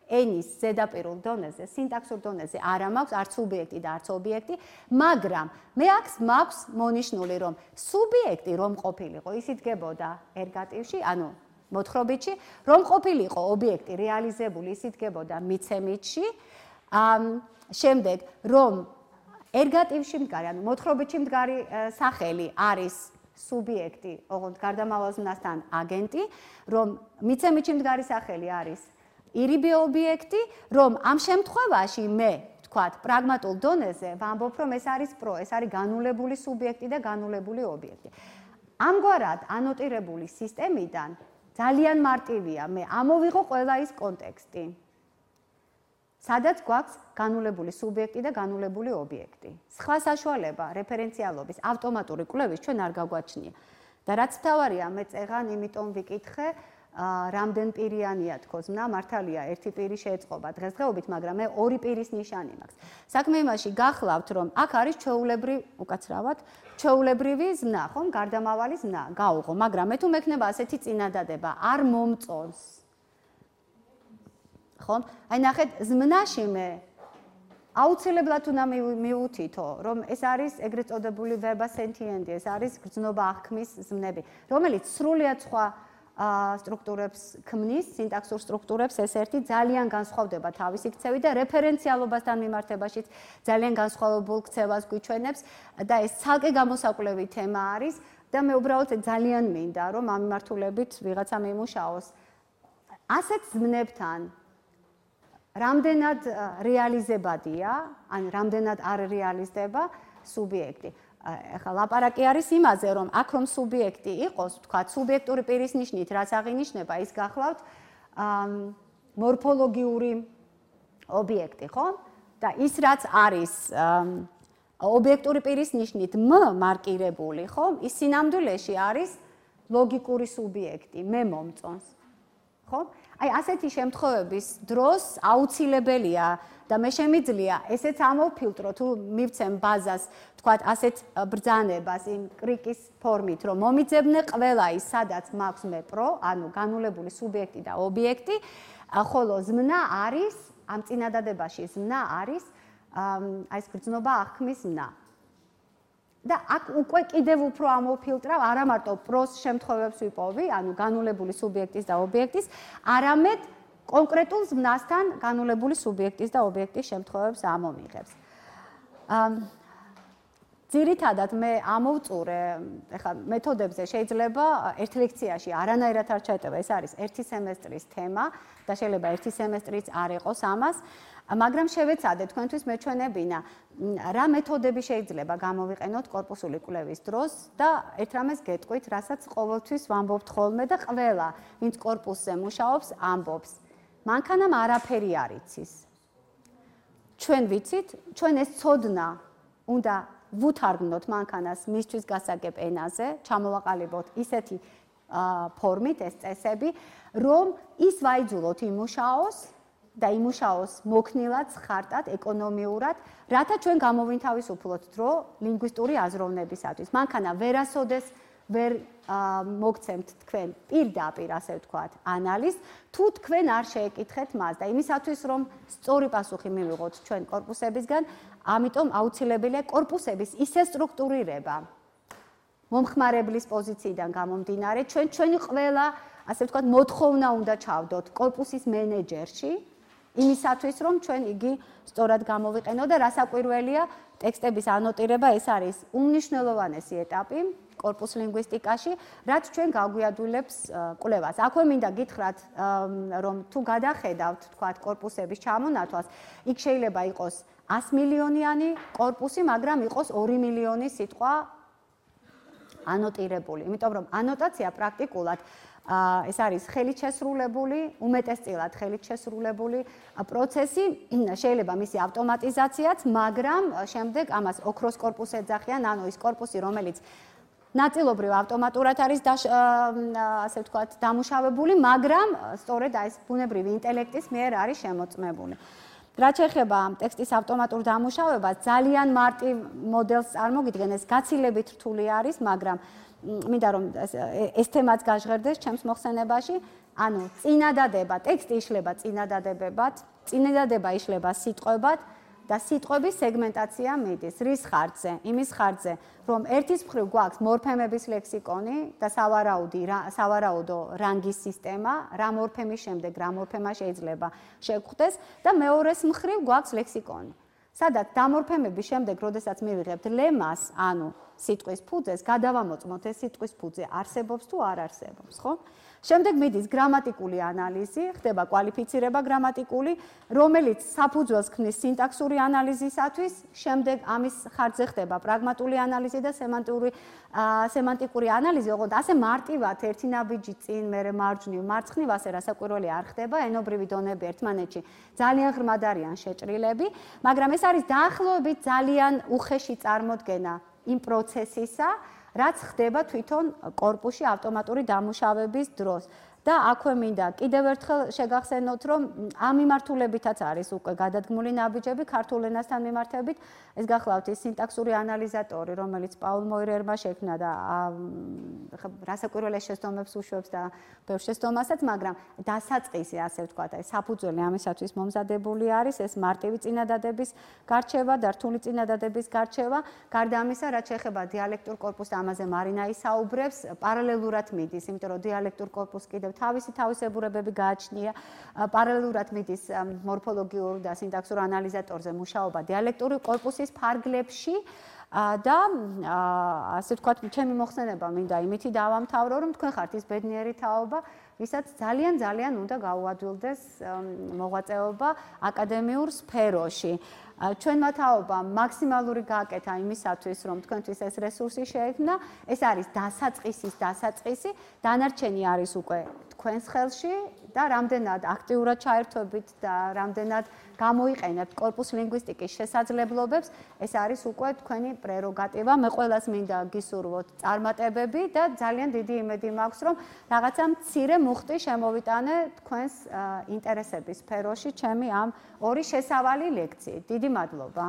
ენის ზედაპირულ დონეზე, სინტაქსურ დონეზე არა მაქვს არც სუბიექტი და არც ობიექტი, მაგრამ მე მაქვს მონიშნული, რომ სუბიექტი რომ ყოფილიყო, ის იდგებოდა ერგატივში, ანუ მოთხრობითში, რომ ყოფილიყო ობიექტი რეალიზებული, ის იდგებოდა მიცემითში. შემდეგ, რომ ერგატივში მდგარი, ანუ მოთხრობითში მდგარი სახელი არის სუბიექტი, ოღონდ გარდამავალ ზმნასთან აგენტი, რომ მიცემითში მდგარი სახელი არის ირიბი ობიექტი, რომ ამ შემთხვევაში მე ვთქვათ, პრაგმატულ დონეზე ვამბობ, რომ ეს არის ეს არის განულებული სუბიექტი და განულებული ობიექტი. ამგვარად ანოტირებული სისტემიდან ძალიან მარტივია მე ამოვიღო ყველა ის კონტექსტი, სადაც გვაქვს განულებული სუბიექტი და განულებული ობიექტი. სხვა საშუალება რეფერენციალობის ავტომატური კვლევის ჩვენ არ გაგვაჩნია. და რაც მთავარია, მე წეღან იმიტომ ვიკითხე, რამდენ პირიანია თქო ზმნა, მართალია ერთი პირი შეეწყობა დღესდღეობით, მაგრამ მე ორი პირის ნიშანი მაქვს. საქმე იმაში გახლავთ, რომ აქ არის ჩვეულებრივი ზმნა, ხომ, გარდამავალი ზმნა, გაუღო, მაგრამ მე თუ მექნება ასეთი წინადადება, არ მომწონს. ხომ? აი ნახეთ, ზმნაში მე აუცილებლად უნდა მივუთითო, რომ ეს არის ეგრეთ წოდებული verba sentiendi, ეს არის გრძნობა აღქმის ზმნები, რომელიც სრულიად სხვა სტრუქტურებს ქმნის, სინტაქსურ სტრუქტურებს ეს ერთი ძალიან განსხვავდება თავისი ქცევით და რეფერენციალობასთან მიმართებაშიც ძალიან განსხვავებულ ქცევას გვიჩვენებს და ეს ცალკე გამოსაკვლევი თემა არის და მე უბრალოდ ძალიან მინდა, რომ ამ მიმართულებით ვიღაცა მიმუშაოს. ასეთ ზმნებთან რამდენად რეალიზებადია, ან რამდენად არ რეალიზდება სუბიექტი. ეხლა ლაპარაკი არის იმაზე, რომ აქ რომ სუბიექტი იყოს, ვთქვათ, სუბიექტური პირის ნიშნით, რაც აღინიშნება, ის გახლავთ მორფოლოგიური ობიექტი, ხო? და ის რაც არის ობიექტური პირის ნიშნით მარკირებული, ხო? ის სინამდვილეში არის ლოგიკური სუბიექტი, მე მომწონს. ხო? აი ასეთი შემთხვევების დროს აუცილებელია და მე შემიძლია ესეც ამოვფილტრო თუ მივცემ ბაზას, თქვათ, ასეთ ბრძანებას იმ კრიკის ფორმით, რომ მომიძებნე ყველა ის, სადაც მაქვს მე პრო, ანუ განულებული სუბიექტი და ობიექტი, ხოლო ზმნა არის, ამ წინადადებაში ზმნა არის აი ეს გრძნობა აღქმის ზმნა. და აქ უკვე კიდევ უფრო ამოვფილტრავ, არა მარტო პროს შემთხვევებს ვიპოვი, ანუ განულებული სუბიექტის და ობიექტის, არამედ კონკრეტულ ზმნასთან განულებული სუბიექტის და ობიექტის შემთხვევებს ამომიღებს. ძირითადად მე ამოვწურე, ეხლა მეთოდებზე შეიძლება ერთ ლექციაში არანაირად არ ჩაეტევა, ეს არის ერთი სემესტრის თემა და შეიძლება ერთი სემესტრიც არ იყოს ამას. მაგრამ შევეცადე თქვენთვის მეჩვენებინა, რა მეთოდები შეიძლება გამოვიყენოთ კორპუსული კვლევის დროს და ერთ რამეს გეტყვით, რასაც ყოველთვის ვამბობთ ხოლმე და ყველა, ვინც კორპუსზე მუშაობს, ამბობს. მანქანამ არაფერი არ იცის. ჩვენ ვიცით, ჩვენ ეს ცოდნა უნდა ვუთარგმნოთ მანქანას მისთვის გასაგებ ენაზე, ჩამოვაყალიბოთ ისეთი ფორმით ეს წესები, რომ ის ვაიძულოთ იმუშაოს და იმუშაოს მოქნილად, ხარტად, ეკონომიურად, რათა ჩვენ გამოვინთავისუფლოთ დრო ლინგვისტური აზროვნებისათვის. მანქანა ვერასოდეს ვერ მოგცემთ თქვენ პირდაპირ, ასე ვთქვათ, ანალიზს, თუ თქვენ არ შეეკითხეთ მას და იმისათვის, რომ სწორი პასუხი მივიღოთ ჩვენ კორპუსებისგან, ამიტომ აუცილებელია კორპუსების ისე სტრუქტურირება მომხმარებლის პოზიციიდან გამომდინარე, ჩვენი ყველა, ასე ვთქვათ, მოთხოვნა უნდა ჩავდოთ კორპუსის მენეჯერში, იმისათვის, რომ ჩვენ იგი სწორად გამოვიყენოთ და რასაკვირველია, ტექსტების ანოტირება ეს არის უმნიშვნელოვანესი ეტაპი კორპუს ლინგვისტიკაში, რაც ჩვენ გაგვიადვილებს კვლევას. აქვე მინდა გითხრათ, რომ თუ გადახედავთ, თქვათ, კორპუსების ჩამონათვალს, იქ შეიძლება იყოს 100 მილიონიანი კორპუსი, მაგრამ იყოს 2 მილიონი სიტყვა ანოტირებული. იმიტომ რომ ანოტაცია პრაქტიკულად ეს არის ხელით შესრულებული, უმეტესწილად ხელით შესრულებული პროცესი, შეიძლება მისი ავტომატიზაციაც, მაგრამ შემდეგ ამას ოქროს კორპუსი ეძახიან, ანუ ის კორპუსი, რომელიც ნაწილობრივ ავტომატურად არის ასე ვთქვათ, დამუშავებული, მაგრამ სწორედ აი ეს ბუნებრივი ინტელექტის მიერ არის შემოწმებული. რაც ეხება ტექსტის ავტომატურ დამუშავებას, ძალიან მარტივ მოდელს წარმოგიდგენ, ეს გაცილებით რთული არის, მაგრამ მინდა რომ ეს თემაც გაჟღერდეს ჩემს მოხსენებაში, ანუ წინადადება, ტექსტი იშლება წინადადებებად, წინადადება იშლება სიტყვებად და სიტყვების სეგმენტაცია მიდის. რის ხარჯზე? იმის ხარჯზე, რომ ერთის მხრივ გვაქვს მორფემების ლექსიკონი და სავარაუდო რანგის სისტემა, რა მორფემის შემდეგ რა მორფემა შეიძლება შეგხვდეს და მეორეს მხრივ გვაქვს ლექსიკონი. სადაც დამორფემების შემდეგ, როდესაც მივიღებთ ლემას, ანუ სიტყვის ფუძეს, გადავამოწმოთ ეს სიტყვის ფუძე არსებობს თუ არ არსებობს, ხო? შემდეგ მიდის გრამატიკული ანალიზი, ხდება კვალიფიცირება გრამატიკული, რომელიც საფუძველს ქმნის სინტაქსური ანალიზისათვის, შემდეგ ამის ხარჯზე ხდება პრაგმატული ანალიზი და სემანტიკური ანალიზი, ოღონდ ასე მარტივად ერთი ნაბიჯი წინ, მერე მარჯვნივ, მარცხნივ ასე რასაკვირველი არ ხდება, ენობრივი დონები ერთმანეთში ძალიან ღრმად არიან შეჭრილები, მაგრამ ეს არის დაახლოებით ძალიან უხეში წარმოდგენა იმ პროცესისა, რაც ხდება თვითონ კორპუსში ავტომატური დამუშავების დროს. და აქვე მინდა კიდევ ერთხელ შეგახსენოთ, რომ ამ მიმართულებითაც არის უკვე გადადგმული ნაბიჯები ქართულ ენასთან მიმართებით. ეს გახლავთ ის სინტაქსური ანალიზატორი, რომელიც პაულ მოირერმა შექმნა და რასაკვირველ შეცდომებს უშვებს და ბევრ შეცდომასაც, მაგრამ დასაწყისი, ასე ვთქვათ, აი საფუძველი ამისათვის მომზადებული არის ეს მარტივი წინადადების გარჩევა და რთული წინადადების გარჩევა. გარდა ამისა, რაც შეეხება დიალექტურ კორპუსს, ამაზე მარინა ისაუბრებს, პარალელურად მიდის, იმიტომ რომ დიალექტურ კორპუსს კიდევ თავისი თავისებურებები გააჩნია, პარალელურად მიდის მორფოლოგიურ და სინტაქსურ ანალიზატორზე მუშაობა დიალექტური კორპუსის ფარგლებში და ასე ვთქვათ, ჩემი მოხსენება მინდა იმითი დავამთავრო, რომ თქვენ ხართ ის ბედნიერი თაობა, ვისაც ძალიან უნდა გაუადვილდეს მოღვაწეობა აკადემიურ სფეროში. ჩვენმა თაობამ მაქსიმალური გააკეთა იმისათვის, რომ თქვენთვის ეს რესურსი შეექმნა, ეს არის დასაწყისი, დანარჩენი არის უკვე თქვენს ხელში და რამდენად აქტიურად ჩაერთვებით და რამდენად გამოიყენებთ კორპუს ლინგვისტიკის შესაძლებლობებს, ეს არის უკვე თქვენი პრეროგატივა. მე ყველას მინდა გისურვოთ წარმატებები და ძალიან დიდი იმედი მაქვს, რომ რაღაცა მცირე მუხტი შემოვიტანე თქვენს ინტერესების სფეროში ჩემი ამ ორი შესავალი ლექციით. დიდი მადლობა.